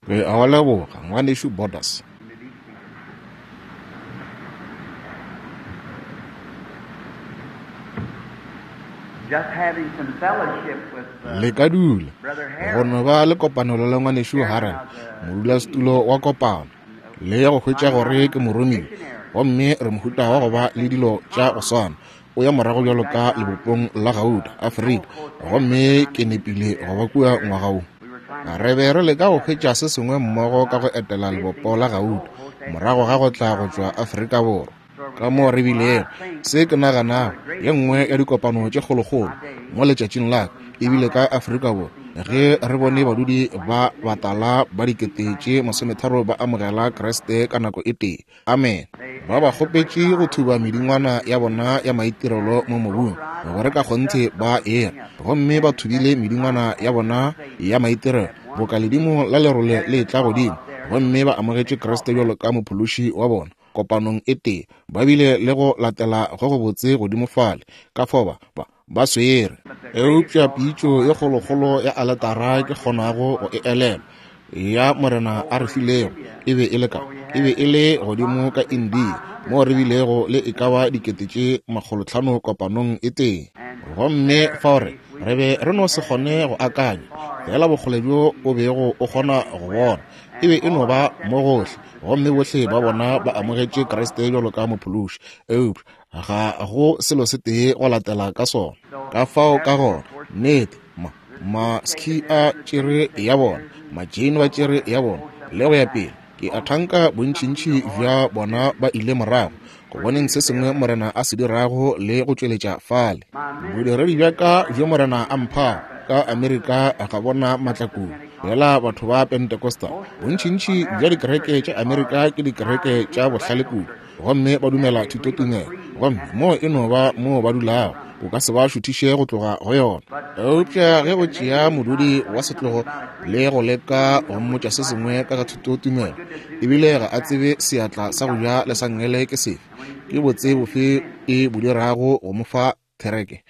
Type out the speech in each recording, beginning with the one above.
Re a go leboga, Ngwanešu Borders. Le ka dula. Go no ba le kopanelo le Ngwanešu Harrel, modulasetulo wa kopano, le go hwetša gore ke moromiwa, gomme re mohuta wa go ba le dilo tša go swana. O ya morago bjalo ka lebopong la gauta, Afrika, gomme ke nepile go ba kua ngwaga wo. Re be re leka go hwetša se sengwe mmogo ka go etela lebopo la gauta, morago ga go tla go tšwa Afrika Borwa. Ka moo re bilego, se ke naganago, ye nngwe ya dikopano tše kgolokgolo mo letšatšing la ka e bile ka Afrika Borwa, ge re bone badudi ba batala ba 30,000 ba amogela Kriste ka nako e tee. Amene. Ba ba kgopetše go thuba medingwana ya bona ya maitirelo mo mobung, gore ka kgonthe ba ere. Gomme ba thubile medingwana ya bona ya maitirelo, boka ledimo la lerole le etla godimo, gomme ba amogetše Kriste bjalo ka Mophološi wa bona, kopanong e tee. Ba bile le go latela go gobotse godimo fale. Ka fao ba, ba, ba swere. Eupša pitšo ye kgolokgolo ya aletara ke kgonago go e elelwa, ya Morena a re filego, e be e le ka, e be e le godimo ka India, moo re bilego le e ka ba 500,000 kopanong e tee. Gomme fao re, re be re no se kgone go akanya, feela bokgole bjo o bego o kgona go bona, e be e no ba mo gohle, gomme bohle ba bona ba amogetše Kriste bjalo ka Mophološi. Eupša ga go selo se tee go latela ka sona. Ka fao ka gona, nnete, ma, ma-Sikh a tšere ya bona, ma-Jain ba tšere ya bona, le go ya pele. Ke a thanka bontšintši bja bona ba ile morago go boneng se sengwe Morena a se dirago le go tšweletša fale. Bodiredi bja ka bjo Morena a mphago ka Amerika ga bona maatla kudu. Fela batho ba Pentecostal, bontšintši bja dikereke tša Amerika ke dikereke tša bohlale kudu, gomme ba dumela thutotumelo, gomme moo e no ba moo ba dulago, o ka se ba šuthiše go tloga go yona. Eupša ge o tšea modudi wa setlogo le go leka go mmotša se sengwe ka ga thutotumelo, ebile ga a tsebe seatla sa go ja le sa nngele ke sefe, ke botse bofe e bo dirago go mo fa thereke?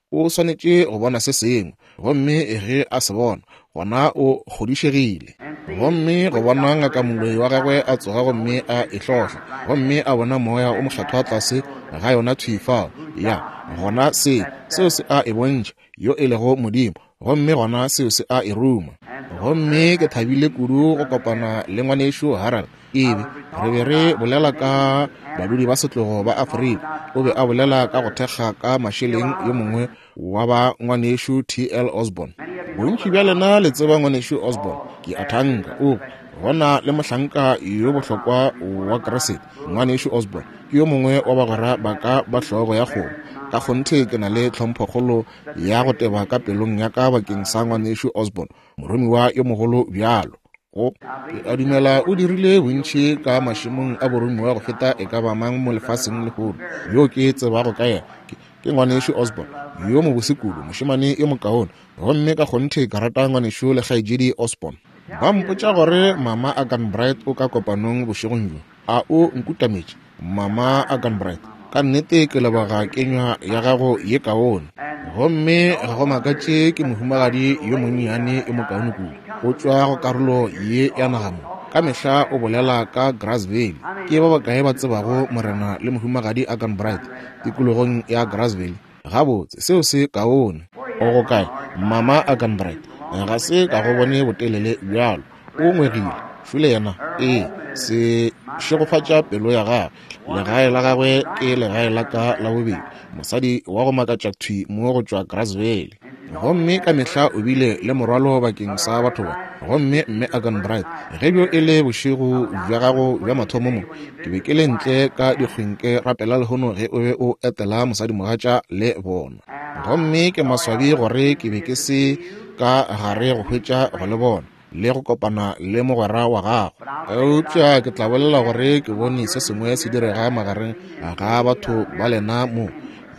O swanetše go bona se sengwe, gomme ge a se bona, gona o kgodišegile. Gomme go bona ngaka moloi wa gagwe a tsoga gomme a e hlohla, gomme a bona Moya o Mokgethwa tlase ga yona thwi fao, ya, gona se, seo se a e bontšha, yo e lego Modimo, gomme gona seo se a e ruma. Gomme ke thabile kudu go kopana le Ngwanešu Harold. Ebe re be re bolela ka badudi ba setlogo ba Afrika. O be a bolela ka go thekga ka mašeleng yo mongwe wa ba Ngwanešu T.L. Osborn. Bontši bja lena le tseba Ngwanešu Osborn, ke a thanka. O gona le mohlanka yo bohlokwa wa Kriste, Ngwanešu Osborn ke yo mongwe wa bagwera ba ka ba hlogo ya kgomo. Ka kgonthe ke na le tlhomphokgolo ya go teba ka pelong ya ka bakeng sa Ngwanešu Osborn, moromiwa yo mogolo bjalo. Go, ke a dumela o dirile bontši ka mašemong a boromiwa go feta e ka ba mang mo lefaseng lehono yo ke tsebago ka yena. Ke, ke Ngwanešu Osborn yo mobose kudu, mošemane yo mokaone, gomme ka kgonthe ke rata Ngwanešu le Kgaetšedi Osborn. Ba mpotša gore Mama Arganbright o ka kopanong bošegong bjo. A o nkutametše, Mama Arganbright? Ka nnete ke leboga kenywa ya gago ye kaone. Gomme ga go makatše ke mohumagadi yo monnyane yo mokaone kudu. O tšwa go karolo ye ya naga mo. Ka mehla o bolela ka Grass Valley. Ke ba bakae ba tsebago Morena le Mohumagadi Arganbright tikologong ya Grass Valley? Gabotse, seo se kaone. O go kae, Mama Arganbright? Ga se ka go bone botelele bjalo. O ngwegile. Šole yena. Ee, se šegofatša pelo ya gagwe. Legae la gagwe ke legae la ka la bobedi. Mosadi wa go makatša thwi mo go tšwa Grass Valley. Gomme ka mehla o bile le morwalo bakeng sa batho ba. Gomme Mme Arganbright, ge bjo e le bošego bja gago bja mathomo mo, ke be ke le ntle ka dikgweng ke rapela lehono ge o be o etela mosadimogatša le bona. Gomme ke maswabi gore ke be ke se ka gare go hwetša go le bona le go kopana le mogwera wa gago. Eupša ke tla bolela gore ke bone se sengwe se direga magareng ga batho ba lena mo.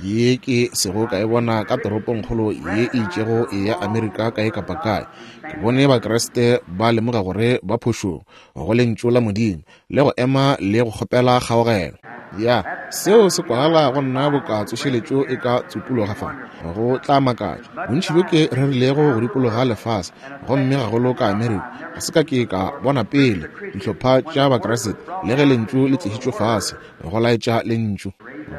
ye ke sego ka e bona ka toropongkgolo ye e itšego ya Amerika kae kapa kae. Ke bone Bakriste ba lemoga gore ba phošong go Lentšu la Modimo, le go ema le go kgopela kgaogelo. Ya, seo se kwagala go nna boka tsošeletšo e ka tsupologa fa. Go tla makatša. Bontši bjo ke rerilego go dikologa lefase, gomme gagolo ka Amerika, ga se ka ke ka bona pele dihlopha tša Bakriste, le ge Lentšu le tlišitšwe fase, go laetša Lentšu.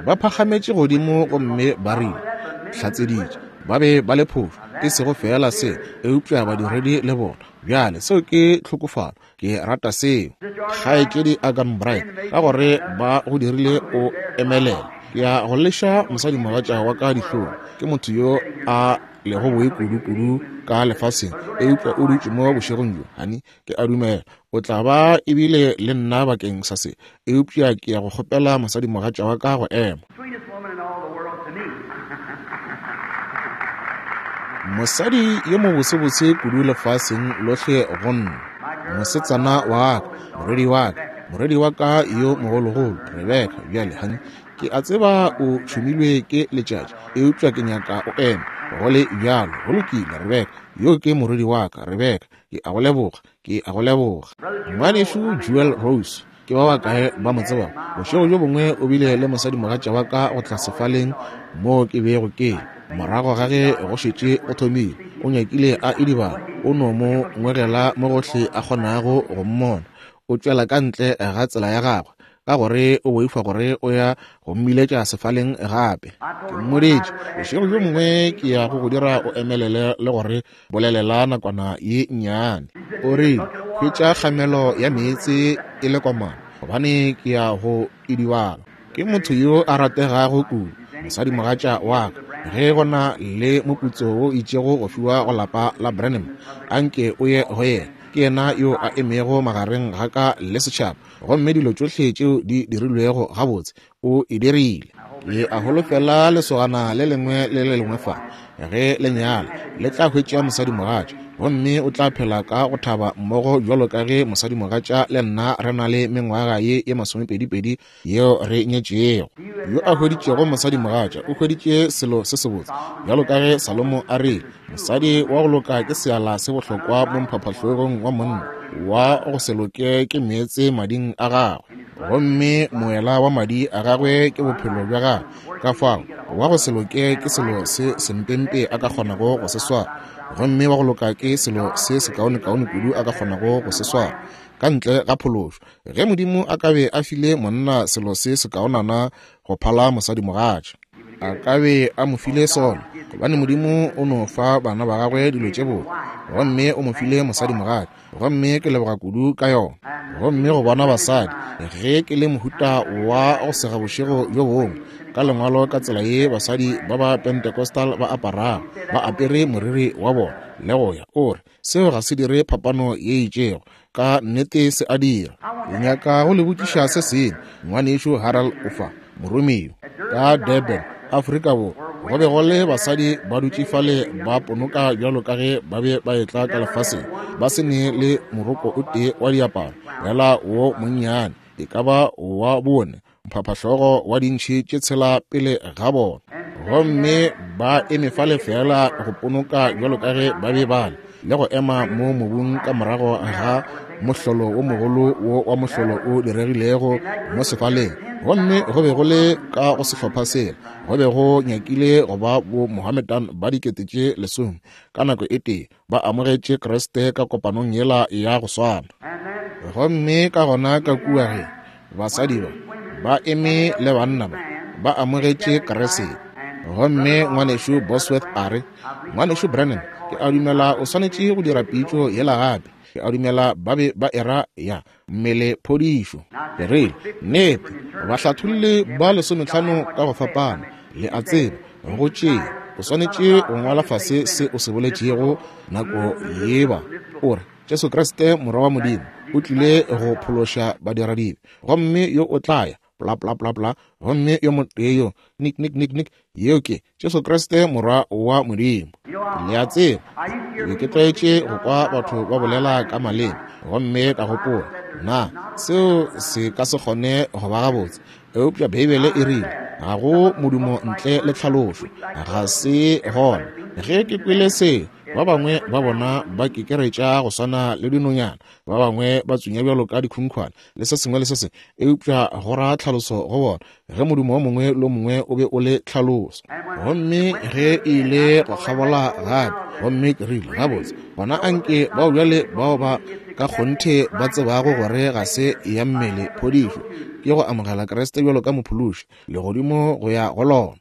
Ba phagametše godimo gomme ba rile, hlatseditše, ba be ba le phošo, e sego feela se, eupša badiredi le bona. Bjale, seo ke tlhokofalo. Ke rata seo. Kgaetšedi Arganbright, ka gore ba go dirile o emelele. Ke ya go leša mosadimogatša wa ka dihlong. Ke motho yo a lego boi kudu-kudu ka lefaseng, eupša o dutše mo bošegong bjo, honey, ke a dumela o tla ba ebile le nna bakeng sa se, eupša ke ya go kgopela mosadimogatša wa ka go ema. Mosadi yo mobosebose kudu lefaseng lohle go nna, mosetsana wa ka, morwedi wa ka, morwedi wa ka yo mogologolo, Rebeka. Bjale, honey, ke a tseba o tšhumilwe ke letšatši, eupša ke nyaka o eme go le bjalo. Go lokile, Rebeka, yo ke morwedi wa ka, Rebeka. Ke a go leboga, ke a go leboga. Ngwanešu Jewel Rose, ke ba bakae ba mo tsebago? Bošego bjo bongwe o bile le mosadimogatša wa ka go tla sefaleng moo ke bego ke le. Morago ga ge go šetše go thomile, o nyakile a idibala, o no mo ngwegela mo gohle a kgonago go mmona. O tšwela ka ntle ga tsela ya gagwe, ka gore o boifa gore o ya go mmiletša sefaleng gape. Ke mmoditše, bošego bjo mongwe ke ya go go dira o emelele le gore bolelela nakwana ye nnyane. O rile, hwetša kgamelo ya meetse e le komana, gobane ke ya go idibala. Ke motho yo a rategago kudu, mosadimogatša wa ka. Ge go na le moputso wo itšego go fiwa go lapa la Branham, anke o ye go yena. Ke yena yo a emego magareng ga ka le setšhaba, gomme dilo tšohle tšeo di dirilwego gabotse o e dirile. Ke a holofela lesogana le lengwe le le lengwe fa, ge le nyala, le tla hwetša mosadimogatša, gomme o tla phela ka go thaba mmogo bjalo ka ge mosadimogatša le nna re na le mengwaga ye ye masomepedipedi yeo re nyetšego. Yo a hweditšego mosadimogatša o hweditše selo se sebotse, bjalo ka ge Salomo a rile, mosadi wa go loka ke seala se bohlokwa mo mphaphahlogong wa monna, wa go se loke ke meetse mading a gagwe, gomme moela wa madi a gagwe ke bophelo bja gagwe. Ka fao wa go se loke ke selo se sempempe a ka kgonago go se swara, gomme wa go loka ke selo se sekaonekaone kudu a ka kgonago go se swara, ka ntle ga phološo. Ge Modimo a ka be a file monna selo se sekaonana go phala mosadimogatša, a ka be a mo file sona, gobane Modimo o no fa bana ba gagwe dilo tše botse, gomme o mo file mosadimogatša, gomme ke leboga kudu ka yona. Gomme go bona basadi, ge ke le mohuta wa go sega bošego bjo bongwe ka lengwalo ka tsela ye basadi ba ba Pentecostal ba aparago, ba apere moriri wa bona le go ya, o re, seo ga se dire phapano ye itšego. Ka nnete se a dira. Ke nyaka go le botšiša se sengwe. Ngwanešu Harold o fa, moromiwa ka Durban, Afrika Borwa. Go be go le basadi ba dutše fale ba ponoka bjalo ka ge ba be ba etla ka lefaseng, ba se ne le moroko o tee wa diaparo, feela wo monnyane, e ka ba wa bone, mphaphahlogo wa dintšhi tše tshela pele ga bona, gomme ba eme fale feela go ponoka bjalo ka ge ba be ba le, le go ema mo mobung ka morago ga mohlolo wo mogolo wo wa mohlolo o diregilego mo sefaleng. Gomme go be go le ka go sehlopha sela go be go nyakile go ba bo Mohammedan ba 10,000 ka nako e tee ba amogetše Kriste ka kopanong yela ya go swana. Gomme ka gona ka kua ge basadi ba ba eme le banna ba ba amogetše Kriste. Gomme ngwanešu Bosworth a re, Ngwanešu Branham, ke a dumela o swanetše go dira pitšo yela gape. Ke a dumela ba be ba era ya mmele phodišo. Ke rile, Nnete, bahlatholli ba 15 ka go fapana, le a tseba, go tšea, o swanetše go ngwala fase se o se boletšego nako yeba. O re, Jesu Kriste Morwa wa Modimo o tlile go phološa badiradibe, gomme yo o tla ya bla bla bla bla, gomme yo motee yo nik nik nik nik, yeo ke Jesu Kriste Morwa wa Modimo. Le a tseba, ke be ke tlwaetše go kwa batho ba bolela ka maleme, gomme ka gopola, na seo se ka se kgone go ba gabotse? Eupša Beibele e rile, Ga go modumo ntle le tlhalošo. Ga se gona. Ge ke kwele se, ba bangwe ba bona ba kekeretša go swana le dinonyana, ba bangwe ba tsunya bjalo ka dikhunkhwane, le se sengwe le se sengwe, eupša go ra tlhaloso go bona, ge modumo o mongwe le o mongwe o be o le tlhaloso. Gomme ge e ile go kgabola gape, gomme ke rile, Gabotse, gona anke bao bjale bao ba ka kgonthe ba tsebago gore ga se ya mmele phodišo, ke go amogela Kriste bjalo ka Mophološi, legodimo go ya go lona.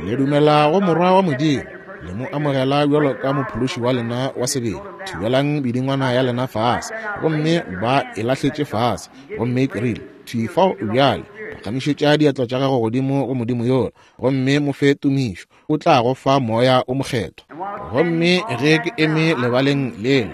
Le dumela go Morwa wa Modimo, le mo amogela bjalo ka Mophološi wa lena wa sebele. Thibelang bidingwana ya lena fase. Gomme ba e lahletše fase. Gomme ke rile, Thwi fao bjale, phagamišetša diatla tša gago godimo go Modimo yola, gomme mo fe tumišo. O tla go fa Moya o Mokgethwa. Gomme ge ke eme lebaleng lela,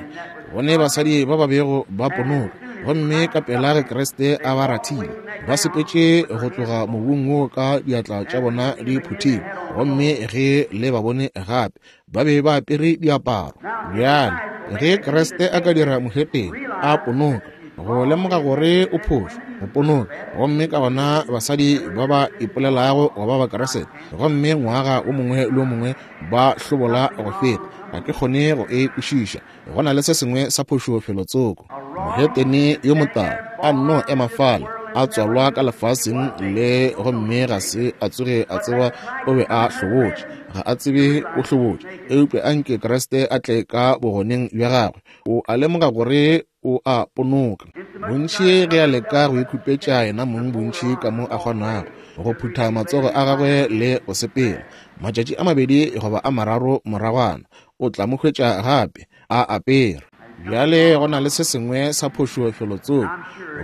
go ne basadi ba ba bego ba ponoka, gomme ka pela ge Kriste a ba rathile, ba sepetše go tloga mobung wo ka diatla tša bona di phuthilwe, gomme ge le ba bone gape, ba be ba apere diaparo. Bjale, ge Kriste a ka dira mohetene a ponoka, go lemoga gore o phošo, go ponoka, gomme ka gona basadi ba ba ipolelago go ba Bakriste, gomme ngwaga o mongwe le o mongwe ba hlobola go feta, ga ke kgone go e kwešiša. Go na le se sengwe sa phošo felotsoko. Mohetene yo motala a nno ema fale, a tswalwa ka lefaseng le, gomme ga se a tsoge a tseba o be a hlobotše. Ga a tsebe o hlobotše, eupša a nke Kriste a tle ka bogoneng bja gagwe. O a lemoga gore o a ponoka. Bontši ge a leka go ikhupetša yena mong bontši ka mo a kgonago, go phutha matsogo a gagwe le go sepela. Matšatši a mabedi goba a mararo moragwana, o tla mo hwetša gape a apere. Bjale go na le se sengwe sa phošo felotsoko,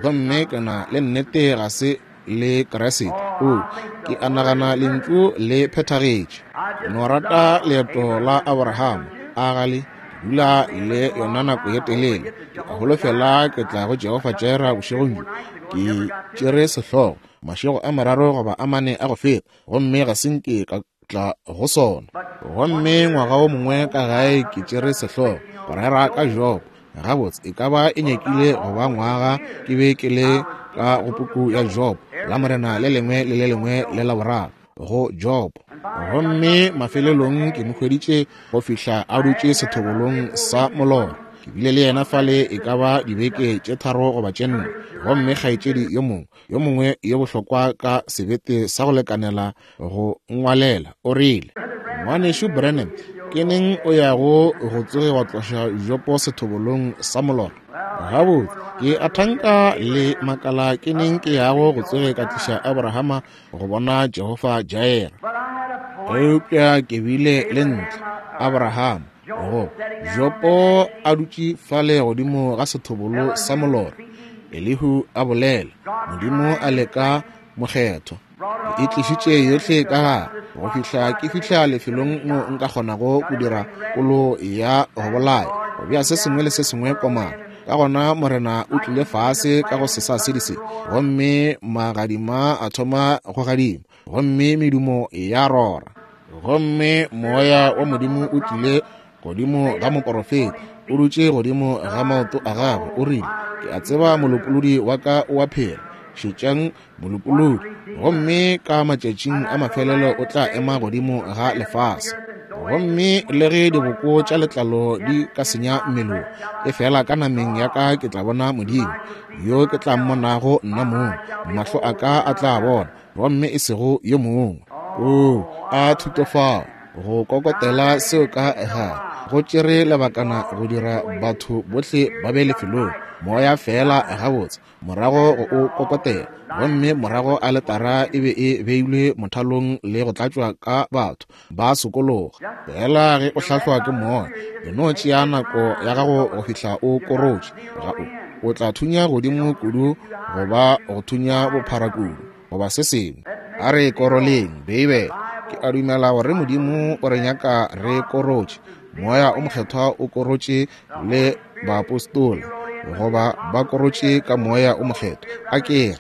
gomme ke na le nnete ga se le Kriste. O, ke a nagana lentšu le phethagetše. No rata leeto la Abraham, a ga le? Dula le yona nako ye telele. Ke a holofela ke tla go Jehofa Jireh bošegong bjo. Ke tšere sehlogo mašego a mararo goba a mane a go feta, gomme ga se nke ka tla go sona. Gomme ngwaga o mongwe ka gae ke tšere sehlogo go rera ka Job. Gabotse, e ka ba e nyakile go ba ngwaga ke be ke le ka go puku ya Job, la Morena le lengwe le le lengwe le la boraro go Job. Gomme mafelelong ke mo hweditše go fihla a dutše sethobolong sa molora. Ke bile le yena fale e ka ba dibeke tše 3 goba tše 4. Gomme kgaetšedi yo mongwe, yo mongwe yo bohlokwa ka sebete sa go lekanela go ngwalela, o rile, Ngwanešu Branham, ke neng o yago go tsoge wa tloša Jopo sethobolong sa molora? Gabotse, ke a thanka le makala ke neng ke yago go tsoge ka tliša Abrahama go bona Jehofa Jireh. Eupša ke bile le ntle Abraham, go Jopo a dutše fale godimo ga sethobolo sa molora, Elihu a bolela, Modimo a leka mokgethwa. E tlišitše yohle ka gare go fihla ke fihla lefelong mo nka kgonago go dira kolo ya go bolaya, go bea se sengwe le se sengwe komana. Ka gona Morena o tlile fase ka go sesa se, gomme magadima a thoma go gadima, gomme medumo ya rora, gomme moya wa Modimo o tlile godimo ga moporofeta, o dutše godimo ga maoto a gagwe, o rile, Ke a tseba molopolodi wa ka o a phela. Šetšang molopolodi, gomme ka matšatšing a mafelelo o tla ema godimo ga lefase. Gomme le ge diboko tša letlalo di ka senya mmele, e fela ka nameng ya ka ke tla bona Modimo, yo ke tla mmonago nna mong, mahlo a ka a tla bona, gomme e sego yo mongwe. O a thutofao go kokotela seo ka gare, go tšere lebakana go dira batho bohle ba be lefelong, moya fela gabotse, morago go o kokotela, gomme morago aletara e be e beilwe mothalong le go tlatšwa ka batho ba sokologa. Fela ge o hlahlwa ke moya, e no tšea nako ya gago go fihla o korotše, ga o tla thunya godimo kudu goba go thunya bophara kudu goba se sengwe. A re koroleng Beibele. Ke a dumela gore Modimo o re nyaka re korotše. Moya o Mokgethwa o korotše le baapostola, goba ba korotše ka Moya o Mokgethwa, a ke re.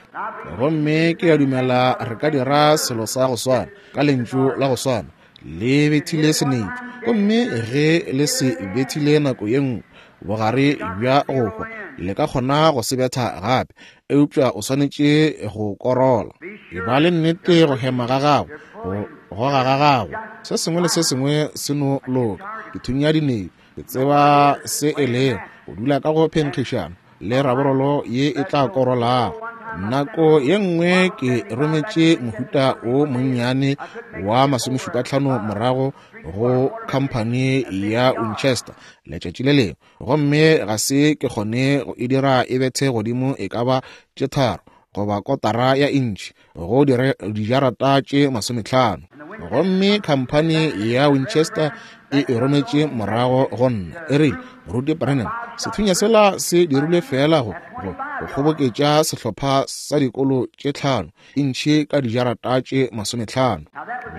Gomme ke a dumela re ka dira selo sa go swana ka lentšu la go swana. Le bethile senetšo, gomme ge le se bethile nako ye nngwe, bogare bja go hwa Le ka kgona go se betha gape, eupša o swanetše go korola. E ba le nnete go hema ga gago, go goga ga gago, se sengwe le se sengwe se no loka. Ke thunya dinei, ke tseba se e lego go dula ka go phenkgišano le raborolo ye e tla korolago. Nako ye nngwe ke rometše mohuta o monnyane wa 75 morago go khamphani ya Winchester letšatši le lengwe, gomme ga se ke kgone go e dira e bethe godimo e ka ba tše 3 goba kotara ya intšhi go dijarata tše 50. Gomme khamphani ya Winchester e e rometše morago go nna, e rile, Moruti Branham, sethunya sela se dirilwe feela go kgoboketša sehlopha sa dikolo tše 5 intšhi ka dijarata tše 50.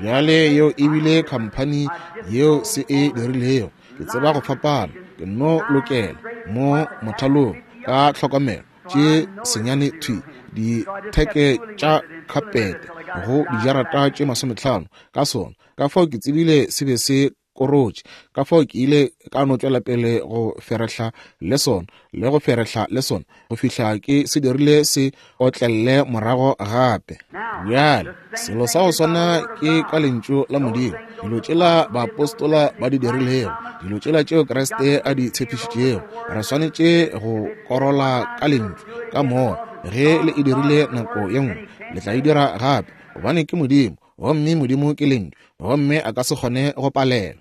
Bjale yeo e bile khamphani yeo se e dirilego. Ke tseba go fapana, ke no lokela mo mothalong ka tlhokomelo tše senyane thwi ditheke tša khapete go dijarata tše 50 ka sona. Ka fao ke tsebile se be se korotše, ka fao ke ile ka no tšwela pele go ferehla le sona le go ferehla le sona go fihla ke se dirile se otlelle morago gape. Bjale selo sa go swana ke ka lentšu la Modimo, dilo tšela baapostola ba di dirilego, dilo tšela tšeo Kriste a di tshepišitšego, re swanetše go korola ka lentšu ka moya. Ge le e dirile nako ye nngwe, le tla e dira gape, gobane ke Modimo, gomme Modimo ke lentšu, gomme a ka se kgone go palela.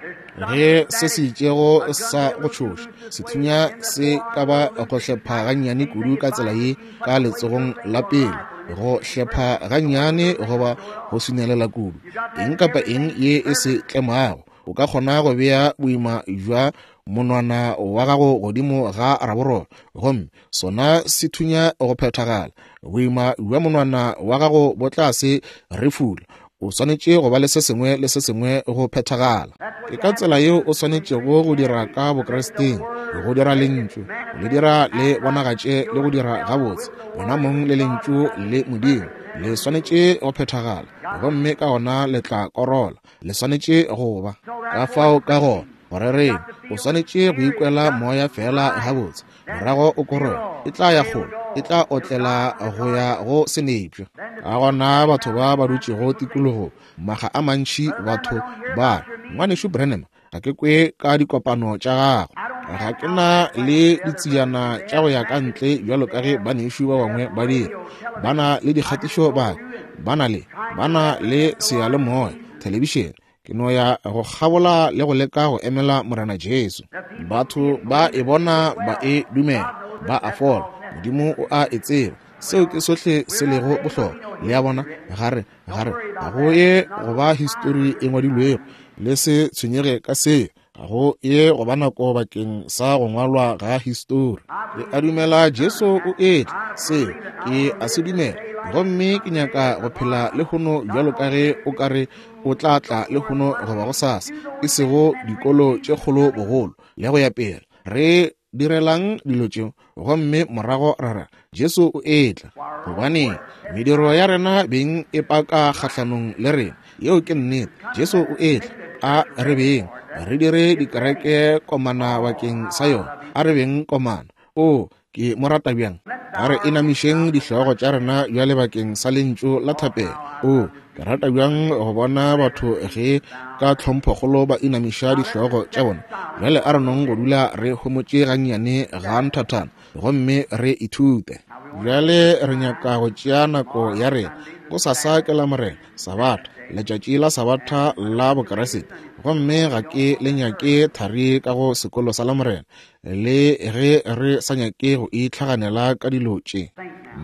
Ge se se itšego sa go tšhoša sethunya se ka ba go hlepha gannyane kudu ka tsela ye ka letsogong la pele, go hlepha gannyane goba go swinelela kudu, eng kapa eng ye e se tlemago, o ka kgona go bea boima bja monwana wa gago godimo ga raborolo, gomme sona se thunya go phethagala. Boima bja monwana wa gago bo tla se refula. O swanetše go ba le se sengwe le se sengwe go phethagala. Ke ka tsela yeo o swanetšego go dira ka Bokristeng, go dira lentšu, go le dira le bonagatše le go dira gabotse wena mong le lentšu le Modimo. Le swanetše go phethagala, gomme ka gona le tla korola. Le swanetše go ba ka fao. Ka gona go rereng, o swanetše go ikwela moya fela gabotse, morago o korole, e tla ya kgole, e tla otlela go ya go senepša. Ka gona batho ba ba dutšego tikologong maga a mantši, batho ba re, Ngwanešu Branham, ga ke kwe ka dikopano tša gago, ga ke na le ditsejana tša go ya ka ntle bjalo ka ge banešu ba bangwe ba dira. Ba na le dikgatišo, ba na le seyalemoya, thelebišene. Ke no ya go kgabola le go leka go emela Morena Jesu. Batho ba e bona, ba e dumela, ba a fola. Modimo o a e tseba. Seo ke sohle se lego bohlokwa. Le a bona? Gare, gare, ga go ye go ba histori e ngwadilwego. Le se tshwenyege ka seo. Ga go ye go ba nako bakeng sa go ngwalwa ga histori. Ke a dumela Jesu o etla, seo ke a se dumela, gomme ke nyaka go phela lehono bjalo ka ge o ka re o tla tla lehono goba gosasa, e sego dikolo tše kgolo bogolo le go ya pele. Re direlang dilo tšeo, gomme morago ra re Jesu o etla, gobane mediro ya rena beng e paka kgahlanong le rena. Yeo ke nnete. Jesu o etla. A re beng re dire dikereke komana bakeng sa yona. A re beng komana. O, ke mo rata bjang. A re inamišeng dihlogo tša rena bjale bakeng sa lentšu la thapelo. O, ke rata bjang go bona batho ge ka tlhomphokgolo ba inamiša dihlogo tša bona. Bjale a re nong go dula re homotše gannyane ga nthathana, gomme re ithute. Bjale re nyaka go tšea nako ya rena. Gosasa ke Lamorena, Sabatha, letšatši la Sabatha la Bokeresete, gomme ga ke le nyake thari ka go sekolo sa Lamorena, le ge re sa nyake go itlhaganela ka dilo tše.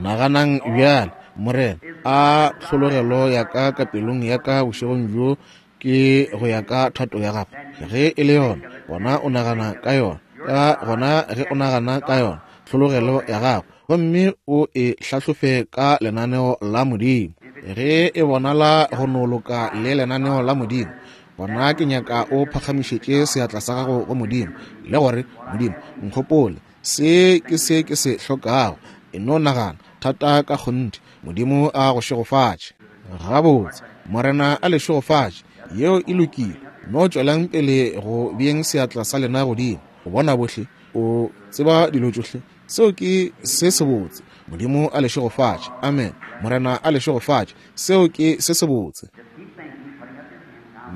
Naganang bjale, Morena, a tlhologelo ya ka ka pelong ya ka bošegong bjo ke go ya ka thato ya gago. Ge e le yona, gona o nagana ka yona. Ka gona ge o nagana ka yona, tlhologelo ya gago, gomme o e hlahlofe ka lenaneo la Modimo. Ge e bonala go no loka le lenaneo la Modimo, gona ke nyaka o phagamišetše seatla sa gago go Modimo le gore, Modimo, nkgopole, se ke se ke se hlokago. E no nagana thata ka kgonthe. Modimo a go šegofatše. Gabotse, Morena a le šegofatše. Yeo e lokile. No tšwelang pele go beeng seatla sa lena godimo go bona bohle. O tseba dilo tšohle. Seo ke se sebotse. Modimo a le šegofatše. Amen. Morena a le šegofatše. Seo ke se sebotse.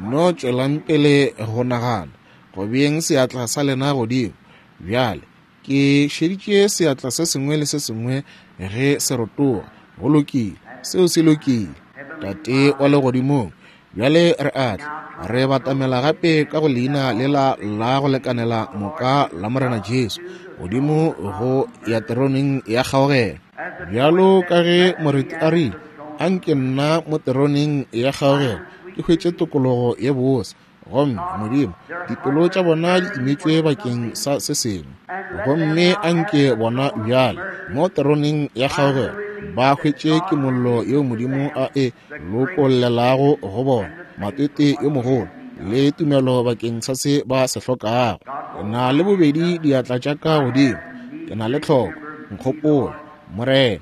No tšwelang pele go nagana, go beeng seatla sa lena godimo. Bjale, ke šeditše seatla se sengwe le se sengwe ge se rotoga. Go lokile. Seo se lokile. Tate wa Legodimong, bjale re a tla, re batamela gape ka go leina lela la go lekanela moka la Morena Jesu, godimo go ya teroneng ya kgaogelo. Bjalo ka ge moreti a rile, anke nna mo teroneng ya kgaogelo ke hwetše tokologo ye bose. Gomme Modimo, dipelo tša bona di imetšwe bakeng sa se sengwe. Gomme anke bona bjale mo teroneng ya kgaogelo ba hwetše kimollo yeo Modimo a e lokollelago go bona, matete yo mogolo le tumelo bakeng sa se ba se hlokago. Ke na le bobedi diatla tša ka godimo, ke na le tlhoko. Nkgopola, Morena.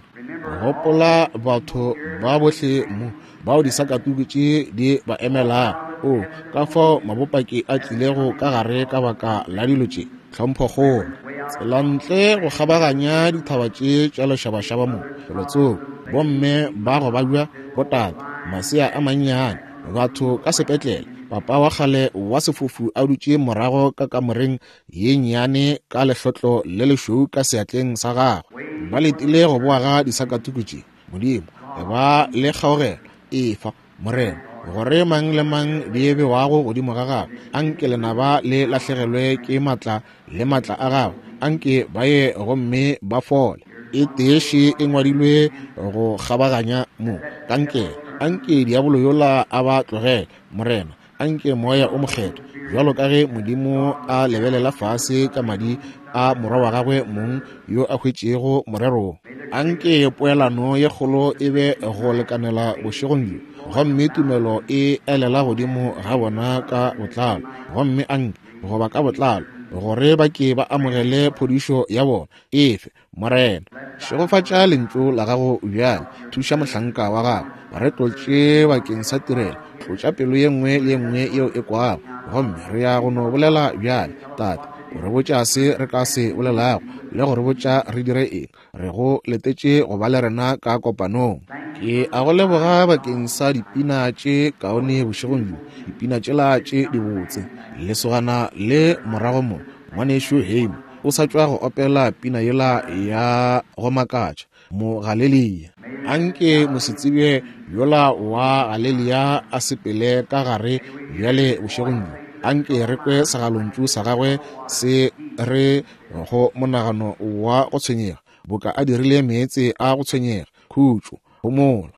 Gopola batho ba bohle mo bao disakatuku tše di ba emelago. O, ka fao mabopaki a tlilego ka gare ka baka la dilo tše. Tlhomphokgolo. Tsela ntle go kgabaganya dithaba tše tša lešabašaba mo, felotsoko, bomme ba go babja, botate, masea a mannyane, batho ka sepetlele, papa wa kgale wa sefofu a dutše morago ka kamoreng ye nnyane ka lehlotlo le lešweu ka seatleng sa gagwe, ba letile go boa ga disakatuku tše. Modimo, ba le kgaogelo, efa, Morena, gore mang le mang di bewago godimo ga gagwe, anke lenaba le lahlegelwe ke matla le matla a gagwe, anke ba ye gomme ba fole. E teeše e ngwadilwe go kgabaganya mo, kankere. Anke diabolo yola a ba tlogele, Morena. Anke Moya o Mokgethwa, bjalo ka ge Modimo a lebelela fase ka madi a Morwa wa gagwe mong yo a hwetšego morero, anke poelano ye kgolo e be go lekanela bošegong bjo, gomme tumelo e elela godimo ga bona ka botlalo, gomme anke, goba ka botlalo, gore ba ke ba amogele phodišo ya bona. Efe, Morena. Šegofatša lentšu la gago bjale. Thuša mohlanka wa gago. Re tlotše bakeng sa tirelo. Tlotša pelo ye nngwe le ye nngwe yeo e kwago. Gomme re ya go no bolela bjale, Tate, o re botša se re ka se bolelago le go re botša re dire eng. Re go letetše go ba le rena ka kopanong. Ke a go leboga bakeng sa dipina tše kaone bošegong bjo, dipina tšela tše dibotse. Lesogana le morago mo, Ngwanešu Heim, o sa tšwa go opela pina yela ya go makatša, Mogalelia. Anke mosetsebje yola wa Galelia a sepele ka gare bjale bošegong bjo. Anke re kwe segalontšu sa gagwe se re go monagano wa go tshwenyega, boka a dirile meetse a go tshwenyega, khutšo, homola.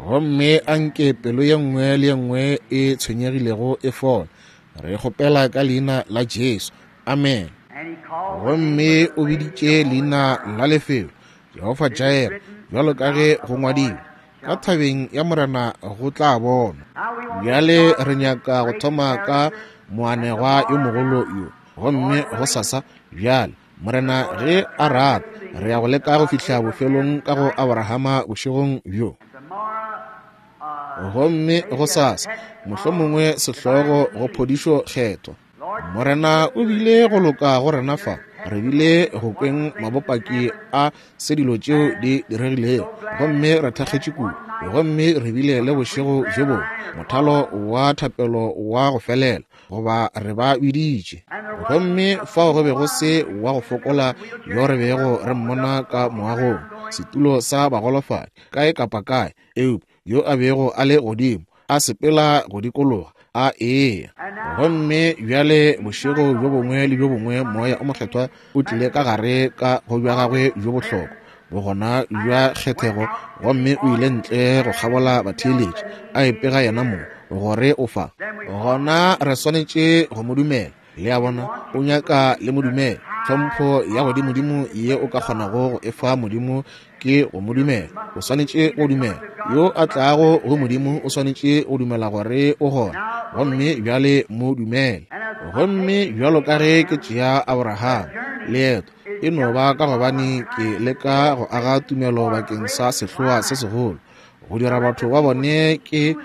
Gomme anke pelo ye nngwe le ye nngwe e tshwenyegilego e fole. Re kgopela ka leina la Jesu. Amen. Gomme o biditše leina la lefelo Jehofa Jireh, bjalo ka ge go ngwadilwe, ka thabeng ya Morena go tla bonwa. Bjale re nyaka go thoma ka moanegwa yo mogolo yo, gomme gosasa bjale, Morena ge a rata, re ya go leka go fihla bofelong ka go Abrahama bošegong bjo. Gomme gosasa, mohlomongwe sehlogo go phodišo kgethwa. Morena o bile go loka go rena fa. Re bile go kweng mabopaki a se dilo tšeo di diregilego, gomme re thakgetše kudu. Gomme re bile le bošego bjo bongwe, mothalo wa thapelo wa go felela, goba re ba biditše. Gomme fao go be go se wa go fokola yo re bego re mmona ka moagong, setulo sa bagolofadi, kae kapa kae, eupša yo a bego a le godimo, a sepela go dikologa, a eya. Gomme bjale bošego bjo bongwe le bjo bongwe Moya o Mokgethwa o tlile ka gare ka go bja gagwe bjo bohlokwa, bogona bja kgethego, gomme o ile ntle go kgabola batheeletši, a ipega yena mong gore o fa. Gona re swanetše go mo dumela. Le a bona, o nyaka le mo dumela. Tlhompho ya godimodimo ye o ka kgonago go e fa Modimo ke go mo dumela. O swanetše go dumela. Yo a tlago go Modimo o swanetše go dumela gore o gona, gomme bjale mo dumele. Gomme bjalo ka ge ke tšea Abraham, leeto e no ba ka gobane ke leka go aga tumelo bakeng sa sehloa se segolo, go dira batho ba bone ke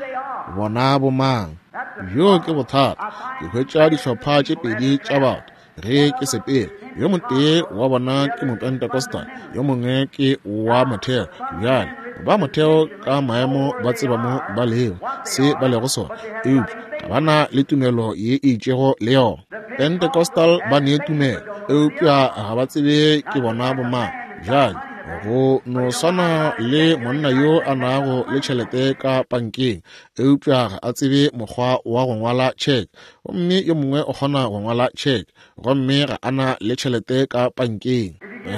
bona bomang. Bjoo ke bothata. Ke hwetša dihlopha tše pedi tša batho ge ke sepela. Yo motee wa bona ke Mopentecostal, yo mongwe ke wa motheo. Bjale, ba motheo ka maemo ba tseba mo ba lego, se ba lego sona, eupša ga ba na le tumelo ye e itšego le yona. Pentecostal ba ne tumelo, eupša ga ba tsebe ke bona bomang. Bjale, go no swana le monna yo a nago le tšhelete ka pankeng, eupša ga a tsebe mokgwa wa go ngwala tšheke, gomme yo mongwe o kgona go ngwala tšheke, gomme ga a na le tšhelete ka pankeng.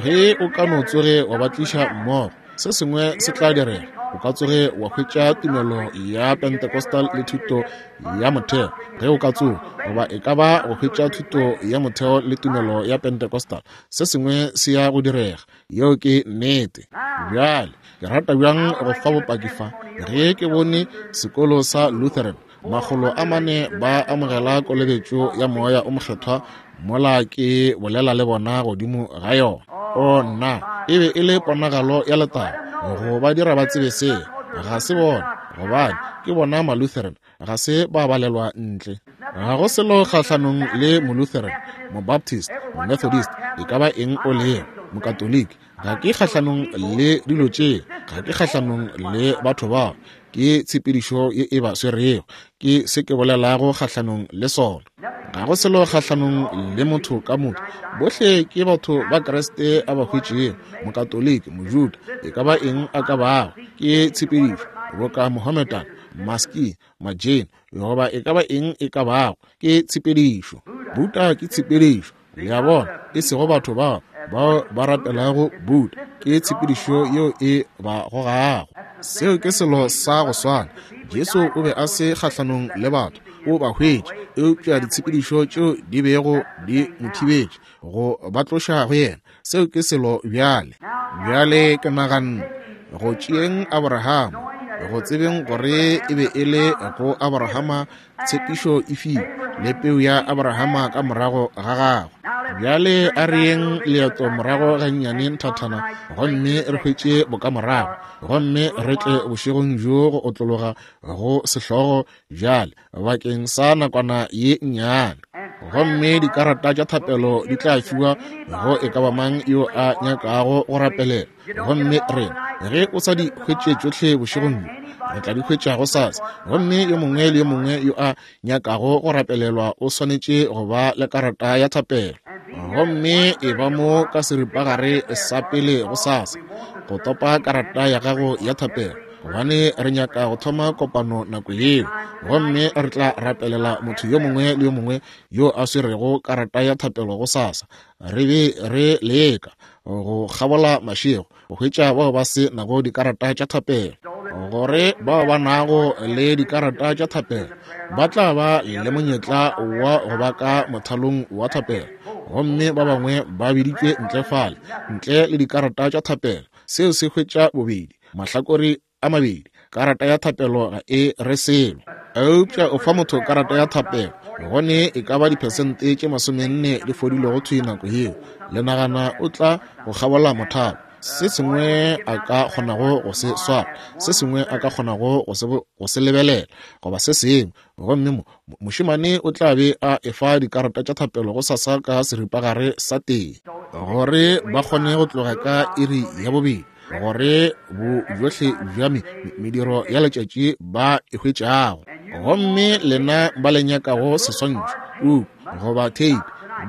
Ge o ka no tsoge wa ba tliša mmogo, se sengwe se tla direga. O ka tsoge wa hwetša tumelo ya Pentecostal le thuto ya motheo, ge o ka tsoga, goba e ka ba go hwetša thuto ya motheo le tumelo ya Pentecostal, se sengwe se ya go direga. Yeo ke nnete. Bjale, ke rata bjang go fa bopaki fa, ge ke bone sekolo sa Lutheran, 400 ba amogela kolobetšo ya Moya o Mokgethwa mola ke bolela le bona godimo ga yona. O nna, e be e le ponagalo ya letago go ba dira ba tsebe seo. Ga se bona, gobane ke bona Malutheran, ga se ba balelwa ntle. Ga go selo kgahlanong le Molutheran, Mobaptist, Momethodist, e ka ba eng o lego, Mokatoliki. Ga ke kgahlanong le dilo tše, ga ke kgahlanong le batho bao. Ke tshepedišo ye e ba swerego, ke se ke bolelago kgahlanong le sona. Ga go selo kgahlanong le motho ka motho, bohle ke batho ba Kriste a ba hwetšego, Mokatoliki, Mojuda, e ka ba eng a ka bago, ke tshepedišo, boka Mohammedan, Maski, Majain, goba e ka ba eng e ka bago, ke tshepedišo. Buddha ke tshepedišo, le a bona, e sego batho bao bao ba rapelago Buddha, ke tshepedišo yeo e ba gogago. Seo ke selo sa go swana. Jesu o be a se kgahlanong le batho, o ba hwetše, eupša ditshepedišo tšeo di bego di mo thibetše go ba tloša go yena. Seo ke selo bjale. Bjale ke naganne, go tšeeng Abrahama, go tsebeng gore e be e le go Abrahama tshepišo e fiwe, le peu ya Abrahama ka morago ga gagwe. Bjale a re yeng leeto morago gannyane nthathana, gomme re hwetše bokamorago, gomme re tle bošegong bjo go otlologa go sehlogo bjale bakeng sa nakwana ye nnyane. Gomme dikarata tša thapelo di tla fiwa go e ka ba mang yo a nyakago go rapelela. Gomme rena, ge o sa di hwetše tšohle bošegong bjo, re tla di hwetša gosasa. Gomme yo mongwe le yo mongwe yo a nyakago go rapelelwa o swanetše go ba le karata ya thapelo. Gomme e ba mo ka seripagare sa pele gosasa go topa karata ya gago ya thapelo, gobane re nyaka go thoma kopano nako yeo. Gomme re tla rapelela motho yo mongwe le yo mongwe yo a swerego karata ya thapelo gosasa. Re be re leka go kgabola mašego go hwetša bao ba se nago dikarata tša thapelo, gore bao ba nago le dikarata tša thapelo ba tla ba le monyetla wa go ba ka mothalong wa thapelo, gomme ba bangwe ba biditšwe ntle fale ntle le dikarata tša thapelo. Seo se hwetša bobedi mahlakore a mabedi. Karata ya thapelo ga e re selo, eupša o fa motho karata ya thapelo, gone e ka ba diphesente tše 40 di fodilego thwi nako yeo. Le nagana o tla go kgabola mothalo, se sengwe a ka kgonago go se swara, se sengwe a ka kgonago go se lebelela, goba se sengwe, gomme mošemane o tla be a efa dikarata tša thapelo go sasa ka seripagare sa tee, gore ba kgone go tloga ka iri ya 2, gore bojohle bja mediro ya letšatši ba e hwetšago. Gomme lena ba le nyakago seswantšho, puku goba tape,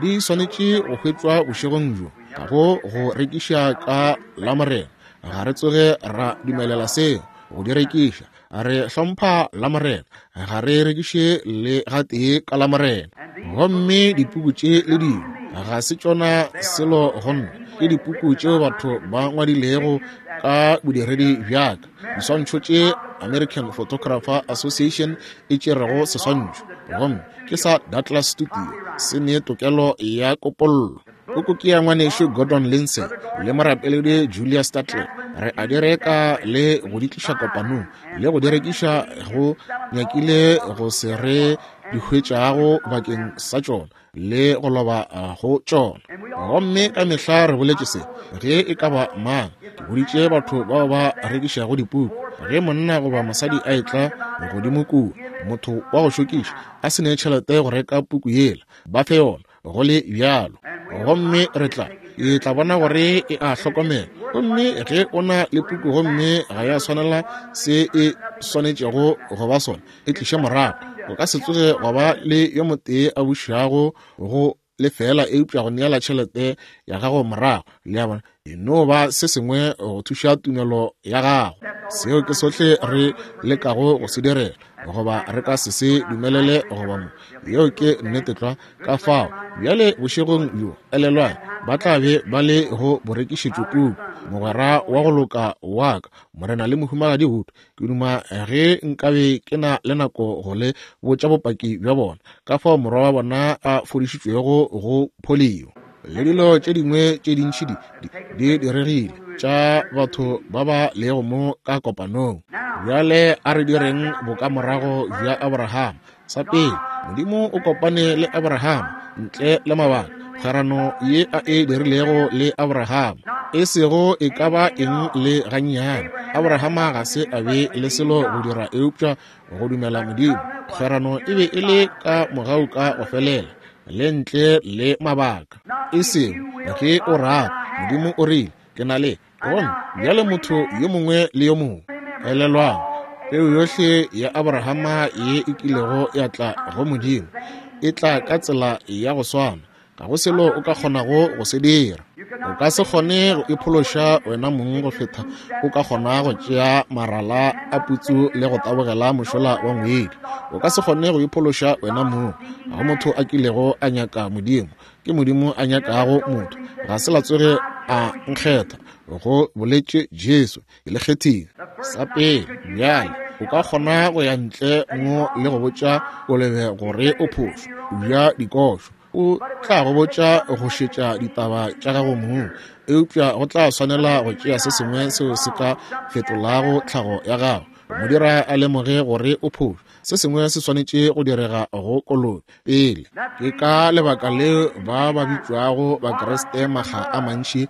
di swanetše go hwetšwa bošegong bjo, ga go go rekiša ka Lamorena. Ga re tsoge ra dumelela seo go di rekiša. Re hlompha Lamorena, ga re rekiše le gatee ka Lamorena. Gomme dipuku tše le dingwe ga se tšona selo go nna, ke dipuku tšeo batho ba ngwadilego ka bodiredi bja ka, diswantšho tše American Photographer Association e tšerego seswantšho, gomme ke sa Douglas Studio, se ne tokelo ya kopollo. Puku ke ya ngwanešu Gordon Lindsay le morapeledi Julia Statler. Re a di reka le go di tliša kopanong le go di rekiša go nyakile go se re di hwetšago bakeng sa tšona le go loba go tšona. Gomme ka mehla re boletše se, ge e ka ba mang, ke boditše batho bao ba rekišago dipuku, ge monna goba mosadi a etla godimo kua, Motho wa go šokiša a se ne tšhelete go reka puku yela, ba fe yona go le bjalo. Gomme re tla, ke tla bona gore e a hlokomela. Gomme ge o na le puku gomme ga ya swanela se e swanetšego go ba sona, e tliše morago. O ka se tsoge wa ba le yo motee a bušago go lefela eupša go neela tšhelete ya gago morago. Le a bona? E no ba se sengwe go thuša tumelo ya gago. Seo ke sohle re lekago go se direla, goba re ka se se dumelele goba mo. Yeo ke nnete tlwa. Ka fao bjale bošegong bjo, elelwang, ba tla be ba le go borekišetšo kuku, mogwera wa go loka wa ka, Morena le Mohumagadi Wood. Ke duma ge nkabe ke na le nako go le botša bopaki bja bona, ka fao morwa wa bona a fodišitšwego go polio le dilo tše dingwe tše dintši di, di, di diregile tša batho ba ba lego mo ka kopanong. Bjale a re direng bokamorago bja Abraham. Sa pele, Modimo o kopane le Abraham ntle le mabaka. Kgwerano ye a e dirilego le Abraham e sego e ka ba eng le gannyane. Abrahama ga se a be le selo go dira eupša go dumela Modimo. Kgwerano e be e le ka mogau ka go felela le ntle le mabaka. E sego ge o rata, Modimo o rile, ke na le. Gomme bjale motho yo mongwe le yo mongwe, elelwang, peu yohle ya Abrahama ye e kilego ya tla go Modimo e tla ka tsela ya go swana. Ga go selo o ka kgonago go se dira. O ka se kgone go iphološa wena mong go feta o ka kgona go tšea marala a putsu le go tabogela mošola wa ngwedi. O ka se kgone go iphološa wena mong. Ga go motho a kilego a nyaka Modimo. Ke Modimo a nyakago motho. Ga se la tsoge a nkgetha, go boletše Jesu. Ke le kgethile. Sa pele, bjale, o ka kgona go ya ntle mo le go botša kolobe gore o phošo, o ja dikošo. O tla go botša go šetša ditaba tša gago mong, eupša go tla swanela go tšea se sengwe seo se ka fetolago tlhago ya gago, go mo dira a lemoge gore o phošo. Se sengwe se swanetše go direga go kolobe pele. Ke ka lebaka leo ba ba bitšwago Bakriste makga a mantši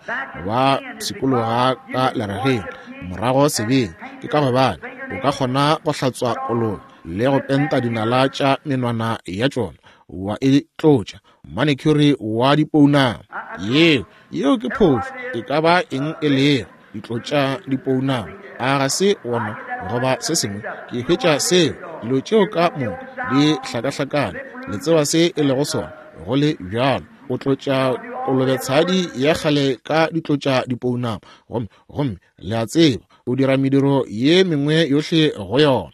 ba pshikologa ka lerageng morago sebeng. Ke ka gobane o ka kgona go hlatswa kolobe le go penta dinala tša menwana ya tšona, wa e tlotša manicure wa dipounama. Yeo, yeo ke phošo, e ka ba eng e lego, ditlotša dipounama, a ga se wona goba se sengwe. Ke hwetša seo, dilo tšeo ka moka di hlakahlakane. Le tseba se e lego sona, go le bjalo. O tlotša kolobetshadi ya kgale ka ditlotša dipounama, gomme, gomme le a tseba, o dira mediro ye mengwe yohle go yona,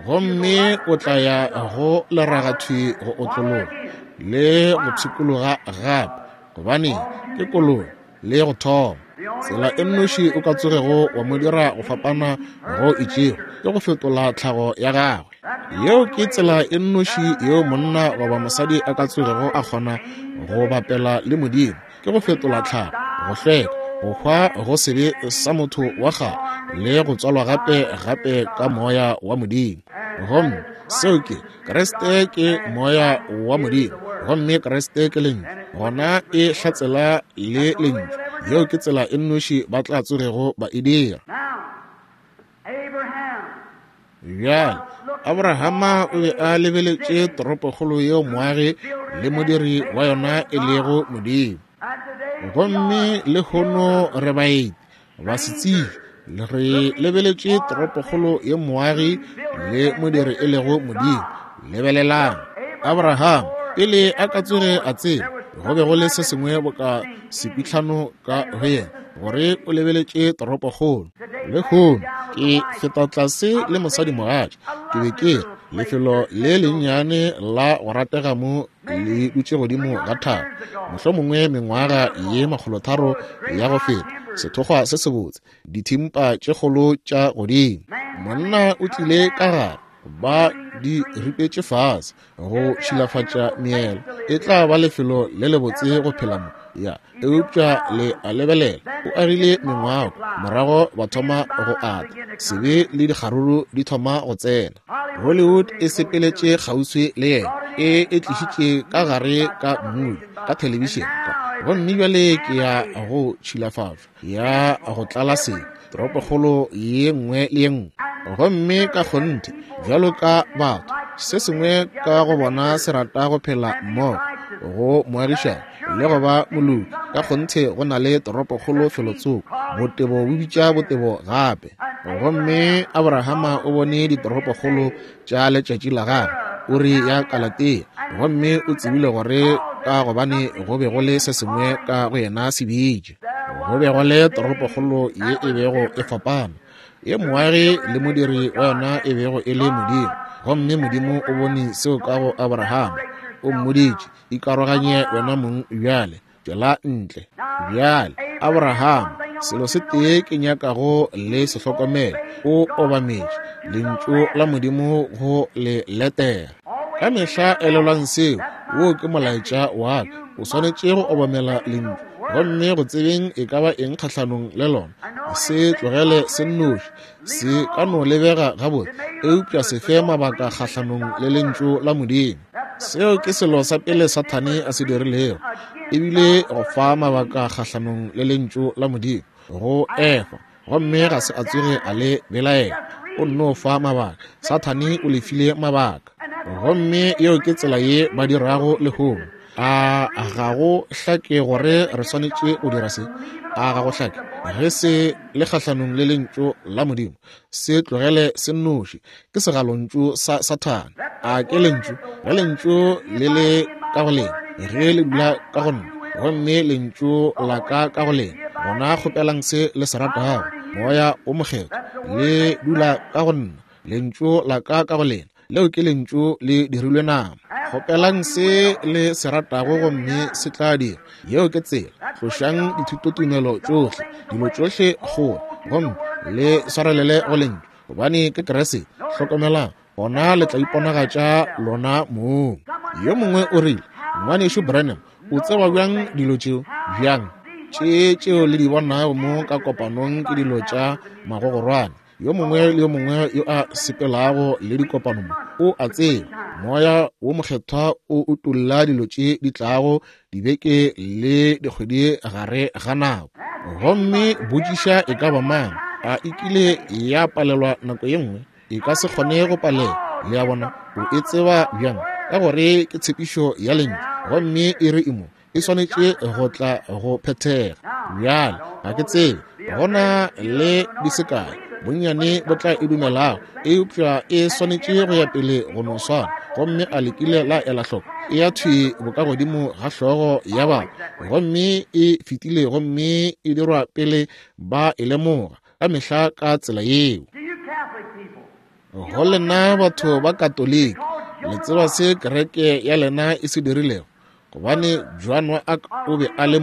gomme o tla ya go leragathwi go otlologa le go pshikologa gape, gobane ke kolobe le go thoma. Tsela e nnoši o ka tsogego wa mo dira go fapana go itšego ke go fetola tlhago ya gagwe. Yeo ke tsela e nnoši yeo monna goba mosadi a ka tsogego a kgona go bapela le Modimo, ke go fetola tlhago, go hlweka, go hwa go sebe sa motho wa kgale le go tswalwa gape gape ka Moya wa Modimo. Gomme seo ke Kriste, ke Moya wa Modimo, gomme Kriste ke Lentšu. Gona e hlatsela le Lentšu. Yeo ke tsela e nnoši ba tla tsogego ba e dira. Bjale, Abrahama o be a lebeletše toropokgolo yeo moagi le modiri wa yona e lego Modimo. Gomme lehono re baeti, basetsebje, re lebeletše toropokgolo ye moagi le modiri e lego Modimo. Lebelelang, Abraham, pele a ka tsoge a tseba, go be go le se sengwe boka sepitlhano ka go yena, gore o lebeletše toropokgolo. Lehono ke feta tlase le mosadimogatša, ke be ke re, lefelo le lennyane la go ratega mo le dutše godimo ga thaba, mohlomongwe mengwaga ye 300 ya go feta, sethokgwa se sebotse, dithimpa tše kgolo tša godimo. Monna o tlile ka gare, ba di ripetše fase go tšhilafatša meelo. E tla ba lefelo le lebotse go phela mo, ya, eupša le a lebelela, o agile mengwako, morago ba thoma go ata, sebe le dikgaruru di thoma go tsena. Hollywood e sepeletše kgauswi le yena, e e tlišitše ka gare ka mmui, ka thelebišene, gomme bjale ke ya go tšhilafatšwa, ya go tlala sebe, toropokgolo ye nngwe le ye nngwe. Gomme ka kgonthe, bjalo ka batho, Se sengwe ka go bona se rata go phela mmogo, go moagišani le go ba moloki. Ka kgonthe go na le toropokgolo felotsoko. Botebo bo bitša botebo gape. Gomme Abrahama o bone ditoropokgolo tša letšatši la gagwe, Uri ya Kalatea, gomme o tsebile gore ka gobane go be go le se sengwe ka go yena se bitše. Go be go le toropokgolo ye e bego e fapana, ye moagi le modiri wa yona e bego e le Modimo. Gomme Modimo o bone seo ka go Abrahama. O mmoditše, Ikaroganye wena mong bjale, tšwela ntle. Bjale, Abrahama, selo se tee ke nyakago le se hlokomele, o obametše Lentšu la Modimo go le letela. Ka mehla elelwang seo, woo ke molaetša wa ka. O swanetše go obamela Lentšu, gomme go tsebeng e ka ba eng kgahlanong le lona, se tlogele se nnoši. Se ka no lebega gabotse, eupša se fe mabaka kgahlanong le Lentšu la Modimo. Seo ke selo sa pele Sathane a se dirilego, ebile go fa mabaka kgahlanong le Lentšu la Modimo go Efa, gomme ga se a tsoge a le belaela. O nno fa mabaka. Sathane o le file mabaka. Gomme yeo ke tsela ye ba dirago lehono. A ga go hlake gore re swanetše go dira se? A ga go hlake? Ge se le kgahlanong le Lentšu la Modimo, se tlogele se nnoši. Ke segalontšu sa Sathane. A ke Lentšu? Ge Lentšu le le ka go lena, ge le dula ka go nna, gomme Lentšu la ka ka go lena, gona kgopelang se le se ratago. Moya wo Mokgethwa, le dula ka go nna, Lentšu la ka ka go lena, leo ke Lentšu le dirilwe nama. Kgopelang se le se ratago gomme se tla dira. Yeo ke tsela. Tlošang dithutotumelo tšohle, dilo tšohle kgole, gomme le swarelele go Lentšu, gobane ke Kriste. Hlokomelang, gona le tla iponagatša lona mong. Yo mongwe o rile, Ngwanešu Branham, o tseba bjang dilo tšeo? Bjang? Tše tšeo le di bonago mo ka kopanong ke dilo tša magogorwane. Yo mongwe le yo mongwe yo a sepelago le dikopano mo o a tseba Moya wo Mokgethwa o utolla dilo tše di tlago dibeke le dikgwedi gare ga nako. Gomme botšiša e ka ba mang, a e kile ya palelwa nako ye nngwe? E ka se kgone go palelwa. Le a bona? O e tseba bjang? Ka gore ke tshepišo ya Lentšu, gomme e re e mo. E swanetše go tla go phethega. Bjale, ga ke tsebe, go na le di se kae bonnyane bo tla e dumelago, eupša e swanetše go ya pele go no swana. Gomme a le kile la ela hloko? E ya thwi bokagodimo ga hlogo ya batho, gomme e fetile gomme e dirwa pele ba e lemoga, ka mehla ka tsela yeo. Go lena batho ba Katoliki, le tseba se kereke ya lena e se dirilego? Gobane Joan wa Arc o be a le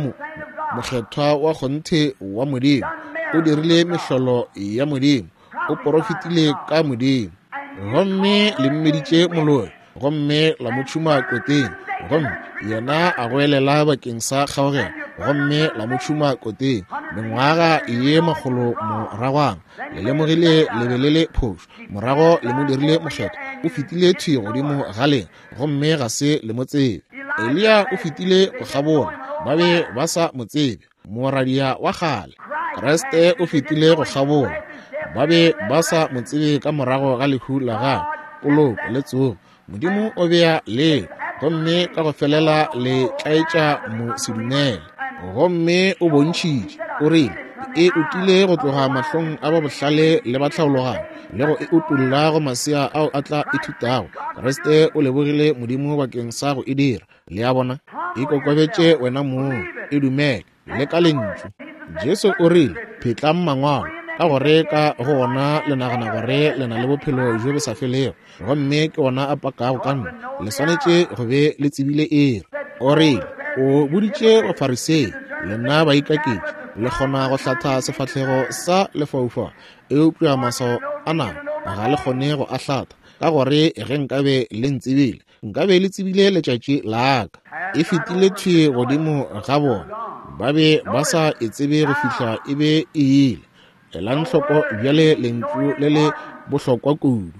mokgethwa wa kgonthe wa Modimo, o dirile mehlolo ya Modimo, o porofetile ka Modimo, gomme le mmeditše moloi, gomme la mo tšhuma koteng, gomme yena a goelela bakeng sa kgaogelo, gomme la mo tšhuma koteng mengwaga ye makgolo moragwana. Le lemogile le be le le phošo, morago le mo dirile mokgethwa, o fetile thwi godimo ga lena, gomme ga se le mo tsebe. Eliya o fetile go kgabola, ba be ba sa mo tsebe, moradia wa kgale. Kriste o fetile go kgabola, ba be ba sa mo tsebe ka morago ga lehu la gagwe, poloko le tsogo. Modimo o bea leo, gomme ka go felela le tlaetša mosedumele. Gomme o bontšhitše, o rile, e utile go tloga mahlong a ba bohlale le ba tlhaologanyo, le go e utolla go masea ao a tla ithutago. Kriste o lebogile Modimo bakeng sa go e dira. Le a bona? Ikokobetše wena mong, e dumele, le ka Lentšu. Jesu o rile, Phetlang Mangwalo, ka gore ka go ona le nagana gore le na le bophelo bjo bo sa felego, gomme ke ona a pakago ka nna. Le swanetše go be le tsebile iri. O rile, o boditše Bafarisei, lena baikaketši, le kgona go hlatha sefahlego sa lefaufau, eupša maswao a nama ga le kgone go a hlatha, ka gore ge nkabe le ntsebile, nkabe le tsebile letšatši la ka. E fetile thwi godimo ga bona, ba be ba sa e tsebe go fihla e be e ile. Elang hloko bjale lentšu le le bohlokwa kudu,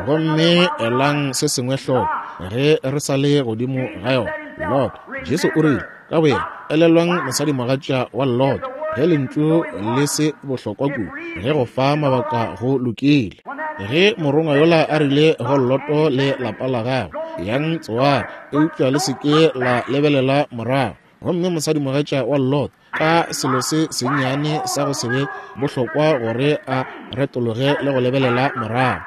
gomme elang se sengwe hloko ge re sa le godimo ga yona. Lot, Jesu o rile ka boyena, elelwang mosadimogatša wa Lot, ge lentšu le se bohlokwa kudu, ge go fa mabaka go lokile. Ge morongwa yola a rile go Loto le lapa la gagwe, Yang Tsoare, eupša le se ke la lebelela morago. Gomme mosadimogatša wa Lot, ka selo se sennyane sa go se be bohlokwa gore a retologe le go lebelela morago,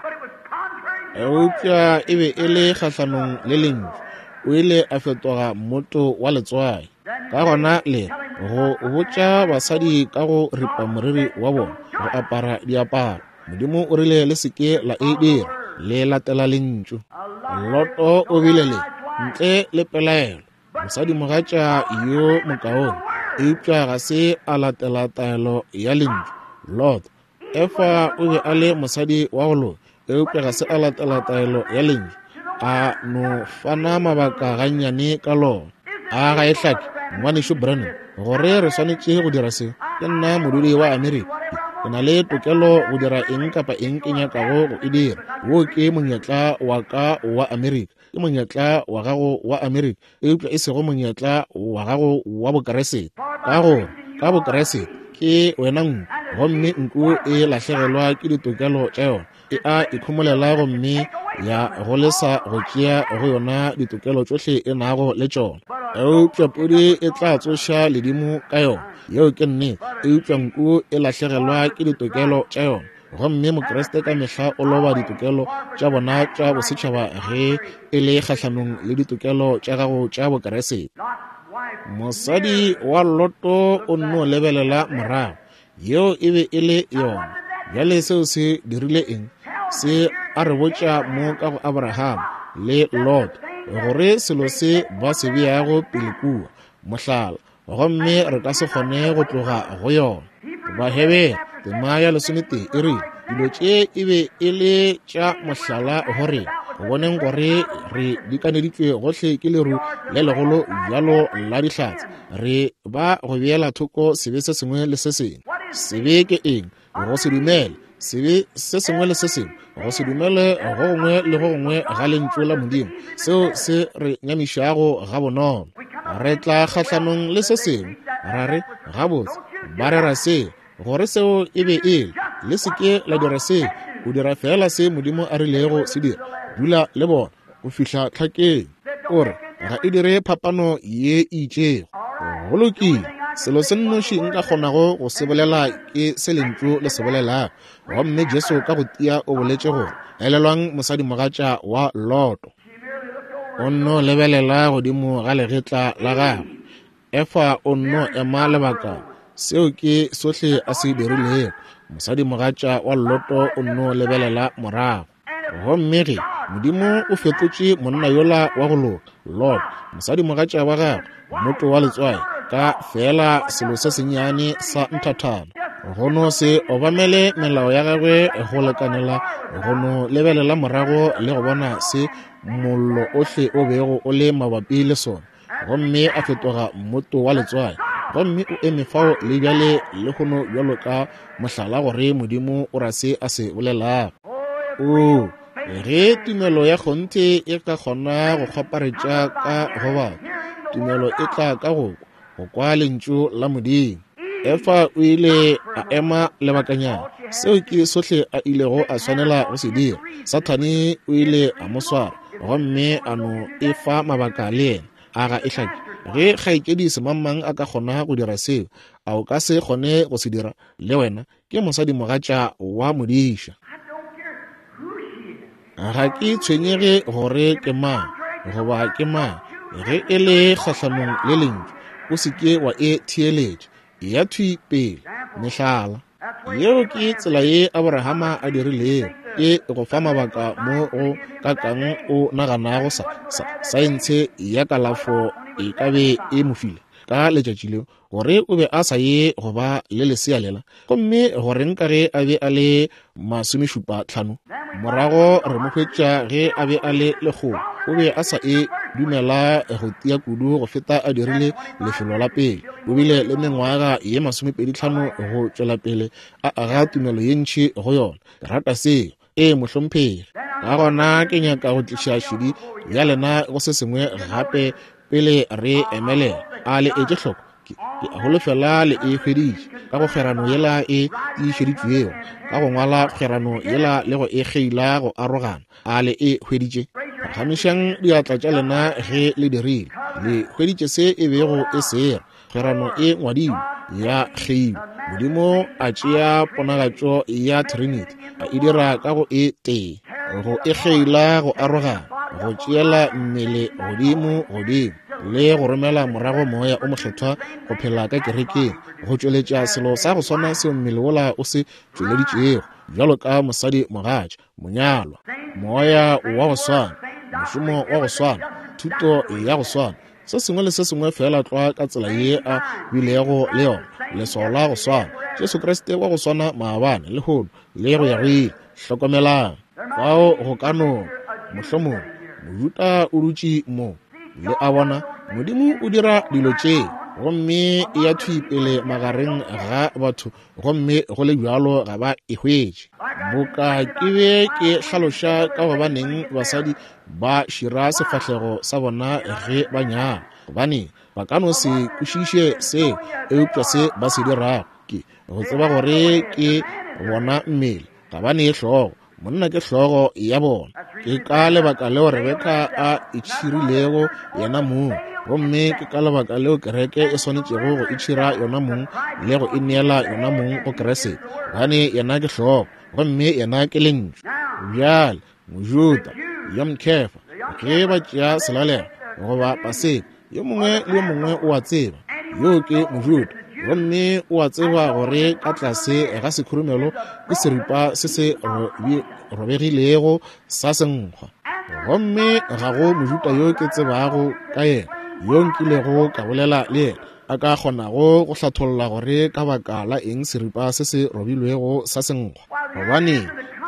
eupša e be e le kgahlanong le Lentšu, o ile a fetoga mmoto wa letswai. Ka gona le go botša basadi ka go ripa moriri wa bona, go apara diaparo, Modimo o rile le se ke la e dira, le latela Lentšu. Loto o bile le, ntle le pelaelo, mosadimogatša yo mokaone, eupša ga se a latela taelo ya Lentšu. Lot, Efa o be a le mosadi wa go loka, eupša ga se a latela taelo ya Lentšu, a no fana mabaka gannyane ka lona. A ga e hlake, Ngwanešu Branham, gore re swanetše go dira se? Ke nna modudi wa Amerika. Ke na le tokelo go dira eng kapa eng ke nyakago go e dira. Wo ke monyetla wa ka wa Amerika. Ke monyetla wa gago wa Amerika, eupša e sego monyetla wa gago wa Bokeresete. Ka gore ka Bokeresete ke wena nku, gomme nku e lahlegelwa ke ditokelo tša yona, e a ikhomolela gomme ya go lesa go tšea go yona ditokelo tšohle e nago le tšona. Eupša pudi e tla tsoša ledimo ka yona, yeo ke nnete, eupša nku e lahlegelwa ke ditokelo tša yona. Gomme Mokriste ka mehla o loba ditokelo tša bona tša bosetšhaba ge e le kgahlanong le ditokelo tša gago tša Bokeresete. Mosadi wa Loto o nno lebelela morago. Yeo e be e le yona. Bjale seo se dirile eng? Se a re botša mo ka go Abraham le Lot gore selo se ba se beago pele kua, mohlala, gomme re ka se kgone go tloga go yona. Bahebere tema ya 11 e rile dilo tše e be e le tša mohlala go rena, go boneng gore re dikaneditšwe gohle ke leru le legolo bjalo la dihlatse, re ba go beela thoko sebe se sengwe le se sengwe. Sebe ke eng? Go se dumele. Sebe se sengwe le se sengwe, go se dumele go gongwe le go gongwe ga Lentšu la Modimo, seo se re nyamišago gabonolo. Re tla kgahlanong le se sengwe, ra re, Gabotse, ba rera se, gore seo e be e le. Le se ke la dira seo. O dira feela se Modimo a rilego se dira. Dula le bona go fihla tlhakeng. O re, Ga e dire phapano ye e itšego. Go lokile, selo se nnoši nka kgonago go se bolela ke se Lentšu le se bolelago. Gomme Jesu ka go tia o boletše gore, Elelwang mosadimogatša wa Loto. O nno lebelela godimo ga legetla la gagwe. Efa o nno ema lebaka. Seo ke sohle a se dirilego. Mosadimogatša wa Loto o nno lebelela morago. Gomme ge Modimo o fetotše monna yola wa go loka, Lot, mosadimogatša wa gagwe, mmoto wa letswai, ka feela selo se sennyane sa nthathana, go no se obamele melao ya gagwe go lekanela go no lebelela morago le go bona se mollo ohle o bego o le mabapi le sona, gomme a fetoga mmoto wa letswai. Gomme o eme fao le bjale lehono bjalo ka mohlala gore Modimo o ra se a se bolelago. Oo, ge tumelo ya kgonthe e ka kgona go kgwaparetša ka go batho, tumelo e tla ka go kwa, go kwa Lentšu la Modimo. Efa o ile a ema lebakanyana. Seo ke sohle a ilego a swanela go se dira. Sathane o ile a mo swara gomme a no e fa mabaka le yena. A ga e hlake? Ge kgaetšedi semangmang a ka kgona go dira seo, a o ka se kgone go se dira le wena? Ke mosadimogatša wa modiša. Ga ke tshwenyege gore ke mang goba ke mang, ge e le kgahlanong le Lentšu, o se ke wa e theeletša. Eya thwi pele. Mehlala. Yeo ke tsela ye Aborahama a dirilego. Ke go fa mabaka mo go kakang o naganago sa, sa, saentshe ya kalafo e ka be e mo file ka letšatši leo gore o be a sa ye go ba le lesea lela, gomme goreng ka ge a be a le 75. Morago re mo hwetša ge a be a le lekgolo, o be a sa e dumela go tia kudu go feta a dirile lefelo la pele. O bile le mengwaga ye 25 go tšwela pele a aga tumelo ye ntši go yona. Ke rata seo. Ee, mohlomphegi. Ka gona ke nyaka go tliša šedi ya lena go se sengwe gape pele re emelela. A le etše hloko? Ke, ke a holofela le e hweditše ka go kgwerano yela e tiišeditšwego, ka go ngwala kgwerano yela le go e kgeila go arogana. A le e hweditše? Phagamišang diatla tša lena ge le dirile. Le hweditše se e bego e se ra. Kgwerano e ngwadilwe, ya kgeilwe. Modimo a tšea ponagatšo ya Trinity, a e dira ka go e tee, go e kgeila go arogana, go tšeela mmele godimo godimo, le go romela morago Moya o Mokgethwa go phela ka kerekeng, go tšweletša selo sa go swana seo mmele wola o se tšweleditšego, bjalo ka mosadi mogatša, monyalwa. Moya wa go swana, mošomo wa go swana, thuto ya go swana, se sengwe le se sengwe feela tlwa ka tsela ye a bilego le yona, leswao la go swana, Jesu Kriste wa go swana maabane, lehono, le go ya go ile. Hlokomelang, fao go ka no, mohlomongwe, Mojuda o dutše mo. Le a bona, Modimo o dira dilo tše, gomme e ya thwi pele magareng ga batho, gomme go le bjalo ga ba e hwetše. Boka ke be ke hlaloša ka gobaneng basadi ba šira sefahlego sa bona ge ba nyala, gobane ba ka no se kwešiše seo, eupša se ba se dirago ke go tseba gore ke bona mmele, ga ba ne hlogo, monna ke hlogo ya bona. Ke ka lebaka leo Rebeka a itšhirilego yena mong, gomme ke ka lebaka leo kereke e swanetšego go itšhira yona mong le go ineela yona mong go Kriste, gobane yena ke hlogo gomme yena ke Lentšu. Bjale Mojuda yo mokhefa ge ba tšea selalelo goba paseka, yo mongwe le yo mongwe o a tseba yo ke Mojuda, gomme o a tseba gore ka tlase ga sekhurumelo ke seripa se se robegilego sa senkgwa. Gomme ga go Mojuda yo ke tsebago ka yena yo nkilego ka bolela le yena a ka kgonago go hlatholla gore ka baka la eng seripa se se robilwego sa senkgwa. Gobane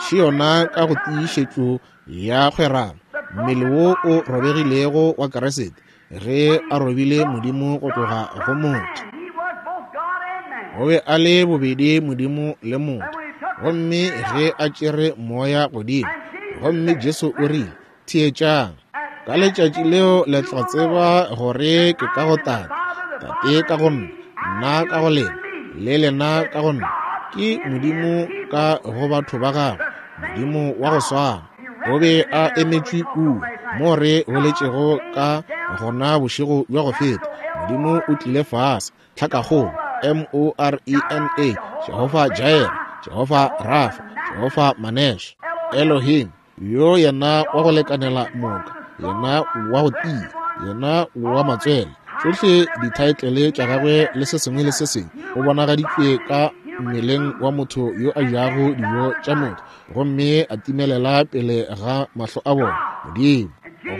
še yona ka go tiišetšo ya kgwerano, mmele wo o robegilego wa Kriste, ge a robile Modimo go tloga go motho. O be a le bobedi Modimo le motho. Gomme ge a tšere moya godimo, gomme Jesu o rile, Theetšang, ka letšatši leo le tla tseba gore ke ka go Tate, Tate ka go nna, nna ka go lena, le lena ka go nna. Ke Modimo ka go batho ba gagwe, Modimo wa go swana. O be a emetšwe kua mo re boletšego ka gona bošego bja go feta. Modimo o tlile fase, tlhakakgolo, M-O-R-E-N-A, Jehofa Jireh, Jehofa Rafa, Jehofa Manesh, Elohim, yo yena wa go lekanela moka, yena wa go tia, yena wa matswele. Tšohle dithaetlele tša gagwe le se sengwe le se sengwe o bonagaditšwe ka mmeleng wa motho yo a jago dijo tša motho, gomme a timelela pele ga mahlo a bona. Modimo.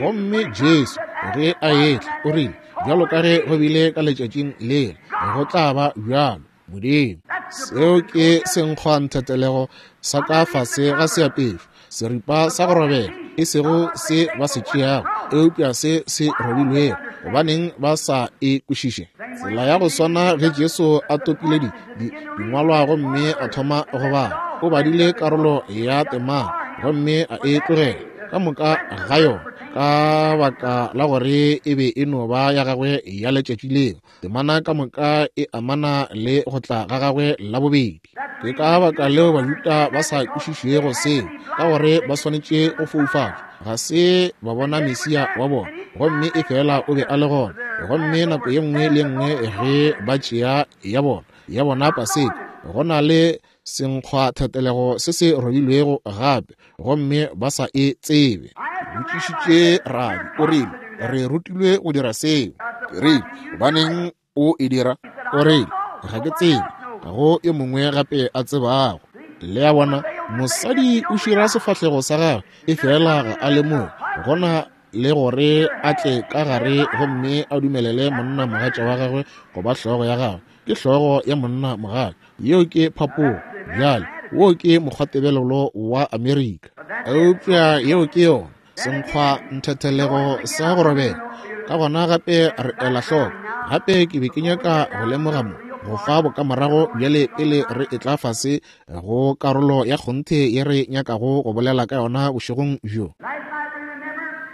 Gomme Jesu ge a etla o rile, bjalo ka ge go bile ka letšatšing lela, go tla ba bjalo. Modimo. Seo ke senkgwa nthetelego sa ka fase ga seapešo, seripa sa go robega, e sego se ba se tšeago, eupša se se robilwego. Gobaneng ba sa e kwešiše? Tsela ya go swana ge Jesu a topile di, di, dingwalwa gomme a thoma go bala, o badile karolo ya temana gomme a e tlogela ka moka ga yona, ka baka la gore e be e no ba ya gagwe ya letšatši leo. Temana ka moka e amana le go tla ga gagwe la bobedi. Ke ka baka leo Bajuda ba sa kwešišego seo, ka gore ba swanetše go foufatšwa. Ga se ba bona Mesia wa bona, gomme e fela o be a le gona. Gomme nako ye nngwe le ye nngwe ge ba tšea ya bona, ya bona Paseka, go na le senkgwathetelego se se robilwego gape, gomme ba sa e tsebe. Botšišitše rabi, o rile, re rutilwe go dira seo. Ke rile, gobaneng o e dira? O rile, ga ke tsebe, ga go yo mongwe gape a tsebago. Le a bona, mosadi o šira sefahlego sa gagwe, e fela ga a lemoge gona le gore a tle ka gare gomme a dumelele monna mogatša wa gagwe go ba hlogo ya gagwe. Ke hlogo ya monna mogatša. Yeo ke phapogo. Bjale, wo ke mokgwatebelelo wa Amerika. Eupša yeo ke yona, senkgwa nthethelego sa go robega. Ka gona gape re ela hloko. Gape ke be ke nyaka go lemoga mo, go fa bokamorago bjale pele re etla fase go karolo ya kgonthe ye re nyakago go bolela ka yona bošegong bjo. Last night we remembered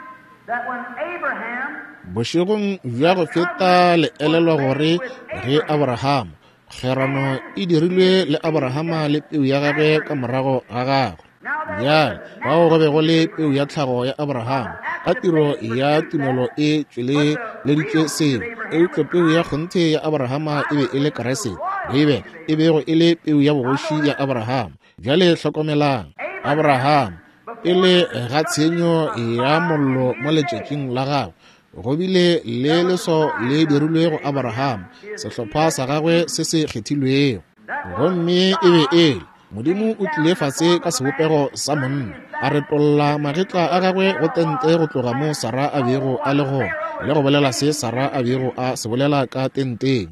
that when Abraham Bošegong bja go feta le elelwa gore ge Abrahama, kgwerano e dirilwe le Abrahama le peu ya gagwe ka morago ga gagwe. Bjale, fao go be go le peu ya tlhago ya Abrahama, ka tiro ya tumelo e tšweleleditše seo, eupša peu ya kgonthe ya Abrahama e be e le Kriste, Beibele e bego e le peu ya bogoši ya Abrahama. Bjale hlokomelang, Abrahama, pele ga tshenyo ya mollo mo letšatšing la gagwe, go bile le leswao le dirilwe go Abrahama, sehlopha sa gagwe se se kgethilwego. Gomme e be e le Modimo o tlile fase ka sebopego sa monna, a retolla magetla a gagwe go tente go tloga mo Sara a bego a le gona, le go bolela se Sara a bego a se bolela ka tenteng.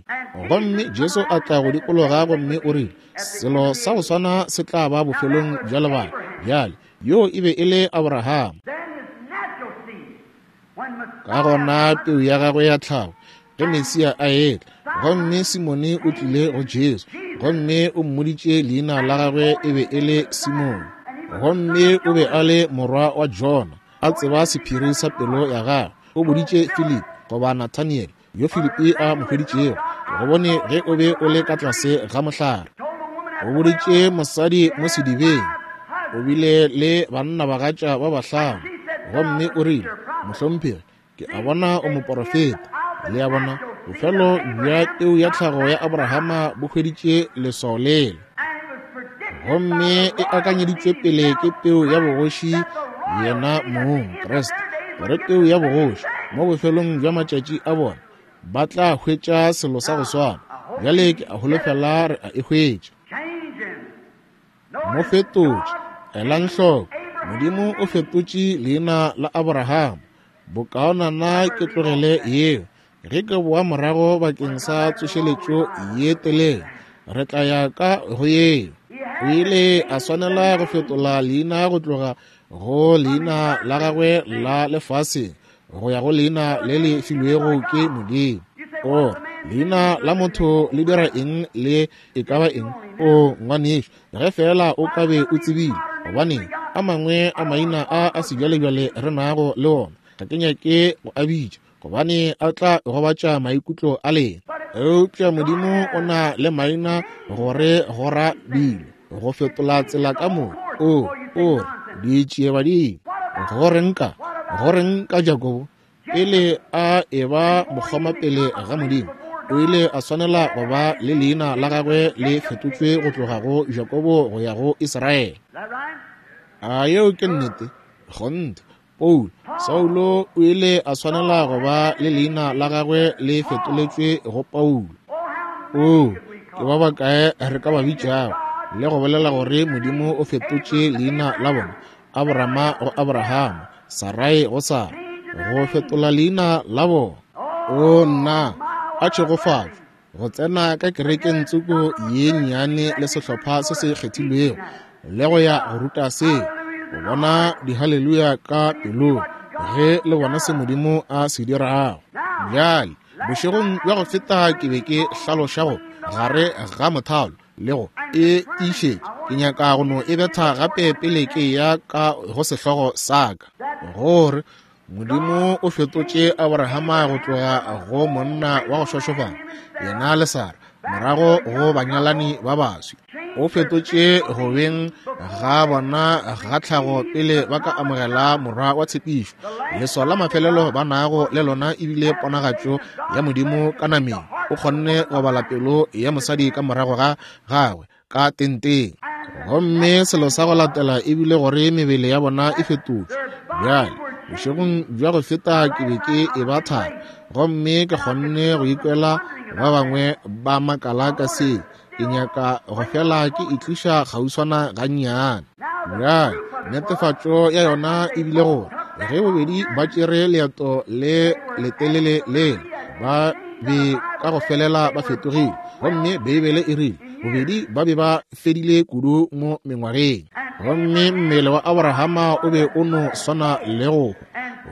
Gomme Jesu a tla go dikologa gomme o rile, Selo sa go swana se tla ba bofelong bja lebaka. Bjale, yoo e be e le Abraham. Ka gona peu ya gagwe ya tlhago, ge Mesia a etla, gomme Simone o tlile go Jesu, gomme o mmoditše leina la gagwe e be e le Simone, gomme o be a le morwa wa Jona, a tseba sephiri sa pelo ya gagwe. O boditše Filipi, goba Nathaniele, yo Filipi a mo hweditšego, ke go bone ge o be o le ka tlase ga mohlare. O boditše mosadi mo sedibeng, o bile le bannabagatša ba bahlano, gomme o rile, Mohlomphegi, ke a bona o moporofeta. Le a bona, bofelo bja peu ya tlhago ya Abrahama bo hweditše leswao lela, gomme e akanyeditšwe pele ke peu ya bogoši yena mong, Kriste, gore peu ya bogoši mo bofelong bja matšatši a bona ba tla hwetša selo sa go swana. Bjale ke a holofela re a e hwetša. Mo fetotše. Elang hloko, Modimo o fetotše leina la Abrahama. Bokaonana ke tlogele yeo. Ge ke boa morago bakeng sa tsošeletšo ye telele, re tla ya ka go yeo. O ile a swanela go fetola leina go tloga go leina la gagwe la lefaseng go ya go leina le le filwego ke Modimo. O leina la motho le dira eng le e ka ba eng? O ngwanešu, ge feela o ka be o tsebile, gobaneng a mangwe a maina a a sebjalebjale re nago le ona, ga ke nyake go a bitša, gobane a tla gobatša maikutlo a lena. Eupša Modimo o na le maina gore go ra dilo, go fetola tsela ka moka. O, o re, ditšiebadimo. Go reng ka, go reng ka Jakobo? Pele a eba mokgoma pele ga Modimo, o ile a swanela go ba le leina la gagwe le fetotšwe go tloga go Jakobo go ya go Israele. A yeo ke nnete? Kgonthe. Paulo, Saulo o ile a swanela go ba le leina la gagwe le fetoletšwe go Paulo. Oo, ke ba bakae re ka ba bitšago le go bolela gore Modimo o fetotše leina la bona, Abrama go Abrahama, Sarai go Sara, go fetola leina la bona. O nna, a tšhegofatšo go tsena ka kerekeng tsoko ye nnyane le sehlopha se se kgethilwego le go ya go ruta seo, go bona dihaleluya ka pelong ge le bona se Modimo a se dirago. Bjale, bošegong bja go feta ke be ke hlaloša go gare ga mothalo le go e tiišetša. Ke nyaka go no e betha gape pele ke ya ka go sehlogo sa ka, gore Modimo o fetotše Abrahama go tloga go monna wa go šošofala, yena le Sara, morago go banyalani ba baswi. O fetotše go beng ga bona ga tlhago pele ba ka amogela morwa wa tshepišo. Leswao la mafelelo ba nago le lona e bile ponagatšo ya Modimo ka nameng. O kgonne go bala pelo ya mosadi ka morago ga gagwe ka tenteng. Gomme selo sa go latela e bile gore mebele ya bona e fetotšwe. Bjale, bošegong bja go feta ke be ke e ba thari, gomme ke kgonne go ikwela ba bangwe ba makala ka se. Ke nyaka go fela ke itliša kgauswana gannyane. Bjale, netefatšo ya yona e bile gore ge bobedi ba tšere leeto le letelele lela, ba be ka go felela ba fetogile. Gomme Beibele e rile bobedi ba be ba fedile kudu mo mengwageng. Gomme mmele wa Abrahama o be o no swana le go hwa,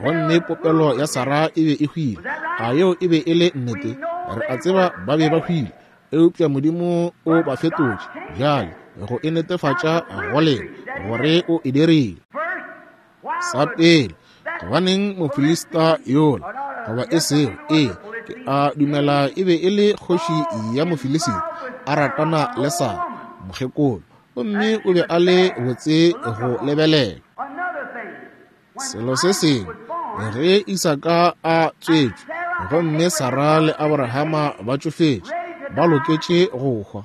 gomme popelo ya Sara e be e hwile. A yeo e be e le nnete? Re a tseba ba be ba hwile, eupša Modimo o ba fetotše bjale go e netefatša go lena gore o e dirile. Sa pele, gobaneng Mofilista yola goba e sego, ee, ke a dumela e be e le kgoši ya Mofilisita, a ratana le Sara, mokgekolo, gomme o be a le botse go lebelela. Selo se sengwe, ge Isaka a tswetšwe, gomme Sara le Abrahama ba tšofetše, ba loketše go hwa.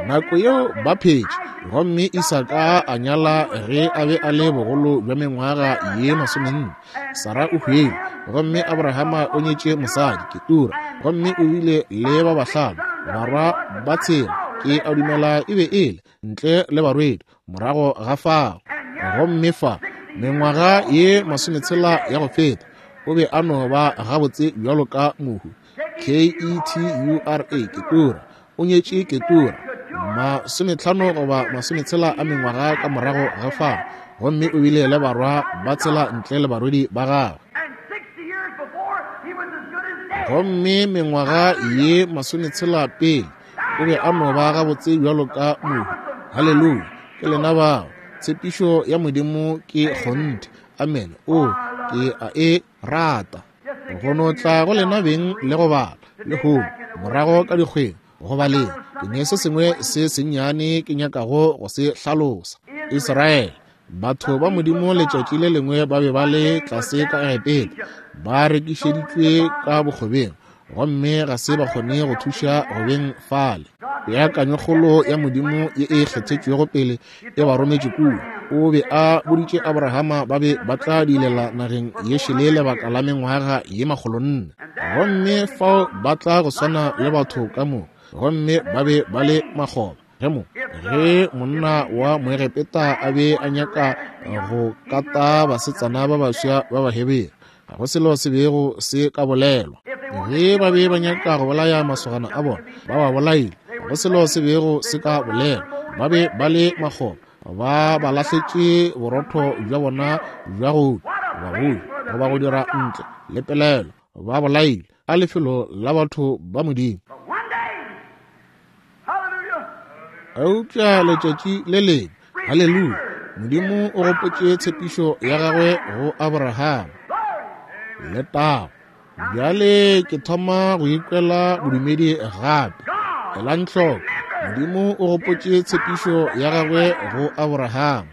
Nako yeo ba phetše, gomme Isaka a nyala ge a be a le bogolo bja mengwaga ye 40. Sara o hwile, gomme Abrahama o nyetše mosadi, Ketura, gomme o bile le ba bahlano, barwa ba tshela, ke a dumela e be e le, ntle le barwedi, morago ga fao. Gomme fa, mengwaga ye 60 ya go feta, o be a no ba gabotse bjalo ka mohu. K-E-T-U-R-A, Ketura. O nyetše Ketura, 50 goba 60 a mengwaga ka morago ga fao, gomme o bile le barwa ba tshela ntle le barwedi ba gagwe. Gomme mengwaga ye 60 pele, o be a no ba gabotse bjalo ka mohu. Haleluya! Ke lena bao. Tshepišo ya Modimo ke kgonthe. Amen. O, ke a e rata. Go no tla go lena beng le go bala lehono, morago ka dikgweng, go baleng, ke ne se sengwe se sennyane ke nyakago go se hlalosa. Israele, batho ba Modimo letšatši le lengwe ba be ba le tlase ka Egepeta, ba rekišeditšwe ka bokgobeng, gomme ga se ba kgone go thuša go beng fale. Peakanyokgolo ya Modimo ye e kgethetšwego pele e ba rometše kua. O be a boditše Abrahama ba be ba tla dilela nageng ye šele lebaka la mengwaga ye 400. Gomme fao ba tla go swana le batho ka moka, gomme ba be ba le makgoba. Ge mo, ge monna wa Moegepeta a be a nyaka go kata basetsana ba baswa ba Bahebere, ga go selo se bego se ka bolelwa. Ge ba be ba nyaka go bolaya masogana a bona, ba ba bolaile. Ga go selo se bego se ka bolelwa. Ba be ba le makgoba, ba ba lahletše borotho bja bona bja go ba go goba go dira ntle le pelaelo, ba bolaile a lefelo la batho ba Modimo. Eupša letšatši le lengwe, haleluya, Modimo o gopotše tshepišo ya gagwe go Abraham. Letago. Bjale ke thoma go ikwela bodumedi gape. Elang hloko, Modimo o gopotše tshepišo ya gagwe go Abraham,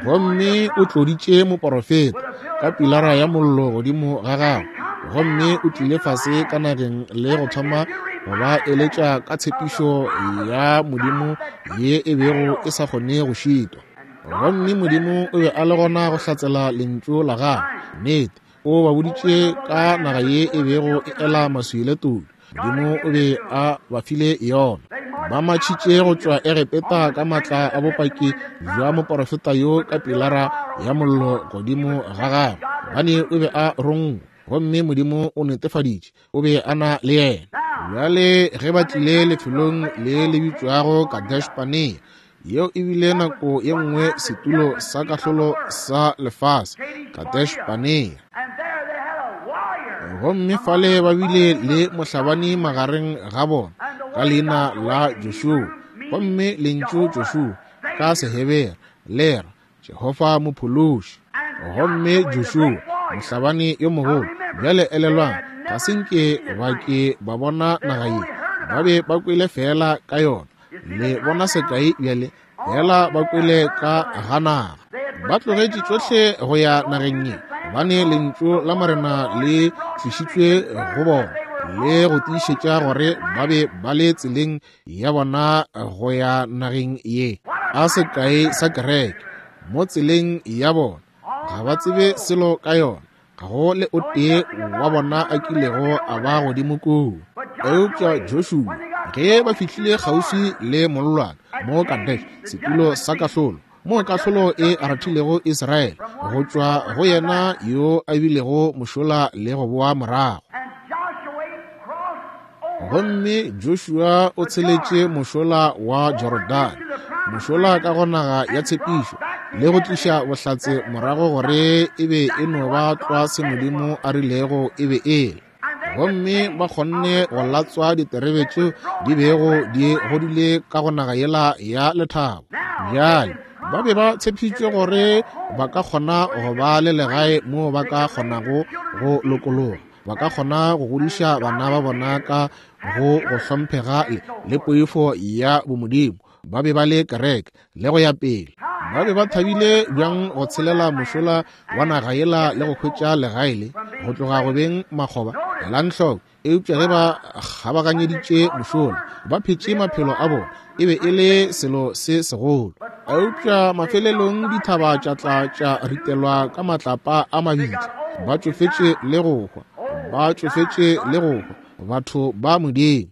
gomme o tloditše moporofeta ka pilara ya mollo godimo ga gagwe, gomme o tlile fase ka nageng le go thoma go ba eletša ka tshepišo ya Modimo ye e bego e sa kgone go šitwa. Gomme Modimo o be a le gona go hlatsela lentšu la gagwe. Nnete, o ba boditše ka naga ye e bego e ela maswi le todi. Modimo o be a ba file yona. Ba matšhitše go tšwa Egepeta ka matla a bopaki bja moporofeta yo ka pilara ya mollo godimo ga gagwe, gobane o be a rongwa, gomme Modimo o netefaditše o be a na le yena. Bjale ge ba tlile lefelong le le bitšwago Kadesh-Barnea, yeo e bile nako ye nngwe setulo sa kahlolo sa lefase, Kadesh-Barnea. Gomme fale ba bile le mohlabani magareng ga bona ka leina la Joshua. Gomme lentšu Joshua ka Sehebere le ra Jehofa mophološi. Gomme Joshua, mohlabani yo mogolo, bjale elelwang, ga se nke ba ke ba bona naga ye, ba be ba kwele feela ka yona. Le bona sekai bjale, fela ba kwele ka ga naga. Ba tlogetše tšohle go ya nageng ye, gobane lentšu la Morena le tlišitšwe go bona le go tiišetša gore ba be ba le tseleng ya bona go ya nageng ye. A sekai sa kereke mo tseleng ya bona, ga ba tsebe selo ka yona, ga go le o tee wa bona a kilego a ba godimo koo. Eupša Joshua, ge ba fihlile kgauswi le mollwane mo Kadesh, setulo sa kahlolo, moo kahlolo e rathilego Israele go tšwa go yena yo a bilego mošola le go boa morago. Gomme Joshua o tsheletše mošola wa Jorodane, mošola ka go naga ya tshepišo, le go tliša bohlatse morago gore e be e no ba tlwa se Modimo a rilego e be e le. Gomme ba kgonne go latswa diterebe tšeo di bego di godile ka go naga yela ya lethabo. Bjale ba be ba tshepišitšwe gore ba ka kgona go ba le legae moo ba ka kgonago go lokologa. ba ka kgona go godiša bana ba bona ka go go hlomphega le poifo ya bomodimo. Ba be ba le kereke le go ya pele. Ba be ba thabile bjang go tshelela mošola wa naga yela le go hwetša legae le go tloga go beng makgoba. Elang hloko, eupša ge ba kgabaganyeditše mošola, ba phetše maphelo a bona, e be e le selo se segolo. Eupša mafelelong dithaba tša tla tša ritelwa ka matlapa a mabitla. Ba tšofetše le go hwa, ba tšofetše le go hwa, batho ba Modimo.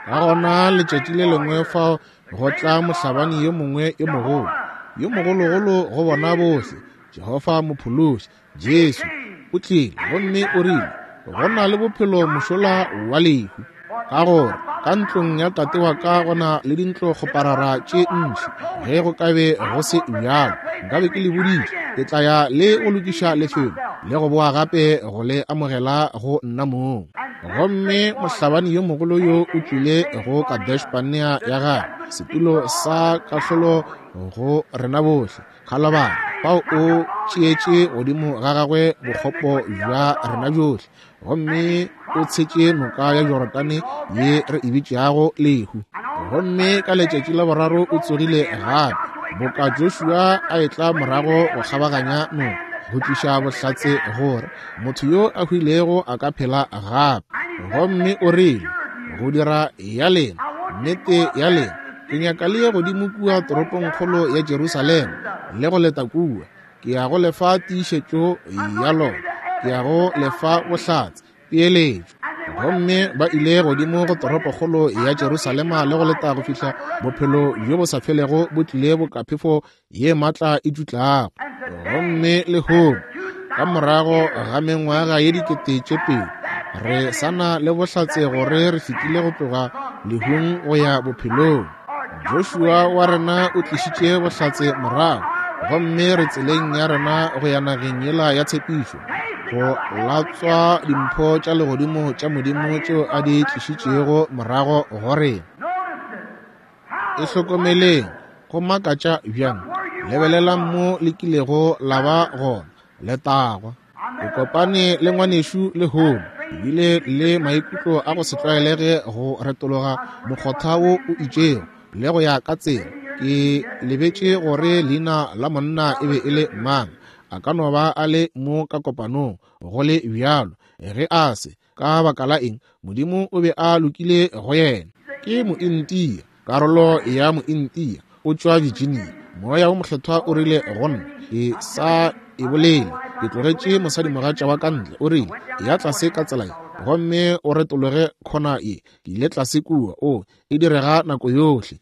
Ka gona letšatši le lengwe fao go tla mohlabani yo mongwe yo mogolo, yo mogologolo go bona bohle, Jehofa Mophološi, Jesu, o tlile gomme o rile, go na le bophelo mošola wa lehu, ka gore ka ntlong ya tate wa ka go na le dintlo kgoparara tše ntši. Ge go ka be go se bjalo, nkabe ke le boditše, ke tla ya le go lokiša lefelo le go boa gape go le amogela go nna mong. Gomme mohlabani yo mogolo yo o tlile go Kadesh-Barnea ya gagwe, setulo sa kahlolo go rena bohle. Kgalabane, fao o tšeetše godimo ga gagwe bokgopo bja rena bjohle, gomme o tshetše noka ya Jorodane ye re e bitšago lehu. Gomme ka letšatši la boraro o tsogile gape, boka Joshua a etla morago go kgabaganya noka, go tliša bohlatse gore motho yo a hwilego a ka phela gape. Gomme o rile, go dira ya lena, nnete ya lena, ke nyaka le ye godimo kua toropongkgolo ya Jerusalema le go leta kua. Ke ya go lefa tiišetšo ya lona, ke ya go lefa bohlatse, peeletšo. Gomme ba ile godimo go toropokgolo ya Jerusalema le go leta go fihla bophelo bjo bo sa felego bo tlile boka phefo ye matla e tšutlago. Gomme lehono, ka morago ga mengwaga ye 2000, re sa na le bohlatse gore re fetile go tloga lehung go ya bophelong. Joshua wa rena o tlišitše bohlatse morago, gomme re tseleng ya rena go ya nageng yela ya tshepišo, go latswa dimpho tša legodimo tša Modimo tšeo a di tlišitšego morago go rena. E hlokomeleng, go makatša bjang. Lebelelang mo le kilego la ba gona, letagwa. Ke kopane le ngwanešu lehono, ke bile le maikutlo a go se tlwaelege go retologa mokgotha wo o itšego le go ya ka tsela. Ke lebetše gore leina la monna e be e le mang. A ka no ba a le mo ka kopanong, go le bjalo. Ge a se, ka baka la eng, Modimo o be a lokile go yena. Ke Mointia, karolo ya Mointia, o tšwa Virginia. Moya wo Mokgethwa o rile go nna, ke sa e bolele, ke tlogetše mosadimogatša wa ka ntle, o rile, ya tlase ka tsela ye, gomme o retologe khona ye. Ke ile tlase kua, o e direga nako yohle.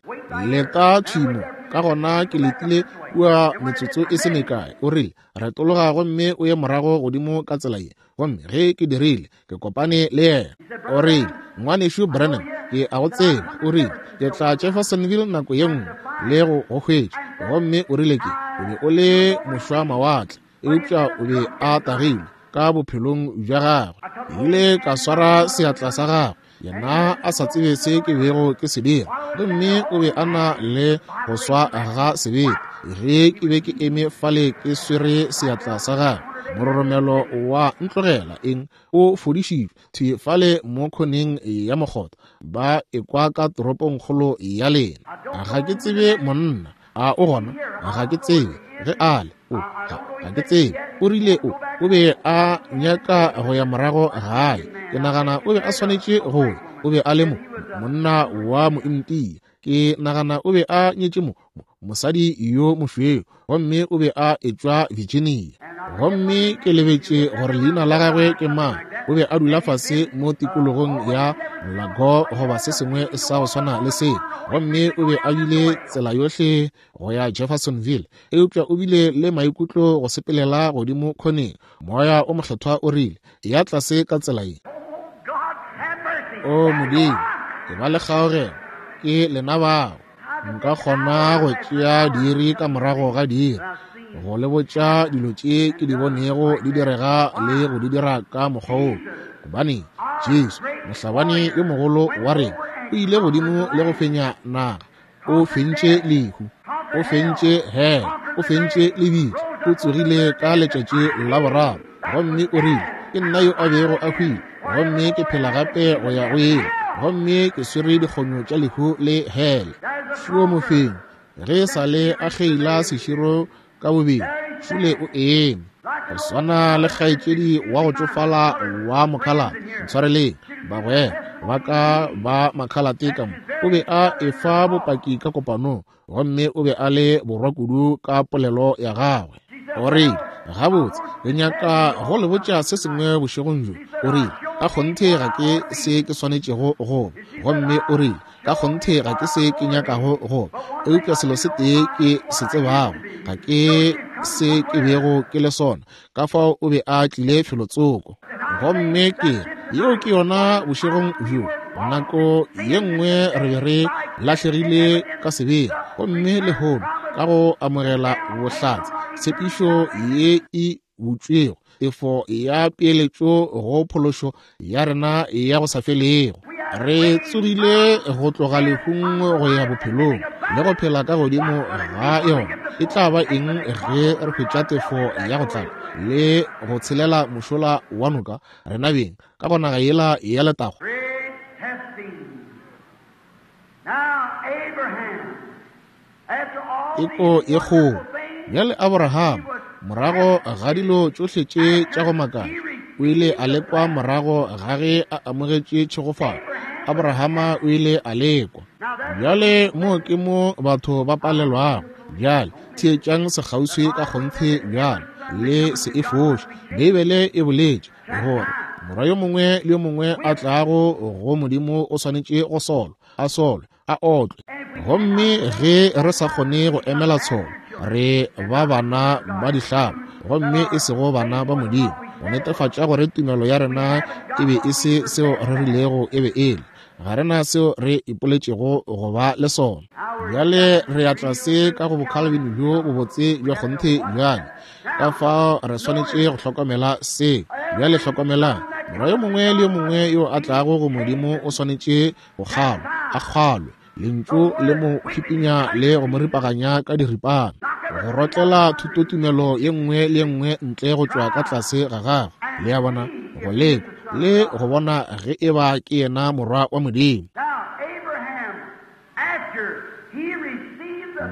Leta thwi mo. Ka gona ke letile kua metsotso e se mekae, o rile, retologa gomme o ye morago godimo ka tsela ye. Gomme ge ke dirile, ke kopane le yena. O rile, Ngwanešu Branham, ke a go tseba. O rile, ke tla Jeffersonville nako ye nngwe le go go hwetša. Gomme o rile, ke o be o le mošwa mawatle, eupša o be a tagilwe ka bophelong bja gagwe. Ke ile ka swara seatla sa gagwe, yena a sa tsebe se ke bego ke se dira, gomme o be a na le go swa ga sebete. Ge ke be ke eme fale ke swere seatla sa gagwe, mororomelo wa ntlogela. Eng? O fodišitšwe thwi fale mo khoneng ya mokgotha. Ba ekwa ka toropongkgolo ya lena. Ga ke tsebe monna. A o gona? Ga ke tsebe ge a le. O, ga ke tsebe. O rile o be a nyaka go ya morago gae. Ke nagana o be a swanetše go ya. O be a le mo monna wa Mointia. Ke nagana o be a nyetše mo mosadi yo mošweu, gomme o be a etšwa Virginia. Gomme ke lebetše gore leina la gagwe ke mang. O be a dula fase mo tikologong ya Lago goba se sengwe sa go swana le se. Gomme o be a bile tsela yohle go ya Jeffersonville, eupša o bile le maikutlo go sepelela godimo khoneng. Moya o Mokgethwa o rile, ya tlase ka tsela ye. O Modimo, ke ba le kgaogelo, ke lena bao. Nka kgona go tšea diiri ka morago ga diiri go le botša dilo tše ke di bonego di direga le go di dira ka mokgwa wo. Gobane Jesu, mohlabani yo mogolo wa rena, o ile godimo le go fenya naga. O fentše lehu, o fentše hell, o fentše lebitla, o tsogile ka letšatši la boraro. Gomme o rile, Ke nna yo a bego a hwile, gomme ke phela gape go ya go ile, gomme ke swere dikgonyo tša lehu le hele. Šuo mofenyi, ge e sa le a kgeila seširo ka bobedi, šule o eme. Go swana le kgaetšedi wa go tšofala wa mokhalate, ntshwareleng bagwera ba ka ba makhalate ka mo, o be a efa bopaki ka kopanong, gomme o be a le borwa kudu ka polelo ya gagwe. O rile, Gabotse, ke nyaka go le botša se sengwe bošegong bjo. O rile, Ka kgonthe ga ke se ke swanetšego go ba. Gomme o rile, Ka kgonthe ga ke se ke nyakago go ba. Eupša selo se tee ke se tsebago, ga ke se ke bego ke le sona. Ka fao o be a tlile felotsoko. Gomme ke re, yeo ke yona bošegong bjo. Nako ye nngwe re be re lahlegile ka sebeng, gomme lehono ka go amogela bohlatse, tshepišo ye e butšwego, tefo ya peeletšo go phološo ya rena ya go sa felego. Re tsogile go tloga lehung go ya bophelong le go phela ka godimo ga yona. E tla ba eng ge re hwetša tefo ya go tlala le go tshelela mošola wa noka rena beng ka go naga yela ya letago? Teko ye kgolo. Bjale Abraham, morago ga dilo tšohle tše tša go makatša, o ile a lekwa morago ga ge a amogetše tšhegofatšo. Abrahama o ile a lekwa. Bjale mo ke mo batho ba palelwago. Bjale theetšang sekgauswi ka kgonthe bjale, le se e foše. Beibele e boletše gore morwa yo mongwe le yo mongwe a tlago go Modimo o swanetše go solwa, a solwe, a otlwe. Gomme ge re sa kgone go emela tsholo, re ba bana ba dihlaba, gomme e sego bana ba Modimo, go netefatša gore tumelo ya rena e be e se seo re rilego e be e le. Ga re na seo re ipoletšego go ba le sona. Bjale re ya tlase ka go boCalvin bjo bobotse bja kgonthe bjale. Ka fao re swanetše go hlokomela se. Bjale hlokomelang, morwa yo mongwe le yo mongwe yo a tlago go Modimo o swanetše go kgalwa, a kgalwe, Lentšu le mo hipinya le go mo ripaganya ka diripana, go rotlela thutotumelo ye nngwe le ye nngwe ntle go tšwa ka tlase ga gagwe, le a bona, go lekwa le go bona ge eba ke yena morwa wa Modimo.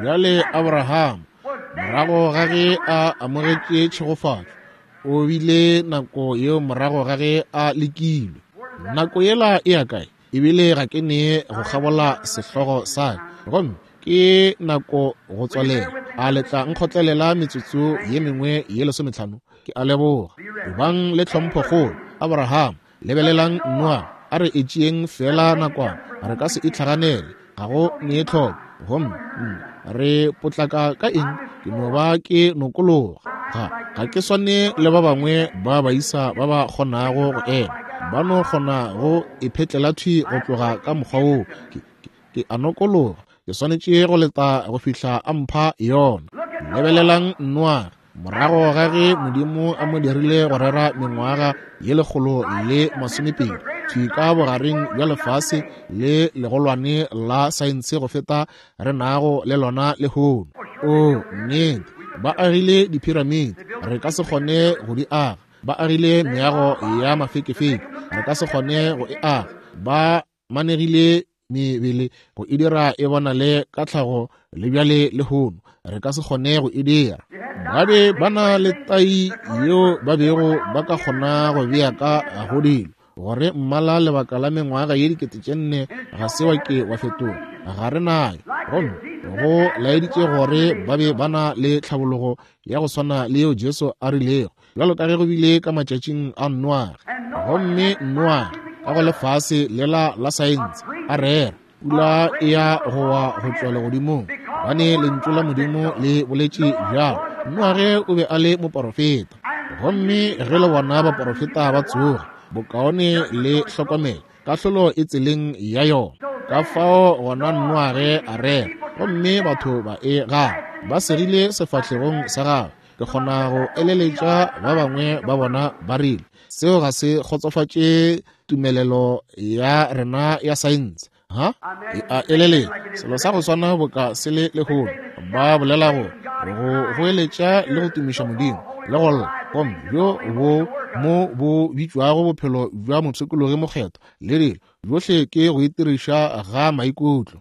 Bjale Abraham, morago ga ge a amogetše tšhegofatšo, o bile nako yeo morago ga ge a lekilwe. Nako yela e ya kae? Ebile ga ke ne go kgabola sehlogo sa ka, gomme ke nako go tswalela. A le tla nkgotlelela metsotso ye mengwe ye 15? Ke a leboga. Ebang le tlhomphokgolo, Abraham. Lebelelang Noa. A re e tšeeng feela nakwana. Re ka se itlhaganele. Ga go ne tlhoko. Gomme re potlaka ka eng? Ke no ba ke nokologa. Ga ke swane le ba bangwe ba baisa ba ba kgonago go ema. Ba no kgona go iphetlela thwi go tloga ka mokgwa woo. Ke a nokologa. Ke swanetše go leta go fihla a mpha yona. Lebelelang Noage, morago ga ge Modimo a mo dirile go rera mengwaga ye 120, thwi ka bogareng bja lefase le legolwane la saense go feta re nago le lona lehono. Oo, nnete, ba agile diphiramiti, re ka se kgone go di aga. Ba agile meago ya mafekefeke, re ka se kgone go e aga. Ba manegile mebele go e dira e bonale ka tlhago le bjale lehono, re ka se kgone go e dira. Ba be ba na le tai yeo ba bego ba ka kgona go bea ka go dilo gore mmala lebaka la mengwaga ye 4000 ga se wa ke wa fetoga. Ga re nayo. Gomme go laeditše gore ba be ba na le tlhabologo ya go swana le yeo Jesu a rilego, bjalo ka ge go bile ka matšatšing a Noage. Gomme Noage, ka go lefase lela la saense, a rera, pula e ya go wa go tšwa legodimong, gobane Lentšu la Modimo le boletše bjalo. Noage o be a le moporofeta. Gomme ge le bona baporofeta ba tsoga, bokaone le hlokomele, kahlolo e tseleng ya yona. Ka fao gona Noage a rera, gomme batho ba e gana, ba segile sefahlegong sa gagwe. Ke kgona go eleletša ba bangwe ba bona ba rile, seo ga se kgotsofatše tumelelo ya rena ya saense. Ha? E a eleletša selo sa go swana boka se le lehono. Ba bolela go goeletša le go tumiša Modimo. le go lla, gomme bjo bo mo bo bitšwago bophelo bja mopshikologi mokgethwa le dilo, bjohle ke go itiriša ga maikutlo.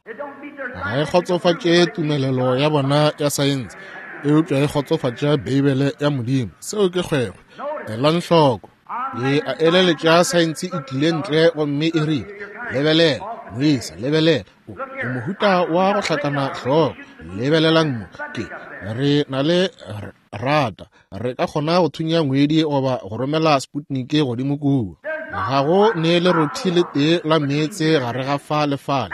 Ga e kgotsofatše tumelelo ya bona ya saense, eupša e kgotsofatša Beibele ya Modimo. Seo ke kgwekgwe. Elang hloko. Ke a eleletša saense e tlile ntle gomme e rile, Lebelela, moisa, lebelela. O, o mohuta wa go hlakana hlogo. Lebelelang mo. Ke, re na le rata. Re ka kgona go thunya ngwedi goba go romela Sputnik godimo kua. Ga go ne lerothi le tee la meetse gare ga fa le fale.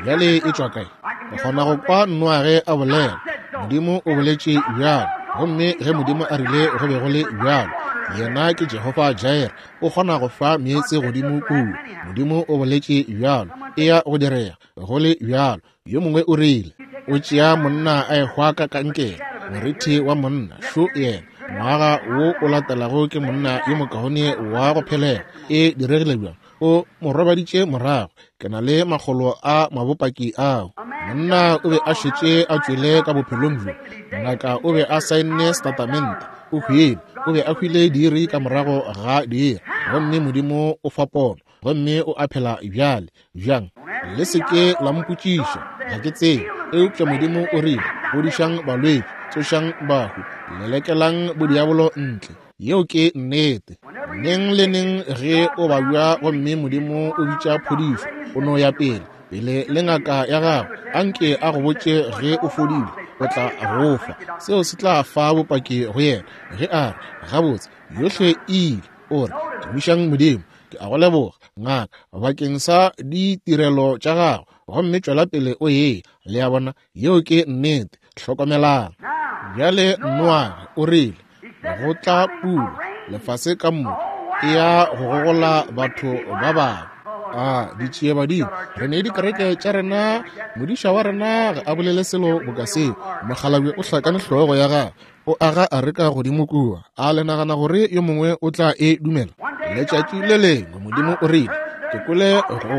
Bjale e tšwa kae? Ke kgona go kwa Noage a bolela. Modimo o boletše bjalo. Gomme ge Modimo a rile go be go le bjalo, yena ke Jehofa Jireh, o kgona go fa meetse godimo kua. Modimo o boletše bjalo, e ya go direga go le bjalo. Yo mongwe o rile, o tšea monna a ehwa ka kankere, morithi wa monna, šo yena. Ngwaga wo o latelago ke monna yo mokaone wa go phelela. E diregile bjang? O mo robaditše morago. Ke na le makgolo a mabopaki ao. Monna o be a šetše a tšwele ka bophelong bjo. Ngaka o be a saenne setatamente. O hwile. O be a hwile diiri ka morago ga diiri. Gomme Modimo o fa pono. Gomme o a phela bjale. Bjang? Le se ke la mpotšiša. Ga ke tsebe. Eupša Modimo o rile, Fodišang balwetši, tsošang bahu, lelekelang bodiabolo ntle. Yeo ke nnete. Neng le neng ge o babja gomme Modimo o bitša phodišo, o no ya pele, pele le ngaka ya gago, anke a go botše ge o fodile, o tla go fa. Seo se tla fa bopaki go yena. Ge a re, Gabotse, yohle e ile, o re, Tumišang Modimo, ke a go leboga, ngaka, bakeng sa ditirelo tša gago, gomme tšwela pele o ye. Le a bona, yeo ke nnete. Hlokomelang. Bjale Noage o rile, go tla pula, lefase ka moka e ya go gogola batho ba bangwe. A ditšiebadimo, re ne dikereke tša rena, modiša wa rena ga a bolele selo boka seo. Mokgalabje o hlakane hlogo ya gagwe, o aga areka godimo kua. A le nagana gore yo mongwe o tla e dumela? Letšatši le lengwe Modimo o rile, ke kwele go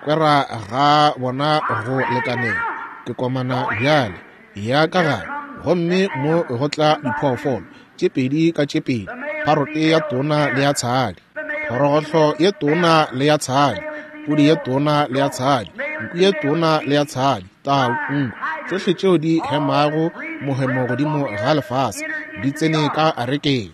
kwera ga bona go lekaneng, ke komana bjale, ya ka gare, gomme mo go tla diphoofolo tše pedi ka tše pedi, pharote ya tona le ya tshadi, phorogohlo ye tona le ya tshadi, pudi ye tona le ya tshadi, nku ye tona le ya tshadi, tau, nku, tšohle tšeo di hemago mohemo godimo ga lefase di tsene ka arekeng.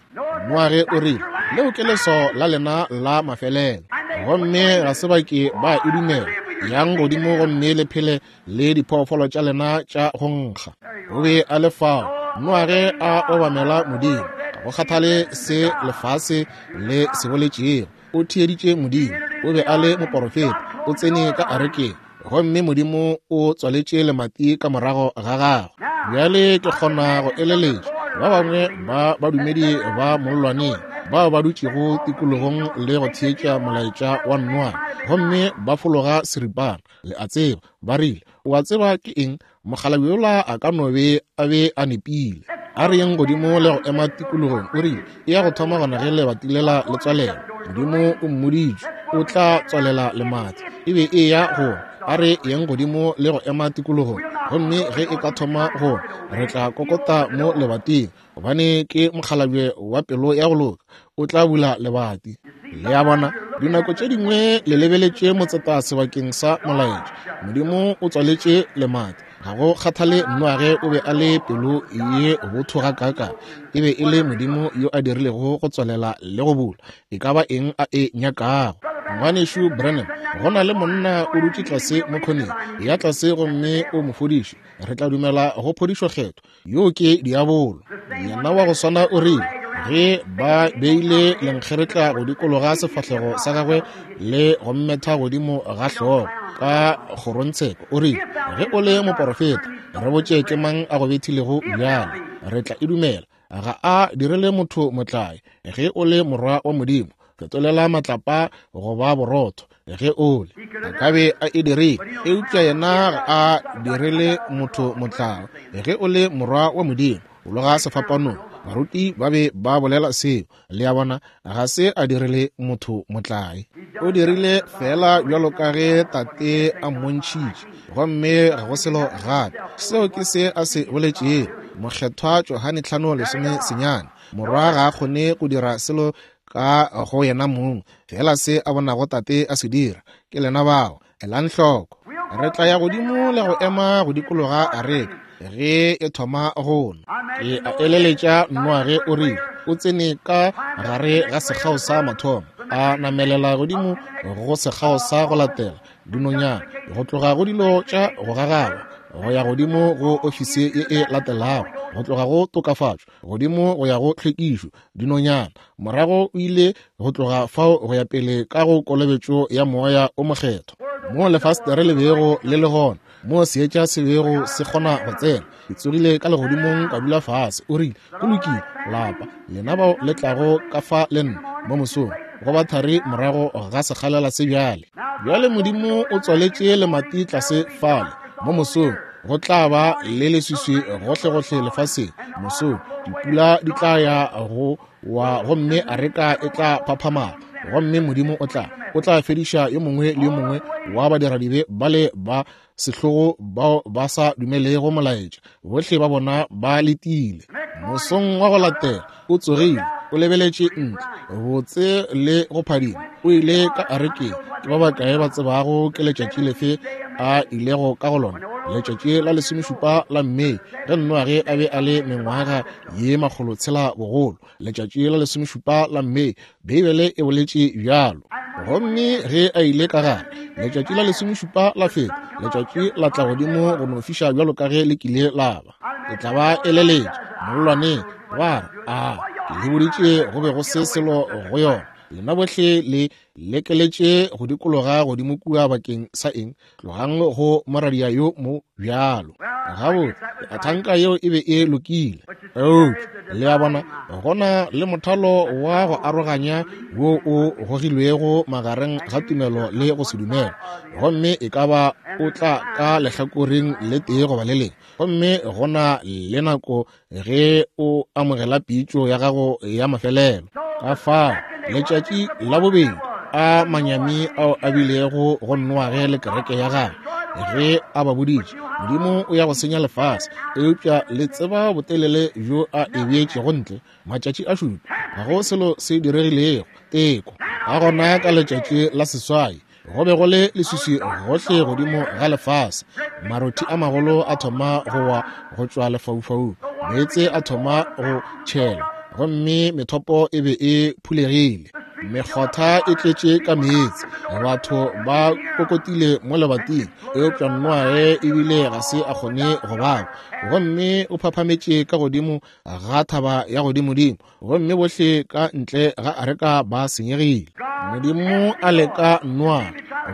Noage o rile, leo ke leswao la lena la mafelelo, gomme ga se ba ke ba e dumela. Yang godimo gomme le phele le diphoofolo tša lena tša go nkga. O be a le fao Noage a obamela Modimo, ga go kgathale se lefase le se boletšego. O theeditše Modimo, o be a le moporofeta, o tsene ka arekeng, gomme Modimo o tswaletše lemati ka morago ga gagwe. Bjale ke kgona go eleletša ba bangwe ba badumedi ba mollwaneng bao ba dutšego tikologong le go theetša molaetša wa Noage, gomme ba fologa seripana. Le a tseba, ba rile, o a tseba ke eng, mokgalabje yola a ka no be a be a nepile. A re yeng godimo le go ema tikologong. O rile, e ya go thoma gona ge lebati lela le tswalela. Modimo o mmoditše o tla tswalela lemati. E be e ya go, a re yeng godimo le go ema tikologong, gomme ge e ka thoma go, re tla kokota mo lebating, gobane ke mokgalabje wa pelo ya go loka, o tla bula lebati. Le a bona, dinako tše dingwe le lebeletše motseta sebakeng sa molaetša. Modimo o tswaletše lemati. Ga go kgathale Noage o be a le pelo ye botho gakaakang, e be e le Modimo yo a dirilego go tswalela le go bula e ka ba eng a e nyakago. Ngwanešu Branham, go na le monna o dutše tlase mo khoneng ya tlase gomme o mo fodiše. Re tla dumela go phodišo kgethwa. Yo ke diabolo. Yena wa go swana o rile, ge ba beile lenkgeretla go dikologa sefahlego sa gagwe le go mmetha godimo ga hlogo ka kgorontsheko, o rile, ge o le moporofeta, re botše ke mang a go bethilego bjale, re tla e dumela. Ga a direle motho motlae. Ge o le morwa wa Modimo, fetolela matlapa go ba borotho. Ge o le, a ka be a e dirile, eupša yena ga a direle motho motlao. Ge o le morwa wa Modimo, bologa sefapanong. Baruti ba be ba bolela seo. Le a bona, ga se a direle motho motlae. O dirile feela bjalo ka ge Tate a mmontšhitše, gomme ga go selo gape. Seo ke se a se boletšego. Mokgethwa Johane 5:19, Morwa ga a kgone go dira selo ka go yena mong, fela se a bonago Tate a se dira. Ke lena bao. Elang hloko. Re tla ya godimo le go ema go dikologa areka ge e thoma go nwa. Ke a eleletša Noage o rile o tsene ka gare ga sekgao sa mathomo, a namelela godimo go sekgao sa go latela, dinonyana, go tloga go dilo tša go gagaba go ya godimo go ofisi ye e latelago, go tloga go tokafatšo godimo go ya go tlhwekišo, dinonyana. Morago o ile go tloga fao go ya pele ka go kolobetšo ya Moya o Mokgethwa, moo lefastere le bego le le gona, moo seetša se bego se kgona go tsena. Ke tsogile ka legodimong ka dula fase. O rile, Go lokile, lapa lena bao le tlago ka fa le nna mo mosong, go ba thari morago ga sekgalela se bjale. Bjale Modimo o tswaletše lemati tlase fale mo mosong. Go tla ba le leswiswi gohlegohle lefaseng mosong. Dipula di tla ya go wa gomme areka e tla phaphamala, gomme Modimo o tla o tla fediša yo mongwe le yo mongwe wa badiradibe bale ba sehlogo bao ba sa dumelego molaetša. Bohle ba bona ba letile. Mosong wa go latela o tsogile, o lebeletše ntle, botse le go phadima. O ile ka arekeng. Ke ba bakae ba tsebago ke letšatši lefe a ilego ka go lona? Letšatši la 17 la Mei, ge Noage a be a le mengwaga ye 600 bogolo. Letšatši la 17 la Mei, Beibele e boletše bjalo. Gomme ge a ile ka gare, letšatši la 17 la feta, letšatši la tla godimo go no fiša bjalo ka ge le kile la ba. Ke tla ba eleletša mollwaneng, ba re, A ke le boditše go be go se selo go yona. Lena bohle le lekeletše go dikologa godimo kua bakeng sa eng? Tlogang go moradia yo mo bjalo. Gabotse, ke a thanka yeo e be e lokile. Eupša, le a bona, go na le mothalo wa go aroganya wo o gogilwego magareng ga tumelo le go se dumele, gomme e ka ba o tla ka lehlakoreng le tee goba le lengwe. Gomme go na le nako ge o amogela pitšo ya gago ya mafelelo. Ka fao letšatši la bobedi a manyami ao a bilego go Noage le kereke ya gagwe ge a ba boditše Modimo o ya go senya lefase, eupša le tseba botelele bjo a e beetšego ntle, matšatši a šupa, ga go selo se diregilego, teko. Ka gona ka letšatši la seswai go be go le leswiswi gohle godimo ga lefase, marothi a magolo a thoma go wa go tšwa lefaufaung, meetse a thoma go tšhela, gomme methopo e be e phulegile, mekgotha e tletše ka meetse, batho ba kokotile mo lebating, eupša Noage ebile ga se a kgone go baba, gomme o phaphametše ka godimo ga thaba ya godimodimo, gomme bohle ka ntle ga areka ba senyegile. Modimo a leka Noa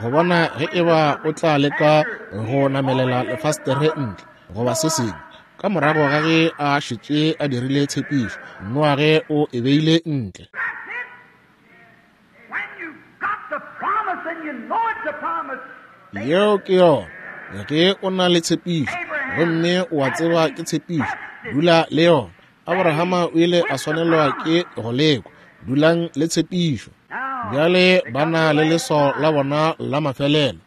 go bona ge e ba o tla leka go namelela lefastere ntle goba se sengwe. Ka morago ga ge a šetše a dirile tshepišo, Noage o e beile ntle. Yeo ke yona. Ge o na le tshepišo gomme o a tseba ke tshepišo, dula le yona. Abrahama o ile a swanelwa ke go lekwa. Dulang le tshepišo. Bjale ba na le leswao la bona la mafelelo.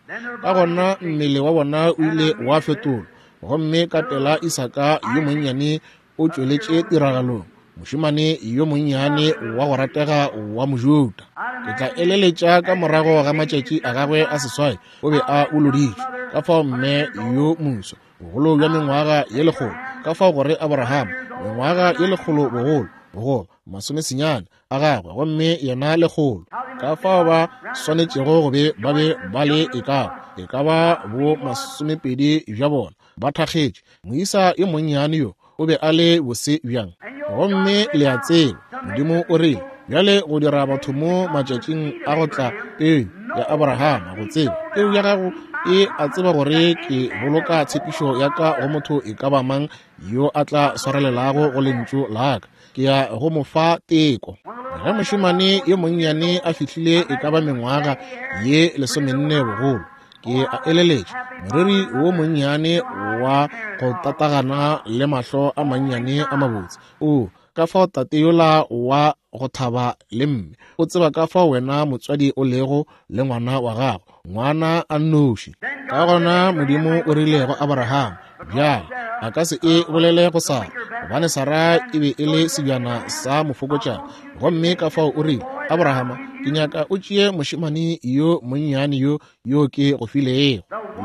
Ka gona mmele wa bona o ile wa fetolwa, gomme ka pela Isaka yo monnyane o tšweletše tiragalong, mošemane yo monnyane wa go ratega wa Mojuda. Ke tla eleletša ka morago ga matšatši a gagwe a seswai o be a boloditšwe. Ka fao mme yo moswa, bogolo bja mengwaga ye lekgolo, ka fao gore Abrahama, mengwaga ye lekgolo bogolo, bogolo, masomesenyane a gagwe, gomme yena lekgolo. Ka fao ba swanetšego go be ba be ba le e ka ba bo masomepedi bja bona, ba thakgetše. Moisa yo monnyane yo o be a le bose bjang. Gomme le a tseba, Modimo o rile, bjale go dira batho mo matšatšing a go tla peu ya Abrahama go tseba, peu ya gago e a tseba gore ke boloka tshepišo ya ka go motho e ka ba mang yo a tla swarelelago go lentšu la ka, ke ya go mo fa teko. Ge mošemane yo monnyane a fihlile e ka ba mengwaga ye 14 bogolo, ke a eleletša moriri wo monnyane wa go tatagana le mahlo a mannyane a mabotse, o ka fao tate yola wa go thaba le mme o tseba ka fao wena motswadi o lego le ngwana wa gago, ngwana a nnoši. Ka gona Modimo o rile go Abrahama, bjale a ka se e bolele go Sara, Gobane Sarah e be e le sebjana sa mofokotšana. Gomme ka fao o rile, Abrahama, ke nyaka o tšee mošemane yo monnyane yo yo ke go filego,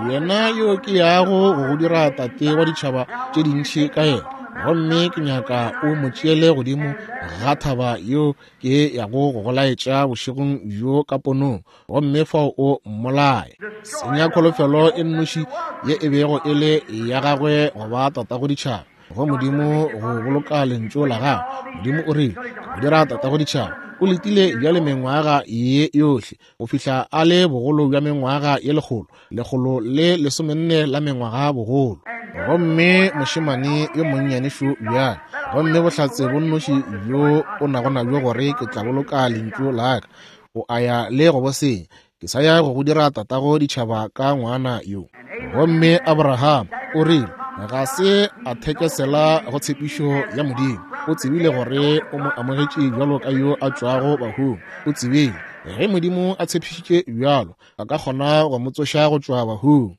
yena yo ke yago go go dira tate wa ditšhaba tše dintši ka yena. Gomme ke nyaka o mo tšeele godimo ga thaba yo ke yago go go laetša bošegong bjo ka ponong, gomme fao o mmolaye. Senya kholofelo e nnoši ye e bego e le ya gagwe go ba tatago ditšhaba, go Modimo go boloka lentšu la gagwe. Modimo o rile, go dira tatago ditšhaba. O letile bjale mengwaga ye yohle go fihla a le bogolo bja mengwaga ye lekgolo, 114 la mengwaga bogolo. Gomme mošemane yo monnyane šo bjale, gomme bohlatse bo nnoši bjo o nago nabjo gore ke tla boloka lentšu la ka, o a ya le go bo senya. Ke sa ya go go dira tatago ditšhaba ka ngwana yo. Gomme Abraham o rile ga se a thekesela go tshepišo ya Modimo. O tsebile gore o mo amogetše bjalo ka yo a tšwago bahung. O tsebile ge Modimo a tshepišitše bjalo, a ka kgona go mo tsoša go tšwa bahung.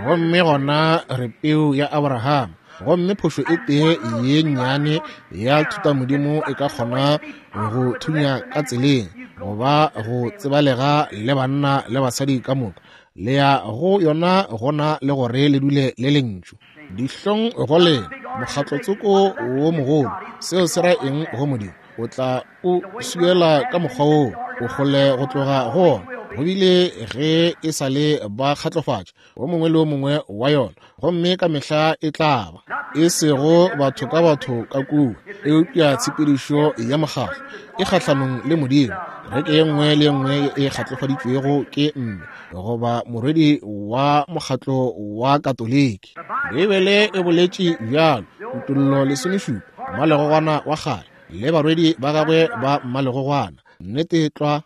Gomme gona re peu ya Abraham. Gomme phošo e tee ye nnyane ya thutamodimo e ka kgona go thunya ka tseleng, goba go tsebalega le banna le basadi ka moka. Le ya go yona gona le gore le dule le lentšu. Dihlong go lena, mokgatlotsoko wo mogolo. Seo se ra eng go Modimo? O tla o swiela ka mokgwa woo, o kgole go tloga go ona. Go bile ge e sa le ba kgatlofatša o mongwe le o mongwe wa yona, gomme ka mehla e tla ba e sego batho ka batho ka kua, eupša tshepedišo ya mokgatlo e kgahlanong le Modimo. Kereke ye nngwe le ye nngwe e kgatlofaditšwego ke mme goba morwedi wa mokgatlo wa Katoliki. Beibele e boletše bjalo, Kutollo 17, mmalegogwana wa kgale le barwedi ba gagwe ba mmalegogwana. Nnete tlwa,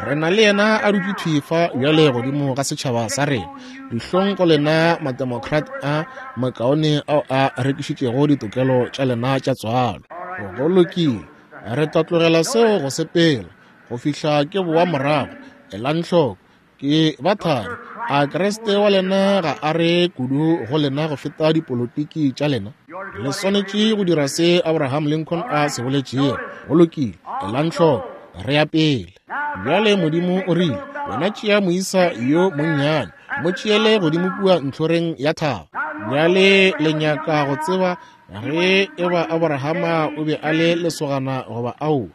re na le yena a dutše thwi fa bjale godimo ga setšhaba sa rena. Dihlong go lena mademocrat a makaone ao a rekišitšego ditokelo tša lena tša tswalo. Go lokile, re tla tlogela seo go sepela go fihla ke boa morago. Elang hloko, ke ba thari. A Kriste wa lena ga a re kudu go lena go feta dipolotiki tša lena? Le swanetše go dira se Abraham Lincoln a se boletšego. Go lokile, elang hloko, re ya pele. Bjale Modimo o rile, wena tšea moisa yo monnyane, mo tšeele godimo kua ntlhoreng ya thaba. Bjale le nyaka go tseba ge eba Abrahama o be a le lesogana goba aowa.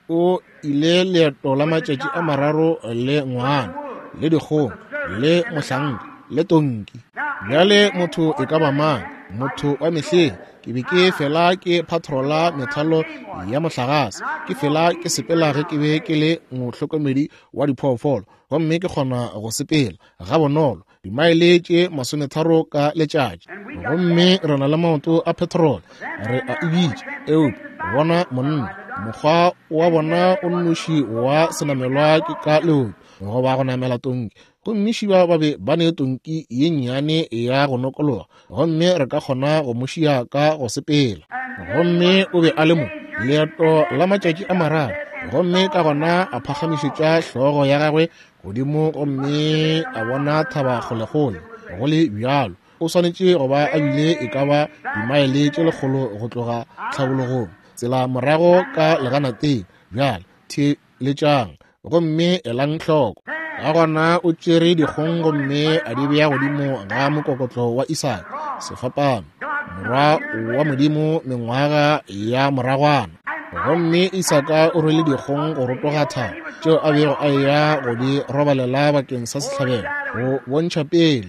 O ile leeto la matšatši a mararo le ngwana, le dikgong, le mohlanka, le tonki. Bjale motho e ka ba mang? Motho wa mehleng. Ke be ke fela ke patrola methalo ya mohlagase, ke fela ke sepela ge ke be ke le mohlokomedi wa diphoofolo, gomme ke kgona go sepela gabonolo dimaele tše 30 ka letšatši. Gomme re na le maoto a petrol, re a e bitša, eupša bona monna, mokgwa wa bona o nnoši wa senamelwa ke ka leoto goba go namela tonki. Gomme šiba ba be ba ne tonki ye nnyane ya go nokologa, gomme re ka kgona go mo šia ka go sepela. Gomme o be a le mo leeto la matšatši a mararo, gomme ka gona a phagamišetša hlogo ya gagwe godimo gomme a bona thaba kgolekgole. Go le bjalo, o swanetše go ba a bile e ka ba dimaele tše 100 go tloga tlhabologong, tsela morago ka leganateng. Bjale theeletšang gomme elang hloko. Ka gona o tšere dikgong gomme a di bea godimo ga mokokotlo wa Isaka, sefapano, morwa wa Modimo mengwaga ya moragwana. Gomme Isaka o rwele dikgong go rotoga thaba tšeo a bego a eya go di robalela bakeng sa sehlabelo, go bontšha pele.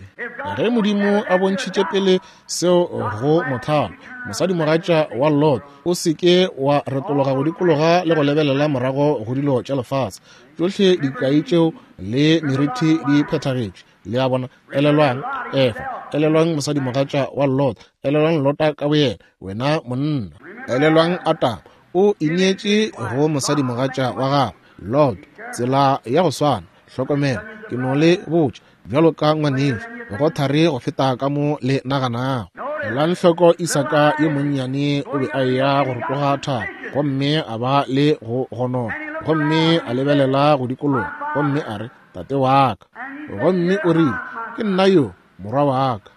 Ge Modimo a bontšhitše pele seo go mothalo, mosadimogatša wa Lot, o se ke wa retologa go dikologa le go lebelela morago go dilo tša lefase. Tšohle dikai tšeo le merithi di phethagetše. Le a bona? Elelwang Efa, elelwang mosadimogatša wa Lot, elelwang Lota ka boyena, wena monna. Elelwang Adama, o ineetše go mosadimogatša wa gagwe Lot, tsela ya go swana. Hlokomela, ke no le botša bjalo ka ngwanešo, go thari go feta ka mo le naganago. Elang hloko Isaka yo monnyane o be a eya go rotoga thaba, gomme a ba le go gonona, gomme a lebelela go dikologa, gomme a re, Tate wa ka. Gomme o rile, Ke nna yo, morwa wa ka.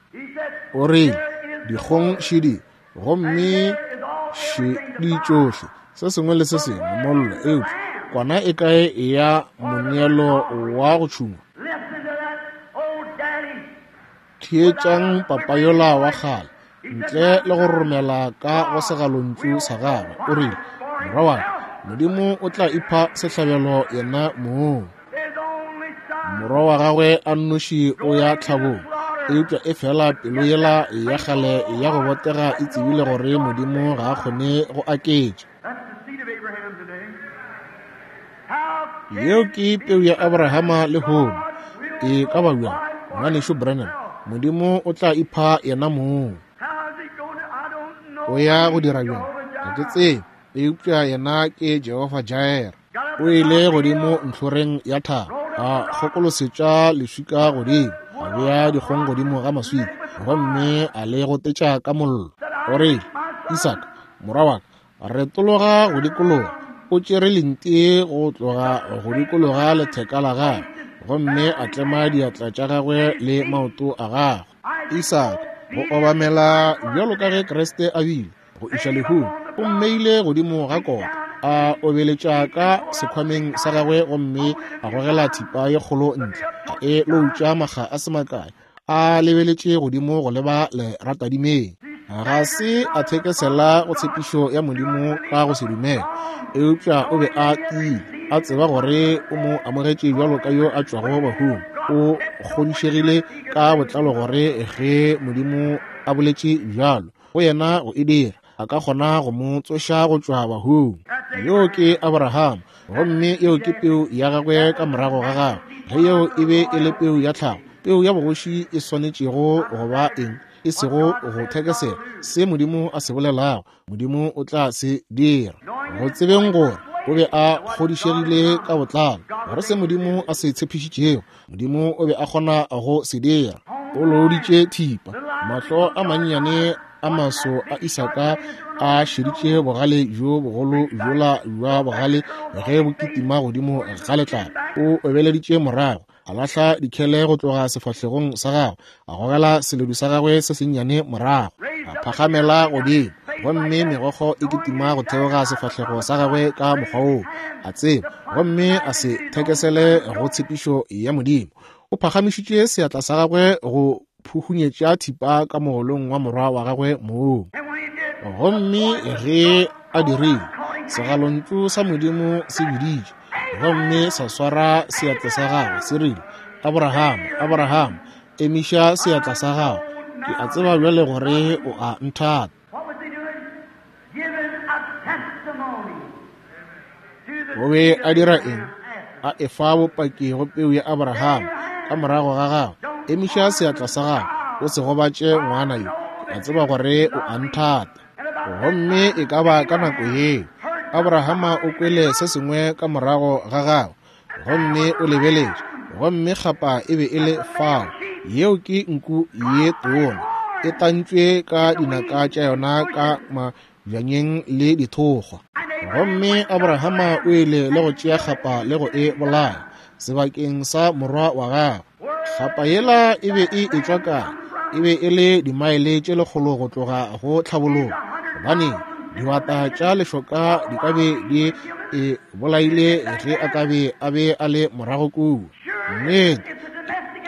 O rile, Dikgong šidi, gomme Šedi tšohle, se sengwe le se sengwe, mollo. Eupša kwana e kae ya moneelo wa go tšhungwa? Theetšang papa yola wa kgale, ntle le go romela ka go segalontšu sa gagwe, o rile, Morwa wa ka, Modimo o tla ipha sehlabelo yena mong. Morwa wa gagwe a nnoši o ya tlhabong, eupša efela pelo yela ya kgale ya go botega e tsebile gore Modimo ga a kgone go aketša. Yeo ke peu ya Abrahama lehono. E ka ba bjang, Ngwanešu Branham? Modimo o tla ipha yena mong. O ya go dira bjang? Ga ke tsebe, eupša yena ke Jehofa Jireh. O ile godimo ntlhoreng ya thaba, a kgokolosetša leswika godimo, a bea dikgong godimo ga maswika, gomme a le gotetša ka mollo. O rile, Isaka, morwa wa ka, retologa go dikologa. O tšere lenti go tloga go dikologa letheka la gagwe, gomme a tlema diatla tša gagwe le maoto a gagwe. Isaka, go obamela bjalo ka ge Kriste a bile, go iša lehung, o mmeile godimo ga kota, a obeletša ka sekhwameng sa gagwe gomme a gogela thipa ye kgolo ntle, a e loutša makga a se makae, a lebeletše godimo go leba leratadimeng. Ga se a thekesela go tshepišo ya Modimo ka go se dumele, eupša o be a tiile, a tseba gore o mo amogetše bjalo ka yo a tšwago bahung. O kgodišegile ka botlalo gore ge Modimo a boletše bjalo go yena go e dira, a ka kgona go mo tsoša go tšwa bahung. Yo ke Abraham, gomme yeo ke peu ya gagwe ka morago ga gagwe. Ge yeo e be e le peu ya tlhago, peu ya bogoši e swanetšego go ba eng? E sego go thekesela se Modimo a se bolelago, Modimo o tla se dira. Go tsebeng gore o be a kgodišegile ka botlalo gore se Modimo a se tshepišitšego, Modimo o be a kgona go se dira. O looditše thipa, mahlo a mannyane a maso a Isaka a šeditše bogale bjo bogolo bjola bja bogale ge bo kitima godimo ga letlapa. O obeleditše morago, a lahla dikhele go tloga sefahlegong sa gagwe, a gogela seledu sa gagwe se sennyane morago, a phagamela godimo, gomme megokgo e kitima go theoga sefahlego sa gagwe ka mokgwa woo, a tseba, gomme a se thekesele go tshepišo ya Modimo. O phagamišitše seatla sa gagwe go phuhunyetša thipa ka mogolong wa morwa wa gagwe mong. Gomme ge a dirile, segalontšu sa Modimo se biditše, gomme sa swara seatla sa gagwe, se rile, Abraham, Abraham, emiša seatla sa gago, ke a tseba bjale gore o a nthata. O be a dira eng? A efa bopaki go peu ya Abraham ka morago ga gagwe. Emiša seatla sa gago, o se gobatše ngwana yo, ke a tseba gore o a nthata. Gomme e ka ba ka nako yeo Abrahama o kwele se sengwe ka morago ga gagwe, gomme o lebeletše, gomme kgapa e be e le fao. Yeo ke nku ye tona, e tantšwe ka dinaka tša yona ka mabjanyeng le dithokgwa. Gomme Abrahama o ile le go tšea kgapa le go e bolaya sebakeng sa morwa wa gagwe. Kgapa yela e be e etšwa kae? E be e le dimaele tše lekgolo go tloga go tlhabologo, gobane dibata tša lešoka di ka be di e bolaile ge a ka be a be a le morago kua. Nnete,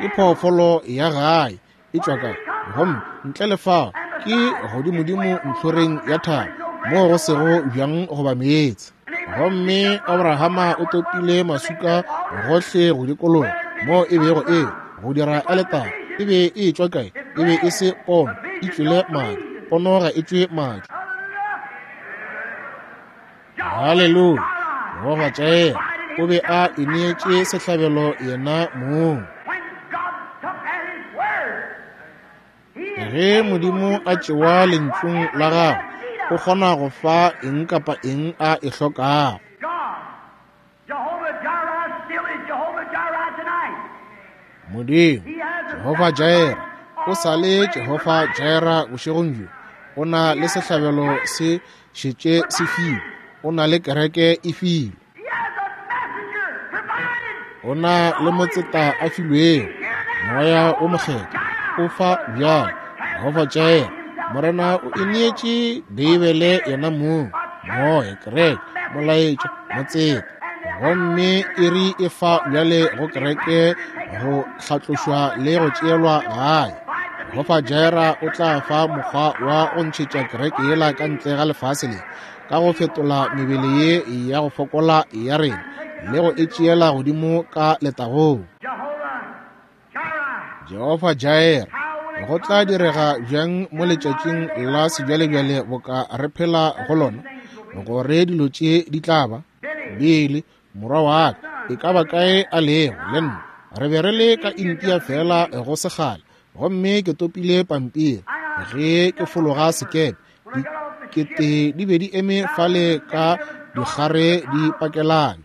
ke phoofolo ya gae, e tšwa kae? Gomme ntle le fao ke godimodimo ntlhoreng ya thaba, moo go sego bjang goba meetse. Gomme Abrahama o topile maswika gohle go dikologa moo e bego e go dira aletare. E be e etšwa kae? E be e se pono, e tšwele madi. Pono ga e tšwe madi. Haleluya! Jehofa Jireh o be a ineetše sehlabelo yena mong. Ge Modimo a tšewa lentšung la gagwe, o kgona go fa eng kapa eng a e hlokago. Modimo, Jehofa Jireh, o sa le Jehofa Jireh bošegong bjo. O na le sehlabelo se šetše se filwe. O na le kereke e filwe. O na le motseta a filwego, Moya o Mokgethwa o fa bjalo. Jehofa Jireh Morena o ineetše Beibele yena mong, Moya, kereke, molaetša, motseta. Gomme iri e fa bjale go kereke go hlatlošwa le go tšeelwa gae. Jehofa Jireh o tla fa mokgwa wa go ntšhetša kereke yela ka ntle ga lefase le, ka go fetola mebele ye ya go fokola ya rena le go e tšeela godimo ka letagong. Jehofa Jireh, go tla direga bjang mo letšatšing la sebjalebjale boka re phela go lona, gore dilo tše di tla ba? Billy, morwa wa ka, e ka ba kae a lego, le nna re be re le ka India feela go se kgale, gomme ke topile pampiri ge ke fologa sekepe. Dikete di be di eme fale ka dikgare di pakelane.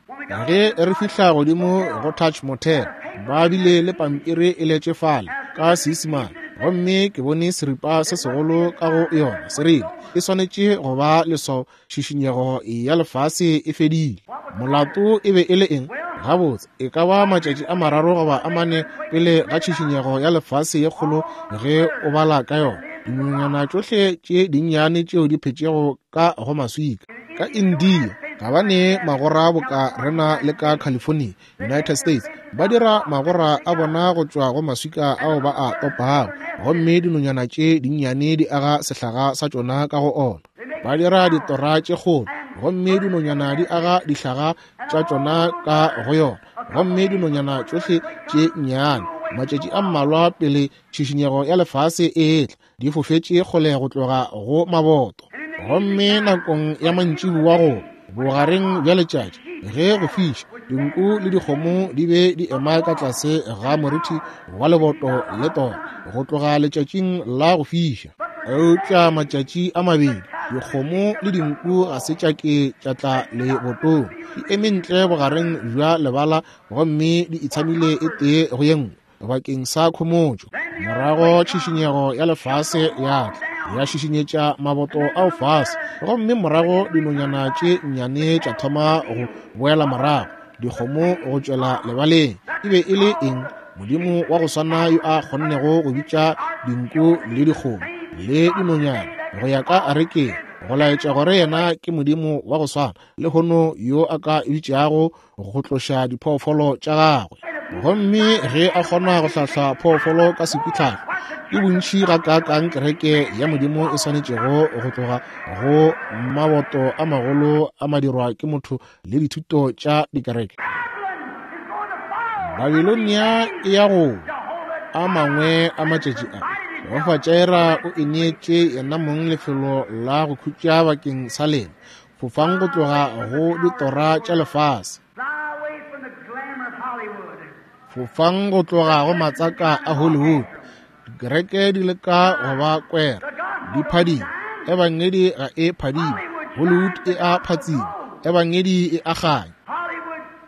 Ge re fihla godimo go Touch Motel, ba bile le pampiri e letše fale ka Seisemane, gomme ke bone seripa se segolo ka go yona se rile, e swanetše go ba leswao, tšhišinyego ya lefase e fedile. Molato e be e le eng? Gabotse, e ka ba matšatši a mararo goba a mane pele ga tšhišinyego ya lefase ye kgolo ge o bala ka yona, dinonyana tšohle tše dinnyane tšeo di phetšego ka go maswika ka India ga ba ne magora boka rena le ka California, United States, ba dira magora a bona go tšwa go maswika ao ba a topago, gomme dinonyana tše dinnyane di aga sehlaga sa tšona ka go ona. Ba dira ditora tše kgolo, gomme dinonyana di aga dihlaga tša tšona ka go yona, gomme dinonyana tšohle tše nnyane, matšatši a mmalwa pele tšhišinyego ya lefase e etla, di fofetše kgole go tloga go maboto. Gomme nakong ya mantšiboa go bogareng bja letšatši ge go fiša, dinku le dikgomo di be di ema ka tlase ga moriti wa leboto le tora go tloga letšatšing la go fiša. Eupša matšatši a mabedi dikgomo le dinku ga se tša ke tša tla lebotong, di eme ntle bogareng bja lebala gomme di itshamile e tee go ye nngwe bakeng sa khomotšo. Morago tšhišinyego ya lefase ya tla ya šišinyetša maboto ao fase, gomme morago dinonyana tše nnyane tša thoma go boela morago, dikgomo go tšwela lebaleng. E be e le eng? Modimo wa go swana yo a kgonnego go bitša dinku le dikgomo le dinonyana go ya ka arekeng, go laetša gore yena ke Modimo wa go swana lehono yo a ka bitšago go tloša diphoofolo tša gagwe. Gomme ge a kgona go hlahla phoofolo ka sekwitlhahlo, ke bontši gakaakang kereke ya Modimo e swanetšego go tloga go maboto a magolo a madirwa ke motho le dithuto tša dikereke. Babilonia e ya go a mangwe a matšatši a. Jehofa Jireh o ineetše yena mong lefelo la go khutša bakeng sa lena. Fofang go tloga go ditora tša lefase. Fofang go tloga go matsaka a Hollywood. Dikereke di leka go ba kwera, di phadima. Ebangedi ga e phadime. Hollywood e a phatsima. Ebangedi e a kganya.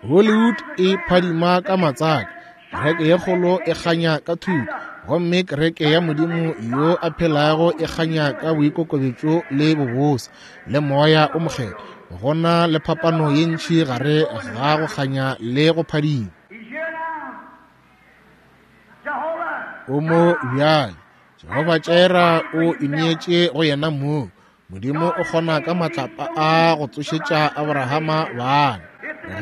Hollywood e phadima ka matsaka. Kereke ye kgolo e kganya ka thuto, gomme kereke ya Modimo yo a phelago e kganya ka boikokobetšo le bobose le Moya o Mokgethwa. Go na le phapano ye ntši gare ga go kganya le go phadima. O mo bjale. Jehofa Jireh o ineetše go yena mong. Modimo o kgona ka matlapa a go tsošetša Abrahama bana.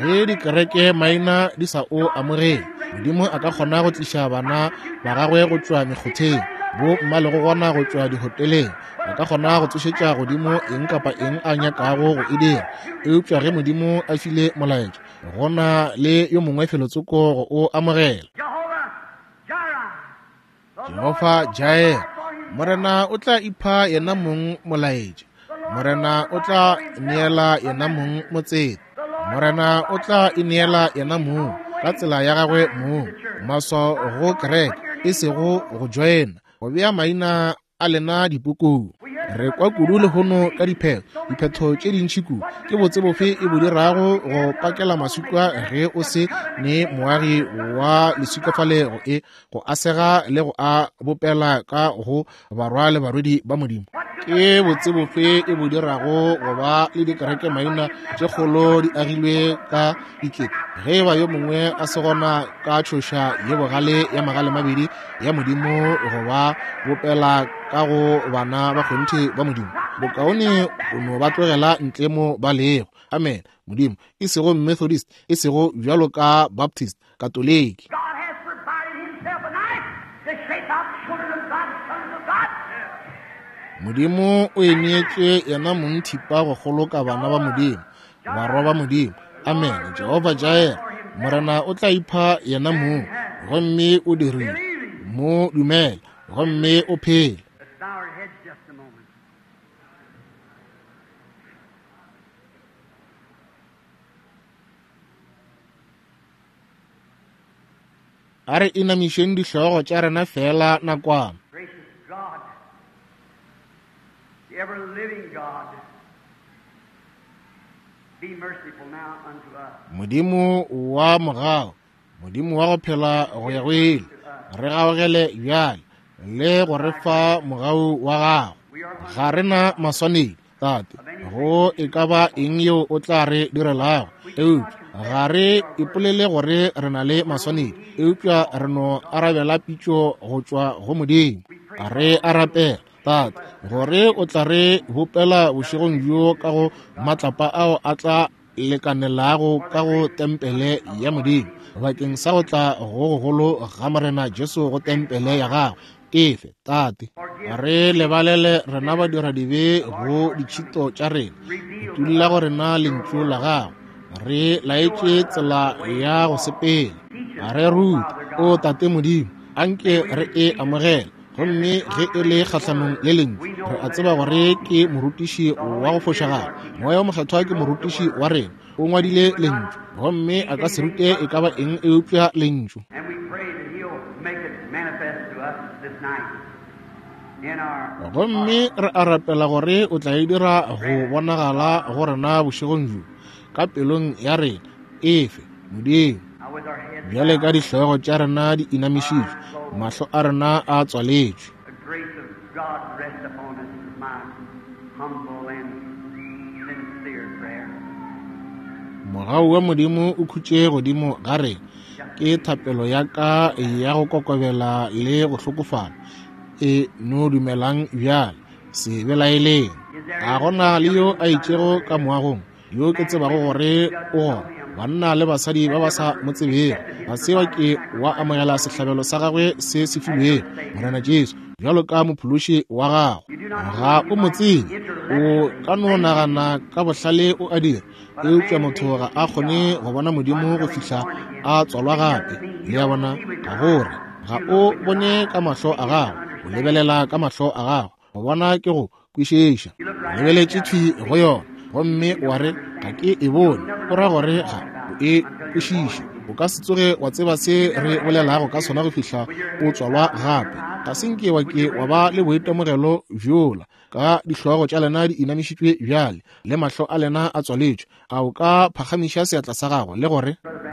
Ge dikereke maina di sa o amogele, Modimo a ka kgona go tliša bana ba gagwe go tšwa mekgotheng, bo mmalego gona go tšwa dihoteleng. A ka kgona go tsošetša godimo eng kapa eng a nyakago go e dira. Eupša ge Modimo a file molaetša, go na le yo mongwe felotsoko go o amogela. Jehofa Jireh, Morena o tla ipha yena mong molaetša. Morena o tla neela yena mong motseta. Morena o tla ineela yena mong ka tsela ya gagwe mong. Maswao go kereke, e sego go joina, go bea maina a lena dipukung. Re kwa kudu lehono ka diphetho, diphetho tše dintši kudu. Ke botse bofe e bo dirago go pakela maswika ge o se ne moagi wa leswika fale go e go asega le go a bopela ka go barwa le barwedi ba Modimo? Ke botse bofe e bo dirago go ba le dikereke maina tše kgolo di agilwe ka dikete, ge e ba yo mongwe a se gona ka tšhoša ye bogale ya magale mabedi ya Modimo go ba bopela ka go bana ba kgonthe ba Modimo? Bokaone o no ba tlogela ntle mo ba lego. Amen. Modimo, e sego Methodist, e sego bjalo ka Baptist, Katoliki. Modimo o eneetše yena mong thipa go kgoloka bana ba Modimo, barwa ba Modimo. Amen. Jehovah Jireh, Morena o tla ipha yena mong, gomme o dirile. Mo dumela, gomme o phele. A re inamišeng dihlogo tša rena feela nakwana. Modimo wa mogau, Modimo wa go phela go ya go ile, re gaogele bjale le go re fa mogau wa gago. Ga re na maswanedi, Tate, go e ka ba eng yeo o tla re direlago, eupša ga re ipolele gore re na le maswanedi, eupša re no arabela pitšo go tšwa go Modimo. Re a rapela, Tate, gore o tla re bopela bošegong bjo ka go matlapa ao a tla lekanelago ka go tempele ya Modimo, bakeng sa go tla go gogolo ga Morena Jesu go tempele ya gagwe. Efe, Tate, re lebalele rena badiradibe go ditšhito tša rena, utulla go rena lentšu la gago, re laetše tsela ya go sepela, re rute, o Tate Modimo, anke re e amogele. Gomme ge e le kgahlanong le lentšu, re a tseba gore ke morutiši wa go fošagala. Moya o Mokgethwa ke morutiši wa rena, o ngwadile lentšu, gomme a ka se rute e ka ba eng eupša lentšu. Gomme re a rapela gore o tla e dira go bonagala go rena bošegong bjo, ka pelong ya rena. Efe, Modimo. Bjale ka dihlogo tša rena di inamišitšwe, mahlo a rena a tswaletšwe. Mogau wa Modimo o khutše godimo ga rena. Ke thapelo ya ka ya go kokobela le go hlokofala. E no dumelang bjale, se belaeleng. Ga gona le yo a itšego ka moagong yo ke tsebago gore o gona, banna le basadi ba ba sa mo tsebego, ga se wa ke wa amogela sehlabelo sa gagwe se se filwego, Morena Jesu, bjalo ka mophološi wa gago. Ga o mo tsebe, o ka no nagana ka bohlale o a dira, eupša motho ga a kgone go bona Modimo go fihla a tswalwa gape. Le a bona, ka gore ga o bone ka mahlo a gago, o lebelela ka mahlo a gago. Go bona ke go kwešiša. O lebeletše thwi go yona, gomme wa re, Ga ke e bone. O ra gore ga o e kwešiše. O ka se tsoge wa tseba se re bolelago ka sona go fihla o tswalwa gape. Ga se nke wa ke wa ba le boitemogelo bjola. Ka dihlogo tša lena di inamišitšwe bjale, le mahlo a lena a tswaletšwe, a o ka phagamiša seatla sa gago le gore,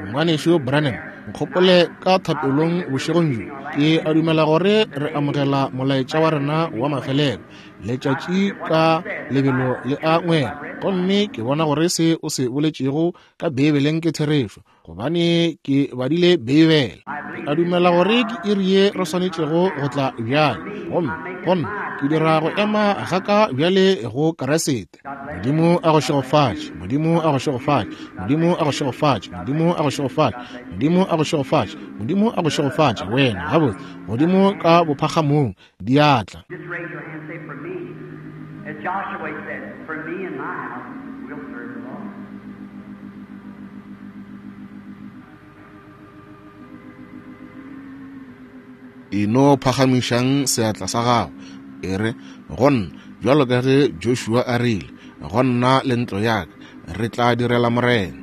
Ngwanešu Branham, nkgopole ka thapelong bošegong bjo. Ke a dumela gore re amogela molaetša wa rena wa mafelelo. Letšatši ka lebelo le a ngwela, gomme ke bona gore se o se boletšego ka Beibeleng ke therešo, gobane ke badile Beibele. Ke a dumela gore ke iri ye re swanetšego go tla bjale, gomme gomme ke dira go ema ga ka bjale go Kriste. Modimo a go šegofatše, Modimo a go šegofatše, Modimo a go šegofatše, Modimo a go šegofatše, Modimo a go šegofatše, Modimo a go šegofatše, wena, gabotse, godimo ka bophagamong, diatla. Just raise your hand and say, For me, as Joshua said, for me and my house, we'll serve the Lord. E no phagamišang seatla sa gago, e re, Go nna, bjalo ka ge Joshua a rile, go nna le ntlo ya ka, re tla direla Morena.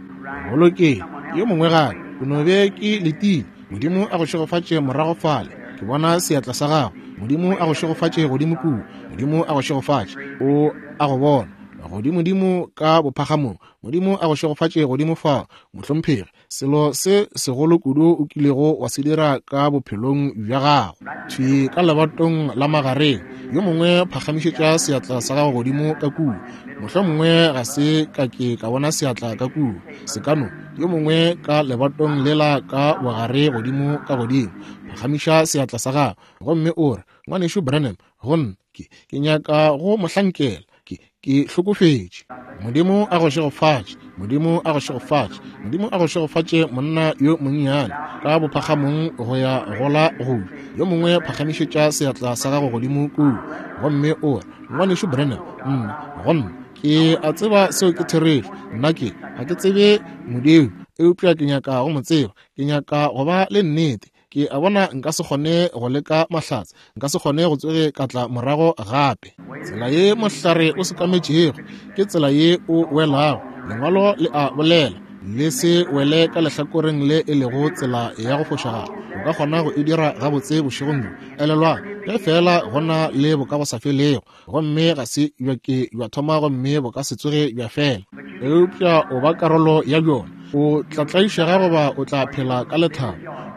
Go lokile, yo mongwe gape, o no be ke letile. Modimo a go šegofatše morago fale. Ke bona seatla sa gago. Modimo a go šegofatše godimo kua. Modimo a go šegofatše. O a go bona. Godimodimo ka bophagamong, Modimo a go šegofatše godimo fa, mohlomphegi. Selo se segolo kudu o kilego wa se dira ka bophelong bja gago. Thwi ka lebatong la magareng, yo mongwe phagamišetša seatla sa gago godimo ka kua. Mohlomongwe ga se ka ke ka bona seatla ka kua. Se ka no, yo mongwe ka lebatong lela ka bogare godimo ka godimo, phagamiša seatla sa gago gomme o re, Ngwanešu Branham, go nna, ke, ke nyaka go mo hlankela. Ke, ke hlokofetše. Modimo a go šegofatše. Modimo a go šegofatše. Modimo a go šegofatše, monna yo monnyane, ka bophagamong go ya go la go. Yo mongwe phagamišetša seatla sa gago godimo kua, gomme o re, Ngwanešu Branham, nna, go nna, ke a tseba seo ke therešo. Nna ke, ga ke tsebe Modimo, eupša ke nyaka go mo tseba. Ke nyaka go ba le nnete. Ke a bona nka se kgone go leka mahlatse, nka se kgone go tsoge ka tla morago gape. Tsela ye mohlare o sekametšego ke tsela ye o welago. Lengwalo le a bolela, le se wele ka lehlakoreng le e lego tsela ya go fošagala. O ka kgona go e dira gabotse bošegong bjo. Elelwang, ge feela go na le bokagosafelego, gomme ga se bja ke bja thoma gomme bo ka se tsoge bja fela, eupša o ba karolo ya bjona. O tla tlaišega goba o tla phela ka lethabo.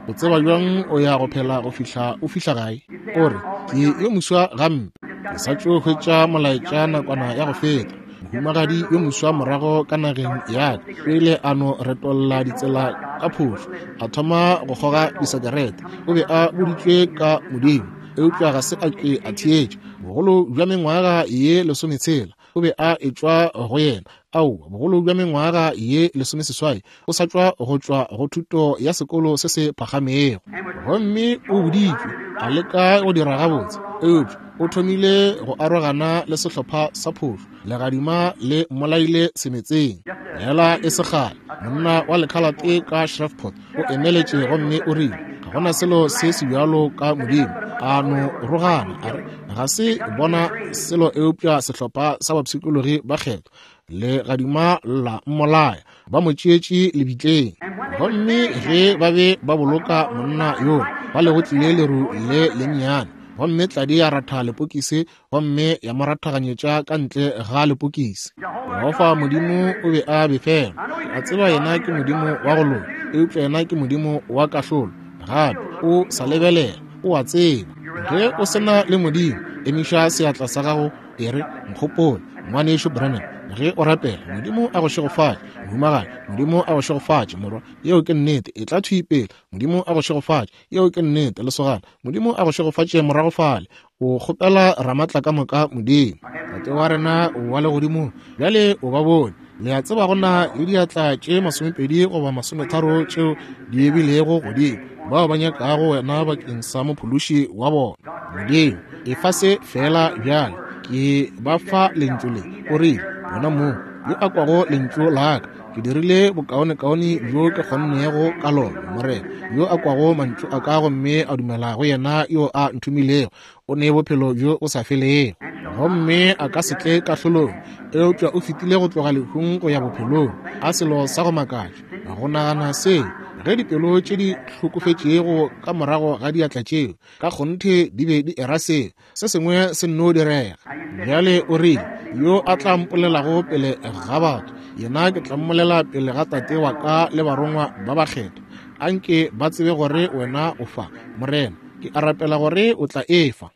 O tseba bjang o ya go phela go fihla o fihla gae? O re, Ke yo moswa gampe. Ke sa tšo hwetša molaetša nakwana ya go feta. Mohumagadi yo moswa morago ka nageng ya ka o ile a no retolla ditsela ka phošo, a thoma go kgoga disekerete. O be a boditšwe ka Modimo, eupša ga se a ke a theetša. Bogolo bja mengwaga ye lesometshela o be a etšwa go yena. Aowa, bogolo bja mengwaga ye lesomeseswai o sa tšwa go tšwa go thuto ya sekolo se se phagamego. Gomme o boditšwe, a leka go dira gabotse, eupša o thomile go arogana le sehlopha sa phošo. Legadima le mmolaile semetseng. Fela e se kgale, monna wa lekhalate ka Shreveport o emeletše gomme o rile, Ga go na selo se se bjalo ka Modimo. A no rogana, a re, Ga se bona selo eupša sehlopha sa bapshikologi ba kgethwa. Legadima la mmolaya, ba mo tšeetše lebitleng. Gomme ge ba be ba boloka monna yoo, ba le go tlile leru le lennyane, gomme tladi ya ratha lepokisi gomme ya mo rathaganyetša ka ntle ga lepokisi. Jehofa Modimo o be a befelwa. Ke a tseba yena ke Modimo wa go loka, eupša yena ke Modimo wa kahlolo gape. O sa lebelela, o a tseba. Ge o se na le Modimo, emiša seatla sa gago, e re, Nkgopole, Ngwanešu Branham, ge o rapela. Modimo a go šegofatše, mohumagadi. Modimo a go šegofatše, morwa. Yeo ke nnete. Etla thwi pele. Modimo a go šegofatše. Yeo ke nnete, lesogana. Modimo a go šegofatše morago fale. O kgopela Ramatlakamoka Modimo, Tate wa rena wa legodimong. Bjale o ba bone. Le a tseba go na le diatla tše 20 goba 30 tšeo di ebilego godimo, bao ba nyakago wena bakeng sa Mophološi wa bona. Modimo, efa se feela bjale. Ke ba fa Lentšu le. O rile, Wena mong, yo a kwago Lentšu la Ka, Ke dirile bokaonekaone bjo ke kgonnego ka lona, Morena. Yo a kwago mantšu a ka gomme a dumela go yena yo a nthomilego, o ne bophelo bjo bo sa felego, gomme a ka se tle kahlolong, eupša o fetile go tloga lehung go ya bophelong. A selo sa go makatša go nagana seo, ge dipelo tše di hlokofetšego ka morago ga diatla tšeo ka kgonthe di be di era seo. Se sengwe se nno direga. Bjale o rile, Yo a tla mpolelago pele ga batho, yena ke tla mmolela pele ga Tate wa ka le barongwa ba bakgethwa. A nke ba tsebe gore wena o fa, Morena. Ke a rapela gore o tla e fa.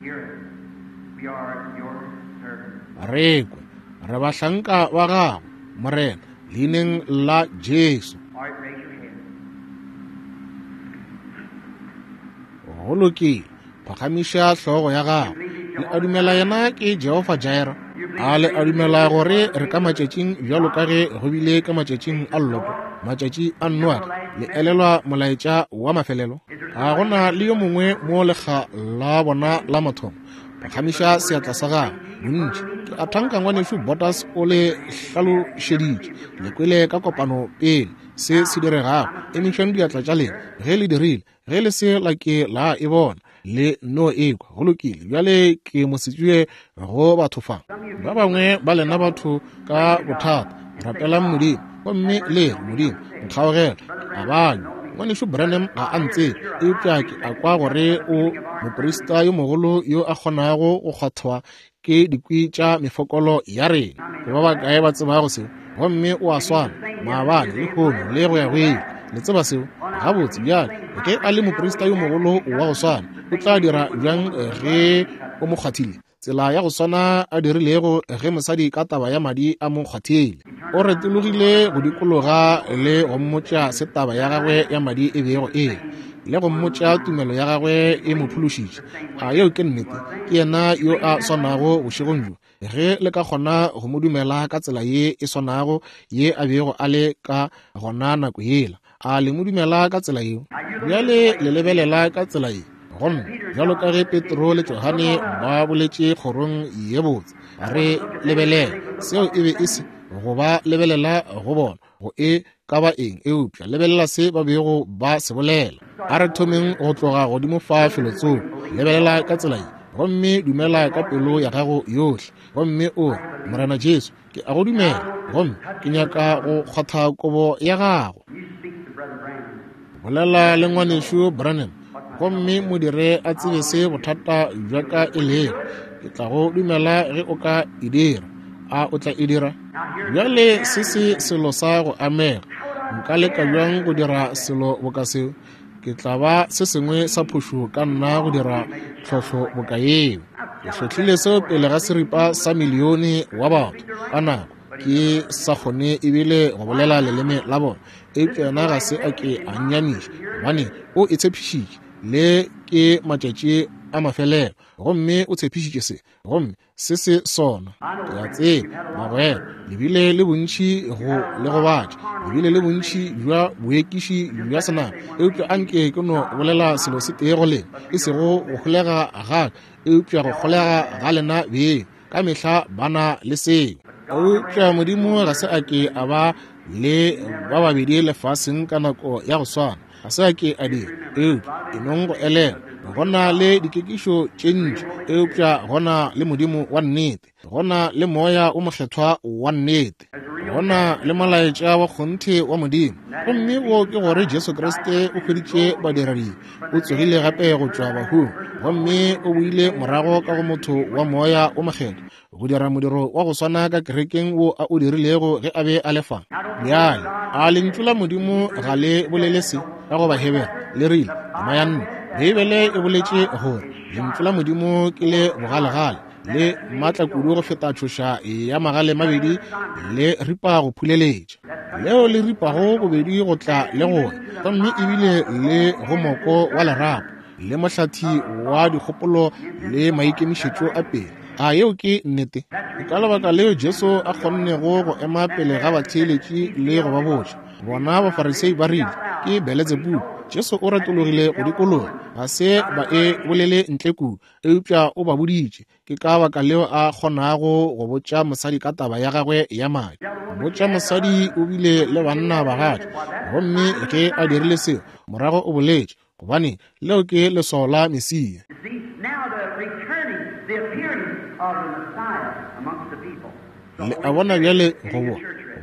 Re kwe, re bahlanka ba gago, Morena, leineng la Jesu. Go lokile. Phagamiša hlogo ya gago. Le a dumela yena ke Jehofa Jireh? A le a dumela gore re ka matšatšing bjalo ka ge go bile ka matšatšing a Loto, matšatši a Noage? Le elelwa molaetša wa mafelelo? A go na le yo mongwe mo lekga la bona la mathomo? Phagamiša seatla sa gago. Bontši. Ke a thanka ngwanešu Bottas o le hlalošeditše. Le kwele ka kopano pele se se diregago. Emišang diatla tša lena ge le dirile. Ge le se la ke la e bona, le no e kwa. Go lokile. Bjale ke mosetsebje go batho fa. Ba bangwe ba lena batho ka bothata, rapelang Modimo, gomme le re, Modimo, nkgaogele. A banywa. Ngwanešu Branham ga a ntsebe, eupša ke a kwa gore o moprista yo mogolo yo a kgonago go kgwathwa. Ke dikwi tša mefokolo ya rena. Ke ba bakae ba tsebago seo? Gomme o a swana maabane, lehono, le go ya go ile. Le tseba seo gabotse. Bjale ge a le moprista yo mogolo wa go swana, o tla dira bjang ge o mo kgwathile? Tsela ya go swana a dirilego ge mosadi ka taba ya madi a mo kgwathile. O retologile go dikologa le go mmotša se taba ya gagwe ya madi e bego e le, le go mmotša tumelo ya gagwe e mo phološitše. A yeo ke nnete? Ke yena yo a swanago bošegong bjo. Ge le ka kgona go mo dumela ka tsela ye e swanago ye a bego a le ka gona nako yela, a le mo dumela ka tsela yeo? Bjale le lebelela ka tsela ye. Gomme bjalo ka ge Petro le Johane ba boletše kgorong ye botse, re lebelela, seo e be e se go ba lebelela go bona go e ka ba eng, eupša lebelela se ba bego ba se bolela. A re thomeng go tloga godimo fa felotsoko. Lebelela ka tsela ye, gomme dumela ka pelo ya gago yohle, gomme o re, Morena Jesu, ke a go dumela, gomme ke nyaka go kgwatha kobo ya gago. Bolela le ngwanešu Branham, gomme mo dire a tsebe se bothata bja ka e lego. Ke tla go dumela ge o ka e dira. A o tla e dira? Bjale se se selo sa go amega. Nka leka bjang go dira selo boka seo? Ke tla ba se sengwe sa phošo ka nna go dira tlhohlo boka yeo. Ke hlohlile seo pele ga seripa sa milione wa batho ka nako, ke sa kgone ebile go bolela leleme la bona. Eupša yena ga se a ke a nnyamiša, gobane o e tshepišitše. Le ke matšatši a mafelelo, gomme o tshepišitše se, gomme se se sona. Ke a tseba, bagwera, le bile le bontši go le gobatša, le bile le bontši bja boekiši bja senama, eupša anke ke no bolela selo se tee go lena, e sego go holega ga ka, eupša go holega ga lena beng. Ka mehla ba na le seo. Eupša Modimo ga se a ke a ba le ba babedi lefaseng ka nako ya go swana. Ga se a ke a dira. Eupša e nong go elelwa, go na le dikekišo tše ntši, eupša go na le Modimo wa nnete, go na le Moya o Mokgethwa wa nnete, go na le molaetša wa kgonthe wa Modimo. Gomme wo ke gore Jesu Kriste o hweditše badiradibe, o tsogile gape go tšwa bahung, gomme o boile morago ka go motho wa Moya o Mokgethwa, go dira modiro wa go swana ka kerekeng wo a o dirilego ge a be a le fa. Bjale, a lentšu la Modimo ga le bolele se ka go Bahebere? Le rile, tema ya nne, Beibele e boletše gore lentšu la Modimo ke le bogalegale, le maatla kudu go feta tšhoša ya magale mabedi, le ripa go phuleletša, leo le ripago bobedi go tla le go ya, gomme ebile le go moko wa lerapo, le mohlathi wa dikgopolo le maikemišetšo a pele. A yeo ke nnete? Ke ka lebaka leo Jesu a kgonnego go ema pele ga batheeletši le go ba botša. Bona Bafarisei ba rile, Ke Beletsebubu. Jesu o retologile go dikologa. Ga se ba e bolele ntle kudu, eupša o ba boditše. Ke ka baka leo a kgonago go botša mosadi ka taba ya gagwe ya madi. Botša mosadi o bile le banna bagatša, gomme ge a dirile seo, morago o boletše, gobane leo ke leswao la Mesia. Le a bona bjale, go bo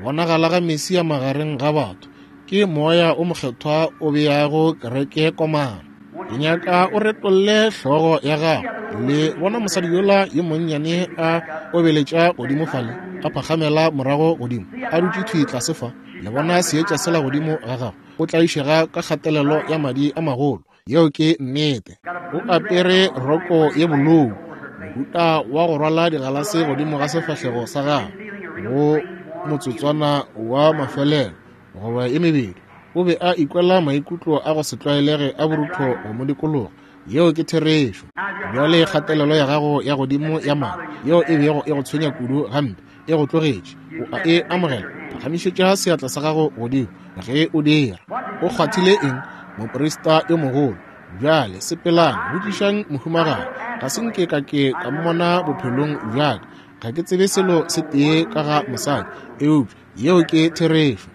bonagala ga Mesia magareng ga batho, ke Moya o Mokgethwa o beago kereke komana. Ke nyaka o retolle hlogo ya gago. Le bona mosadi yola yo monnyane a obeletša godimo fale, a phagamela morago godimo, a dutše thwi tlase fa. Le bona seetša sela godimo ga gagwe? O tlaišega ka kgatelelo ya madi a magolo. Yeo ke nnete. O apere roko ye bolou, mohuta wa go rwala digalase godimo ga sefahlego sa gagwe go motsotswana wa mafelelo goba e mebedi. O be a ikwela maikutlo a go se tlwaelege a borutho go mo dikologa. Yeo ke therešo. Bjale kgatelelo ya gago ya godimo ya madi, yeo e bego e go tshwenya kudu gampe, e go tlogetše. O a e amogela? Phagamišetša seatla sa gago godimo ge o dira. O kgwathile eng? Moprista yo mogolo. Bjale sepelang, botšišang mohumagadi. Ga se nke ka ke ka mmona bophelong bja ka. Ga ke tsebe selo se tee ka ga mosadi, eupša yeo ke therešo.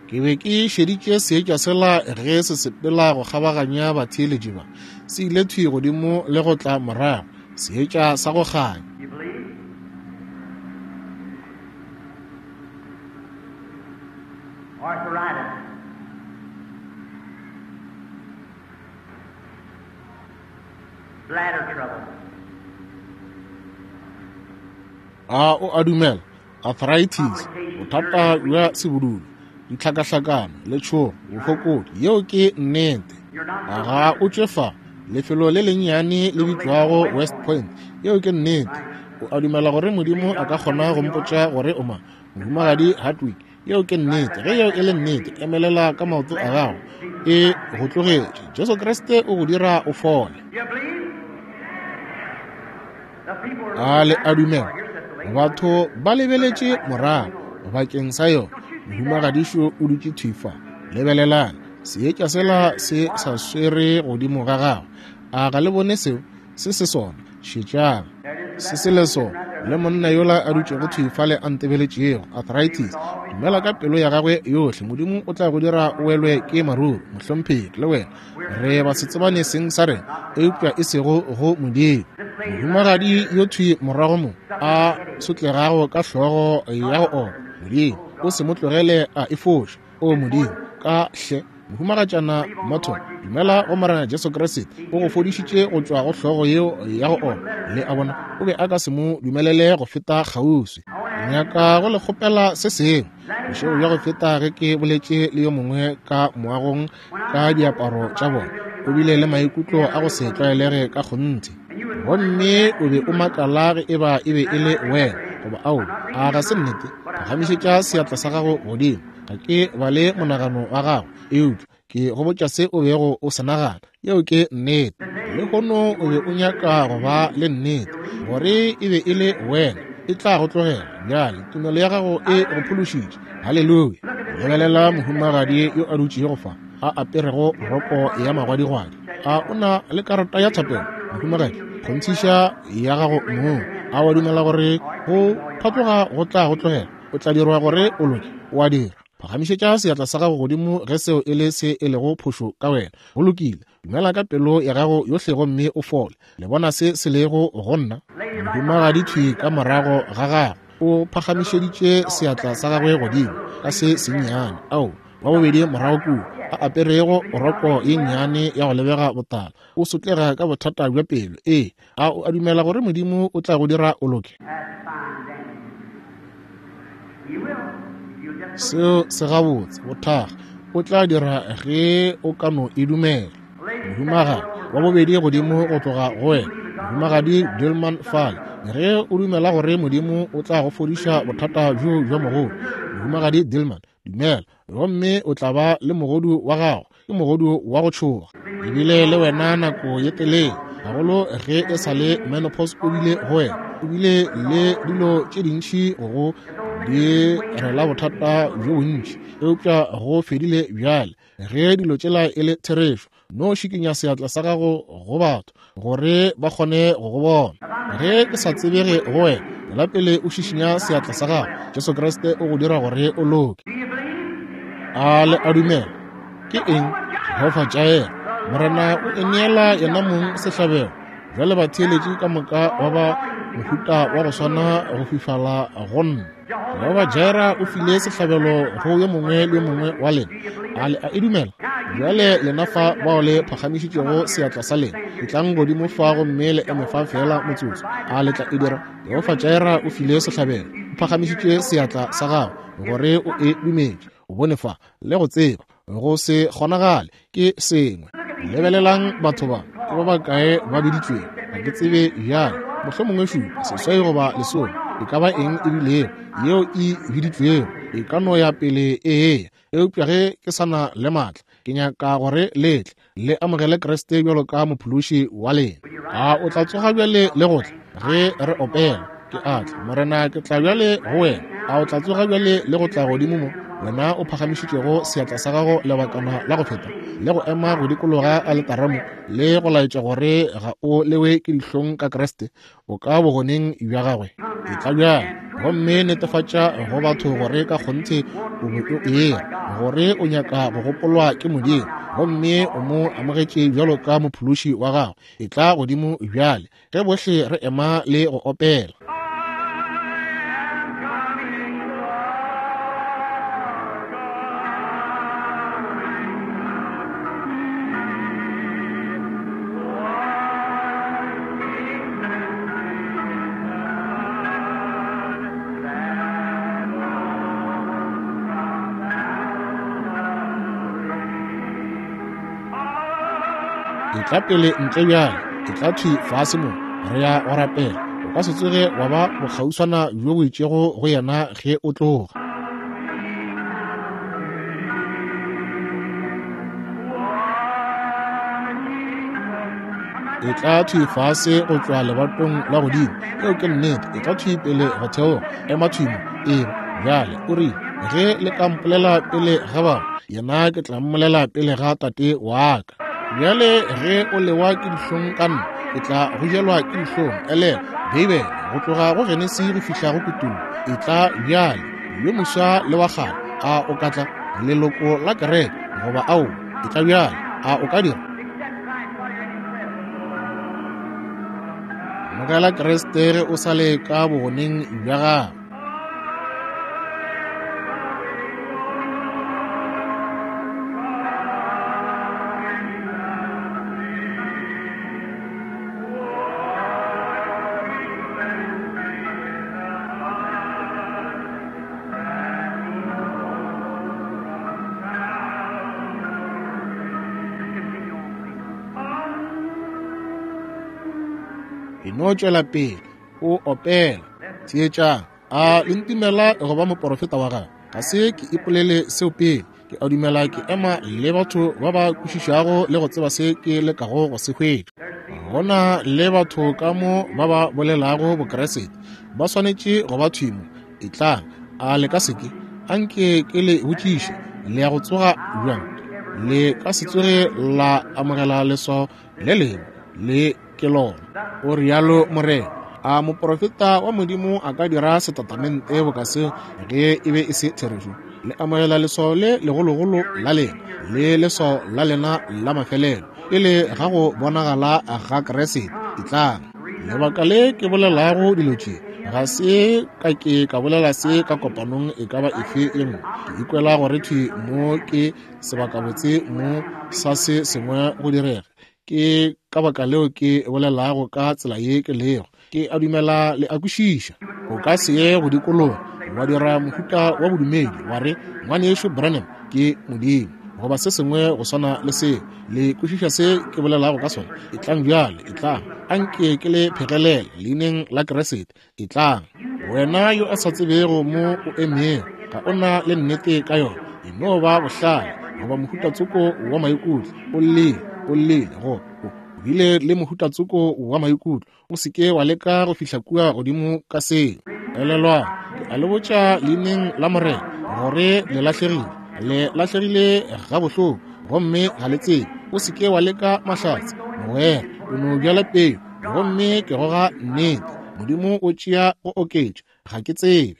Ke be ke šeditše seetša sela ge se sepela go kgabaganya batheeletši ba. Se ile thwi godimo le go tla morago, seetša sa go kganya. Arthritis. Bladder trouble. A o a dumela? Arthritis, bothata bja sebudulo, ditlhakahlakano, letšhogo, bofokodi. Yeo ke nnete. Ga o tšwe fa, lefelo le lennyane le bitšwago West Point. Yeo ke nnete. O a dumela gore Modimo a ka kgona go mpotša gore o mang? Mohumagadi Hardwick. Yeo ke nnete. Ge yeo e le nnete, emelela ka maoto a gago. E go tlogetše. Jesu Kriste o go dira o fole. You believe? The people are A le looking a back dumela? for it. Here's the lady. Batho ba lebeletše morago bakeng sa yona. Mohumagadišo o dutše thwi fa. Lebelelang, seetša sela se sa swere godimo ga gagwe. A ga le bone seo? Se se sona. Šetšang. Se se le sona. Le monna yola a dutšego thwi fale a ntebeletšego, arthritis. Dumela ka pelo ya gagwe yohle, Modimo o tla go dira o welwe ke maruru, mohlomphegi, le wena. Re ba se tsebane seng sa rena, eupša e sego go Modimo. Mohumagadi yo thwi morago mo a sotlegago ka hlogo ya go opa, Modimo, o se mo tlogele a e foša. O Modimo, ka hle, Mohumagatšana Morton, dumela go Morena Jesu Kriste, o go fodišitše go tšwa go hlogo yeo ya go opa. Le a bona, o be a ka se mo dumelele go feta kgauswi. Ke nyaka go le kgopela se sengwe. Bošego bja go feta ge ke boletše le yo mongwe ka moagong ka diaparo tša bona, o bile le maikutlo a go se tlwaelege ka kgonthe. Gomme o be o makala ge eba e be e le wena goba aowa. A ga se nnete? Phagamišetša seatla sa gago godimo. Ga ke bale monagano wa gago, eupša ke go botša se o bego o se nagana. Yeo ke nnete. Lehono o be o nyaka go ba le nnete gore e be e le wena. E tla go tlogela bjale. Tumelo ya gago e go phološitše. Haleluya. Lebelela mohumagadi yo a dutšego fa, a aperego roko ya magwadigwadi. A o na le karata ya thapelo, mohumagadi? Kgonthiša ya gago mong. A wa dumela gore go phatloga go tla go tlogela? O tla dirwa gore o loke. O a dira. Phagamišetša seatla sa gago godimo ge seo e le se e lego phošo ka wena. Go lokile. Dumela ka pelo ya gago yohle gomme o fole. Le bona se se lego go nna? Mohumagadi thwi ka morago ga gagwe o phagamišeditše seatla sa gagwe godimo ka se sennyane. Ao, wa bobedi morago kua, a aperego roko ye nnyane ya go lebega botala, o sotlega ka bothata bja pelo. Ee, a o a dumela gore Modimo o tla go dira o loke? That's fine, dandy. He will. If you'll just believe. Seo se gabotse, bothaga. O tla dira ge o ka no e dumela. Mohumagadi wa bobedi godimo go tloga go wena, Mohumagadi Dillman fale, ge o dumela gore Modimo o tla go fodiša bothata bjo bja mogodu. Mohumagadi Dillman, dumela, gomme o tla ba le mogodu wa gago. Ke mogodu wa go tšhoga. Ebile le wena nako ye telele, gagolo ge e sa le menopause o bile go wena, o bile le dilo tše dintši go di rela bothata bjo bontši, eupša go fedile bjale. Ge dilo tšela e le therešo, no šikinya seatla sa gago go batho gore ba kgone go go bona. Ge ke sa tsebege go wena, la pele o šišinya seatla sa gago, Jesu Kriste o go dira gore o loke. Do you believe? A le a dumela? Ke eng? Jehofa Jair, Morena o ineela yena mong sehlabelo. Bjale batheeletši ka moka wa ba mohuta wa go swana go fifala go nna. Jehofa Jaira o file sehlabelo go yo mongwe le yo mongwe wa lena. A le a e dumela? Bjale lena fa bao le phagamišitšego seatla sa lena, etlang godimo fa gomme le eme fa feela motsotso. A le tla e dira? Jehofa Jaira o file sehlabelo. O phagamišitše seatla sa gago gore o e dumetše. O bone fa le go tseba go se kgonagale ke sengwe. Lebelelang batho ba, ke ba bakae ba biditšwego? Ga ke tsebe bjale, mohlomongwe šupa, seswai goba lesome, e ka ba eng e bilego yeo e biditšwego, e ka no ya pele e eya. Eupša ge ke sa na le maatla, ke nyaka gore le tle le amogele Kriste bjalo ka mophološi wa lena. A o tla tsoga bjale le go tla ge re opela? Ke a tla, Morena, ke tla bjale go wena. A o tla tsoga bjale le go tla godimo mo, wena o phagamišitšego seatla sa gago lebakana la go feta, le go ema go dikologa aletara mo, le go laetša gore ga o lewe ke dihlong ka Kriste, o ka bogoneng bja gagwe? Etla bjale gomme netefatša go batho gore ka kgonthe o be o eya, gore o nyaka go gopolwa ke Modimo, gomme o mo amogetše bjalo ka mophološi wa gago. Etla godimo bjale ge bohle re ema le go opela. Etla pele ntle bjale, etla thwi fase mo, re ya go rapela. O ka se tsoge wa ba bokgauswana bjo bo itšego go yena ge o tloga. Etla thwi fase go tšwa lebatong la godimo. Yeo ke nnete. Etla thwi pele go theoga. Ema thwi mo. Eba bjale. O rile, Ge le ka mpolela pele ga batho, yena ke tla mmolela pele ga Tate wa ka. Bjale ge o lewa ke dihlong ka nna, ke tla go jelwa ke dihlong. Elelwa, Beibele, go tloga go Genesi go fihla go Kutullo, etla bjale, yo moswa le wa kgale, a o ka tla? Leloko la kereke, goba aowa, etla bjale, a o ka dira? Amogela Kriste ge o sa le ka bogoneng bja gago. E no tšwela pele o opela. Theetšang, a le ntumela go ba moporofeta wa gagwe? Ga se ke ipolele seo pele. Ke a dumela ke ema le batho ba ba kwešišago le go tseba se ke lekago go se hwetša. Go na le batho ka mo ba ba bolelago Bokriste, ba swanetše go ba thwi mo. Etlang, a le ka se ke? Anke ke le botšiše, le ya go tsoga bjang? Le ka se tsoge la amogela leswao le lengwe, le ke lona. O rialo Morena. A moprofeta wa Modimo a ka dira setatamente boka seo ge e be e se therešo? Le amogela leswao le legologolo la lena le leswao la lena la mafelelo pele ga go bonagala ga Kriste. Etlang. Lebaka le ke bolelago dilo tše, ga se ka ke ka bolela se ka kopanong e ka ba efe ye nngwe. Ke ikwela gore thwi mo ke sebakabotse mo sa se sengwe go direga. Ke ka baka leo ke bolelago ka tsela ye ke lego. Ke a dumela le a kwešiša. O ka se ye go dikologa wa dira mohuta wa bodumedi wa re, Ngwanešu Branham ke Modimo, goba se sengwe go swana le seo. Le kwešiša se ke bolelago ka sona? Etlang bjale, etlang. Anke ke le phegelele leineng la Kriste. Etlang. Wena yo a sa tsebego mo o emego, ga o na le nnete ka yona. E no ba bohlale goba mohuta tsoko wa maikutlo. O llile, o llile, go o bile le mohuta tsoko wa maikutlo. O se ke wa leka go fihla kua godimo ka seo. Elelwang, ke a le botša leineng la Morena gore le lahlegile. Le lahlegile gabohloko gomme ga le tsebe. O se ke wa leka mahlatse, mogwera. O no bjala peu gomme ke goga nnete. Modimo o tšea go oketša. Ga ke tsebe.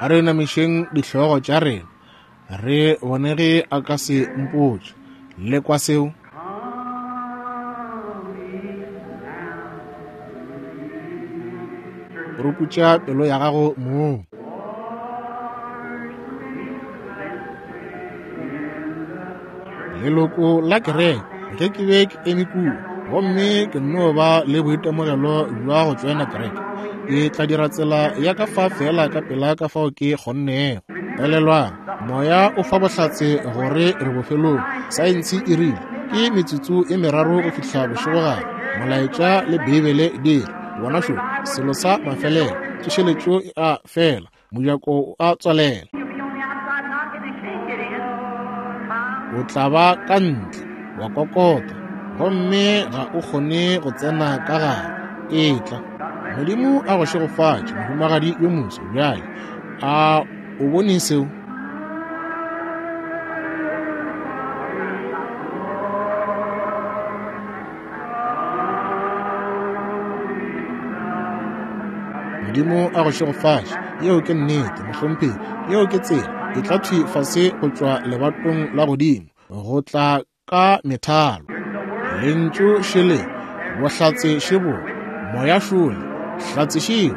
A re namišeng dihlogo tša rena re bone ge a ka se mpotše. Le kwa seo? Puruputša pelo ya gago mong. Leloko la kereke, ge ke be ke eme kua gomme ke nno ba le boitemogelo bja go tšoena kereke, ke tla dira tsela ya ka fa feela ka pela ka fao ke kgonnego. Elelwang, Moya o fa bohlatse gore re bofelong. Saense e rile ke metsotso e meraro go fihla bošegogare. Molaetša le Beibele di re, bona šo, selo sa mafelelo, tsošeletšo e a fela, mojako o a tswalela. O tla ba ka ntle wa kokota gomme ga o kgone go tsena ka gare. Etla. Modimo a go šegofatše, mohumagadi yo moso. Bjale a o bone seo? Modimo a go šegofatše. Yeo ke nnete, mohlomphegi. Yeo ke tsela. E tla thwi fase go tšwa lebatong la godimo, go tla ka methalo. Lentšu šele, bohlatse šebo, moya šole, hlatse šeo.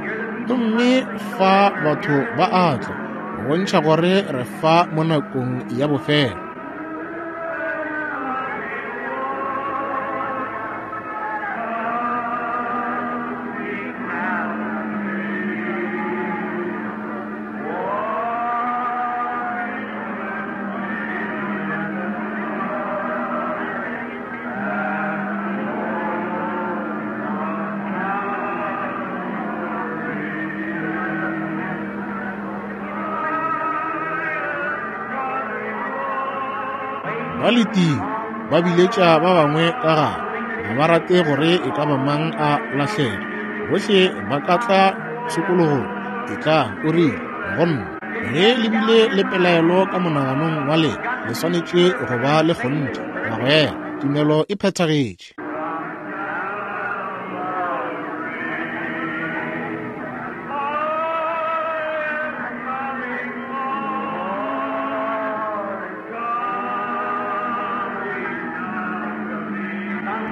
Gomme fa batho ba a tla, go bontšha gore re fa mo nakong ya bofelo. Ba letile, ba biletša ba bangwe ka gare. Ga ba rate gore e ka ba mang a lahlege. Bohle ba ka tla tshokologong. Etlang, o rile, go nna. Ge le bile le pelaelo ka monaganong wa lena, le swanetše go ba le kgonthe. Bagwera, tumelo e phethagetše.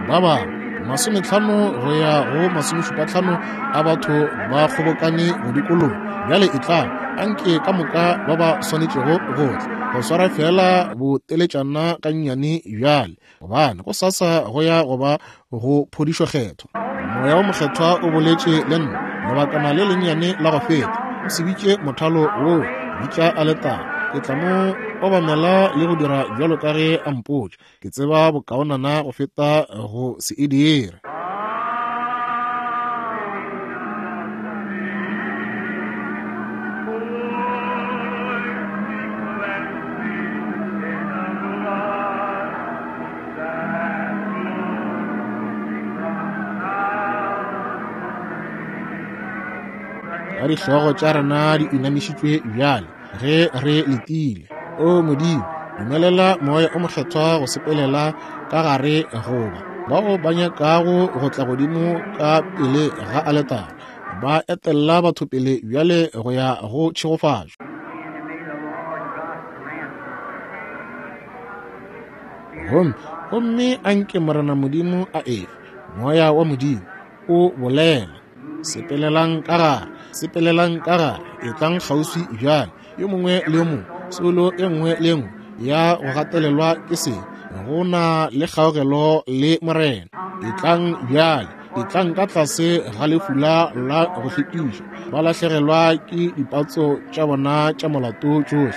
Ba bangwe 50 go ya go 75 a batho ba kgobokane go dikologa. Bjale etlang, anke ka moka ba ba swanetšego go tla, go swara feela boteletšana gannyane bjale, gobane go sasa go ya go ba go phodišo kgethwa. Moya wo Mokgethwa o boletše le nna lebakana le lennyane la go feta. O se bitše mothalo woo, bitša aletara. Ke tla mo obamela le go dira bjalo ka ge a mpotša. Ke tseba bokaonana go feta go se e dire. Ka dihlogo tša rena di inamišitšwe bjale ge re letile. O Modimo, dumelela Moya o Mokgethwa go sepelela ka gare goba bao ba nyakago go tla godimo ka pele ga aletara, ba etella batho pele bjale go ya go tšhegofatšo. Gomme, gomme a nke Morena Modimo a efe, Moya wa Modimo, o bolela. Sepelelang ka gare, sepelelang ka gare, etlang kgauswi bjale, yo mongwe le yo mongwe, soulo e nngwe le e nngwe ya go gatelelwa ke se, go na le kgaogelo le Morena. Etlang bjale, etlang ka tlase ga lefula la go hlwekišwa, ba lahlegelwa ke dipatso tša bona tša molato tšohle.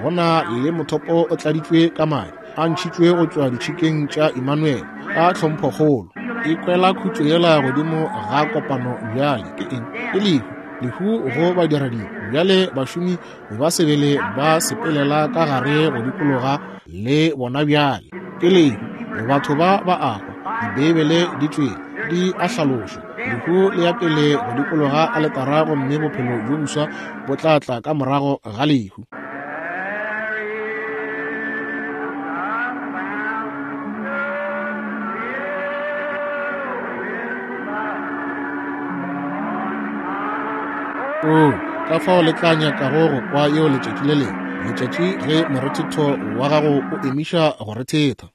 Go na le mothopo o tladitšwe ka madi, a ntšhitšwe go tšwa ditšhikeng tša Immanuel ka tlhomphokgolo. E kwela khutšo yela godimo ga kopano bjale. Ke eng? Ke lehu, lehu go badiradibe. Bjale bašomi ba sebele ba sepelela ka gare go dikologa le bona bjale. Ke lehu, batho ba ba a hwa. Dibeibele di tšwele di a hlalošwa. Lehu le ya pele go dikologa aletara gomme bophelo bjo boswa bo tla tla ka morago ga lehu. Oo, ka fao le tla nyakago go kwa yeo letšatši le lengwe, letšatši ge morethetho wa gago o emiša go rethetha.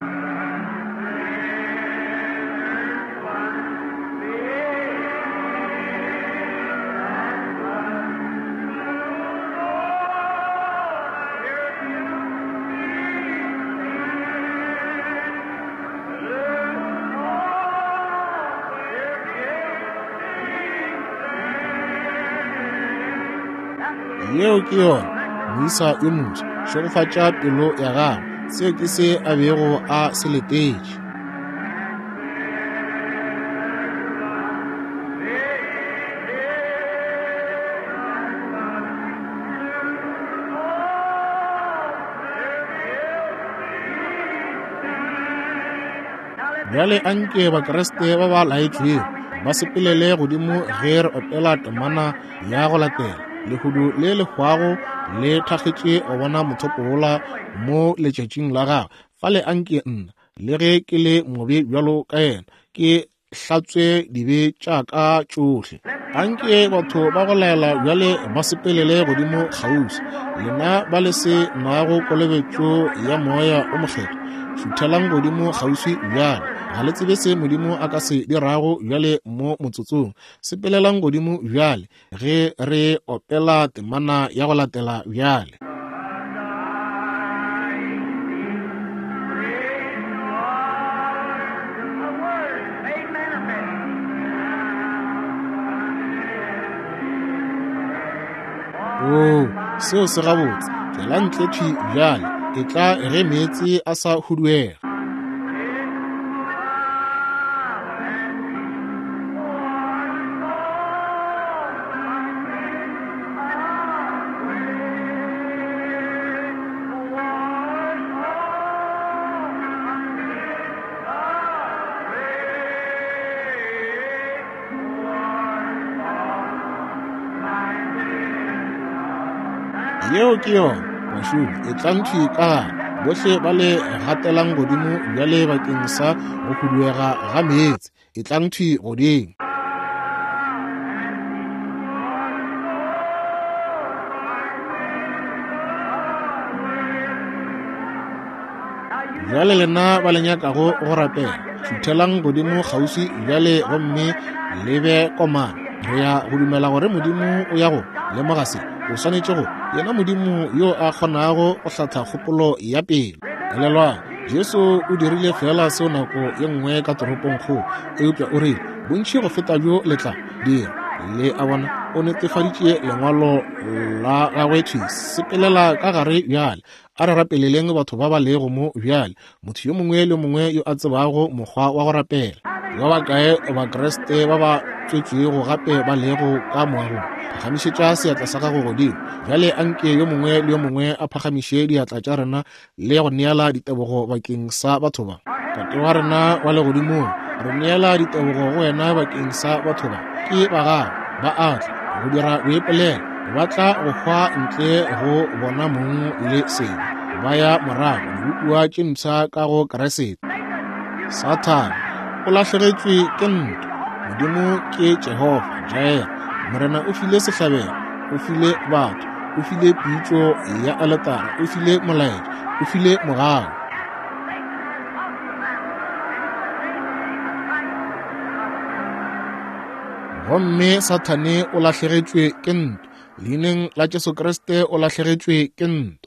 Yeo ke yona, moisa yo moswa. Šegofatša pelo ya gago. Seo ke se a bego a se letetše. Bjale anke Bakriste ba ba laetšwego ba sepelele godimo ge re opela temana ya go latela. Lehudu le le hwago le thakgetše go bona mothopo wola mo letšatšing la gagwe. Fale anke nna, le ge ke le mobe bjalo ka yena, ke hlatswe dibe tša ka tšohle. Anke batho ba go laela bjale ba sepelele godimo kgauswi. Lena ba le se nago kolobetšo ya Moya o Mokgethwa, šuthelang godimo kgauswi bjale. Ga le tsebe se Modimo a ka se dirago bjale mo motsotsong. Sepelelang godimo bjale ge re opela temana ya go latela bjale. Oo, seo se gabotse. Tšwela ntle thwi bjale, etla ge meetse a sa huduega. Yeo ke yona, bašomi. Etlang thwi ka gare, bohle ba le gatelang godimo bjale bakeng sa go huduega ga meetse. Etlang thwi godimo. Bjale lena ba le nyakago go rapela, šuthelang godimo kgauswi bjale gomme le be komana. Re ya go dumela gore Modimo o ya go lemoga se. O swanetše go, yena Modimo yo a kgonago go hlatha kgopolo ya pelo. Elelwang, Jesu o dirile feela seo nako ye nngwe ka toropongkgolo, eupša o rile, Bontši go feta bjo le tla dira. Le a bona, o netefaditše Lengwalo la gagwe thwi. Sepelela ka gare bjale. A re rapeleleng batho ba ba lego mo bjale, motho yo mongwe le mongwe yo a tsebago mokgwa wa go rapela. Ba bakae Bakriste ba ba tswetšwego gape ba lego ka moagong? Phagamišetša seatla sa gago godimo. Bjale anke yo mongwe le yo mongwe a phagamiše diatla tša rena le go neela ditebogo bakeng sa batho ba. Tate wa rena wa legodimong, re neela ditebogo go wena bakeng sa batho ba. Ke ba gago, ba a tla go dira boipolelo, ba tla go hwa ntle go bona mong le sebe, ba ya morago dibopiwa tše mpsha ka go Kriste. Sathane o lahlegetšwe ke ntwa. Modimo ke Jehofa Jireh. Morena o file sehlabelo, o file batho, o file pitšo ya aletara, o file molaetša, o file mogau. Gomme Sathane o lahlegetšwe ke ntwa. Leineng la Jesu Kriste o lahlegetšwe ke ntwa.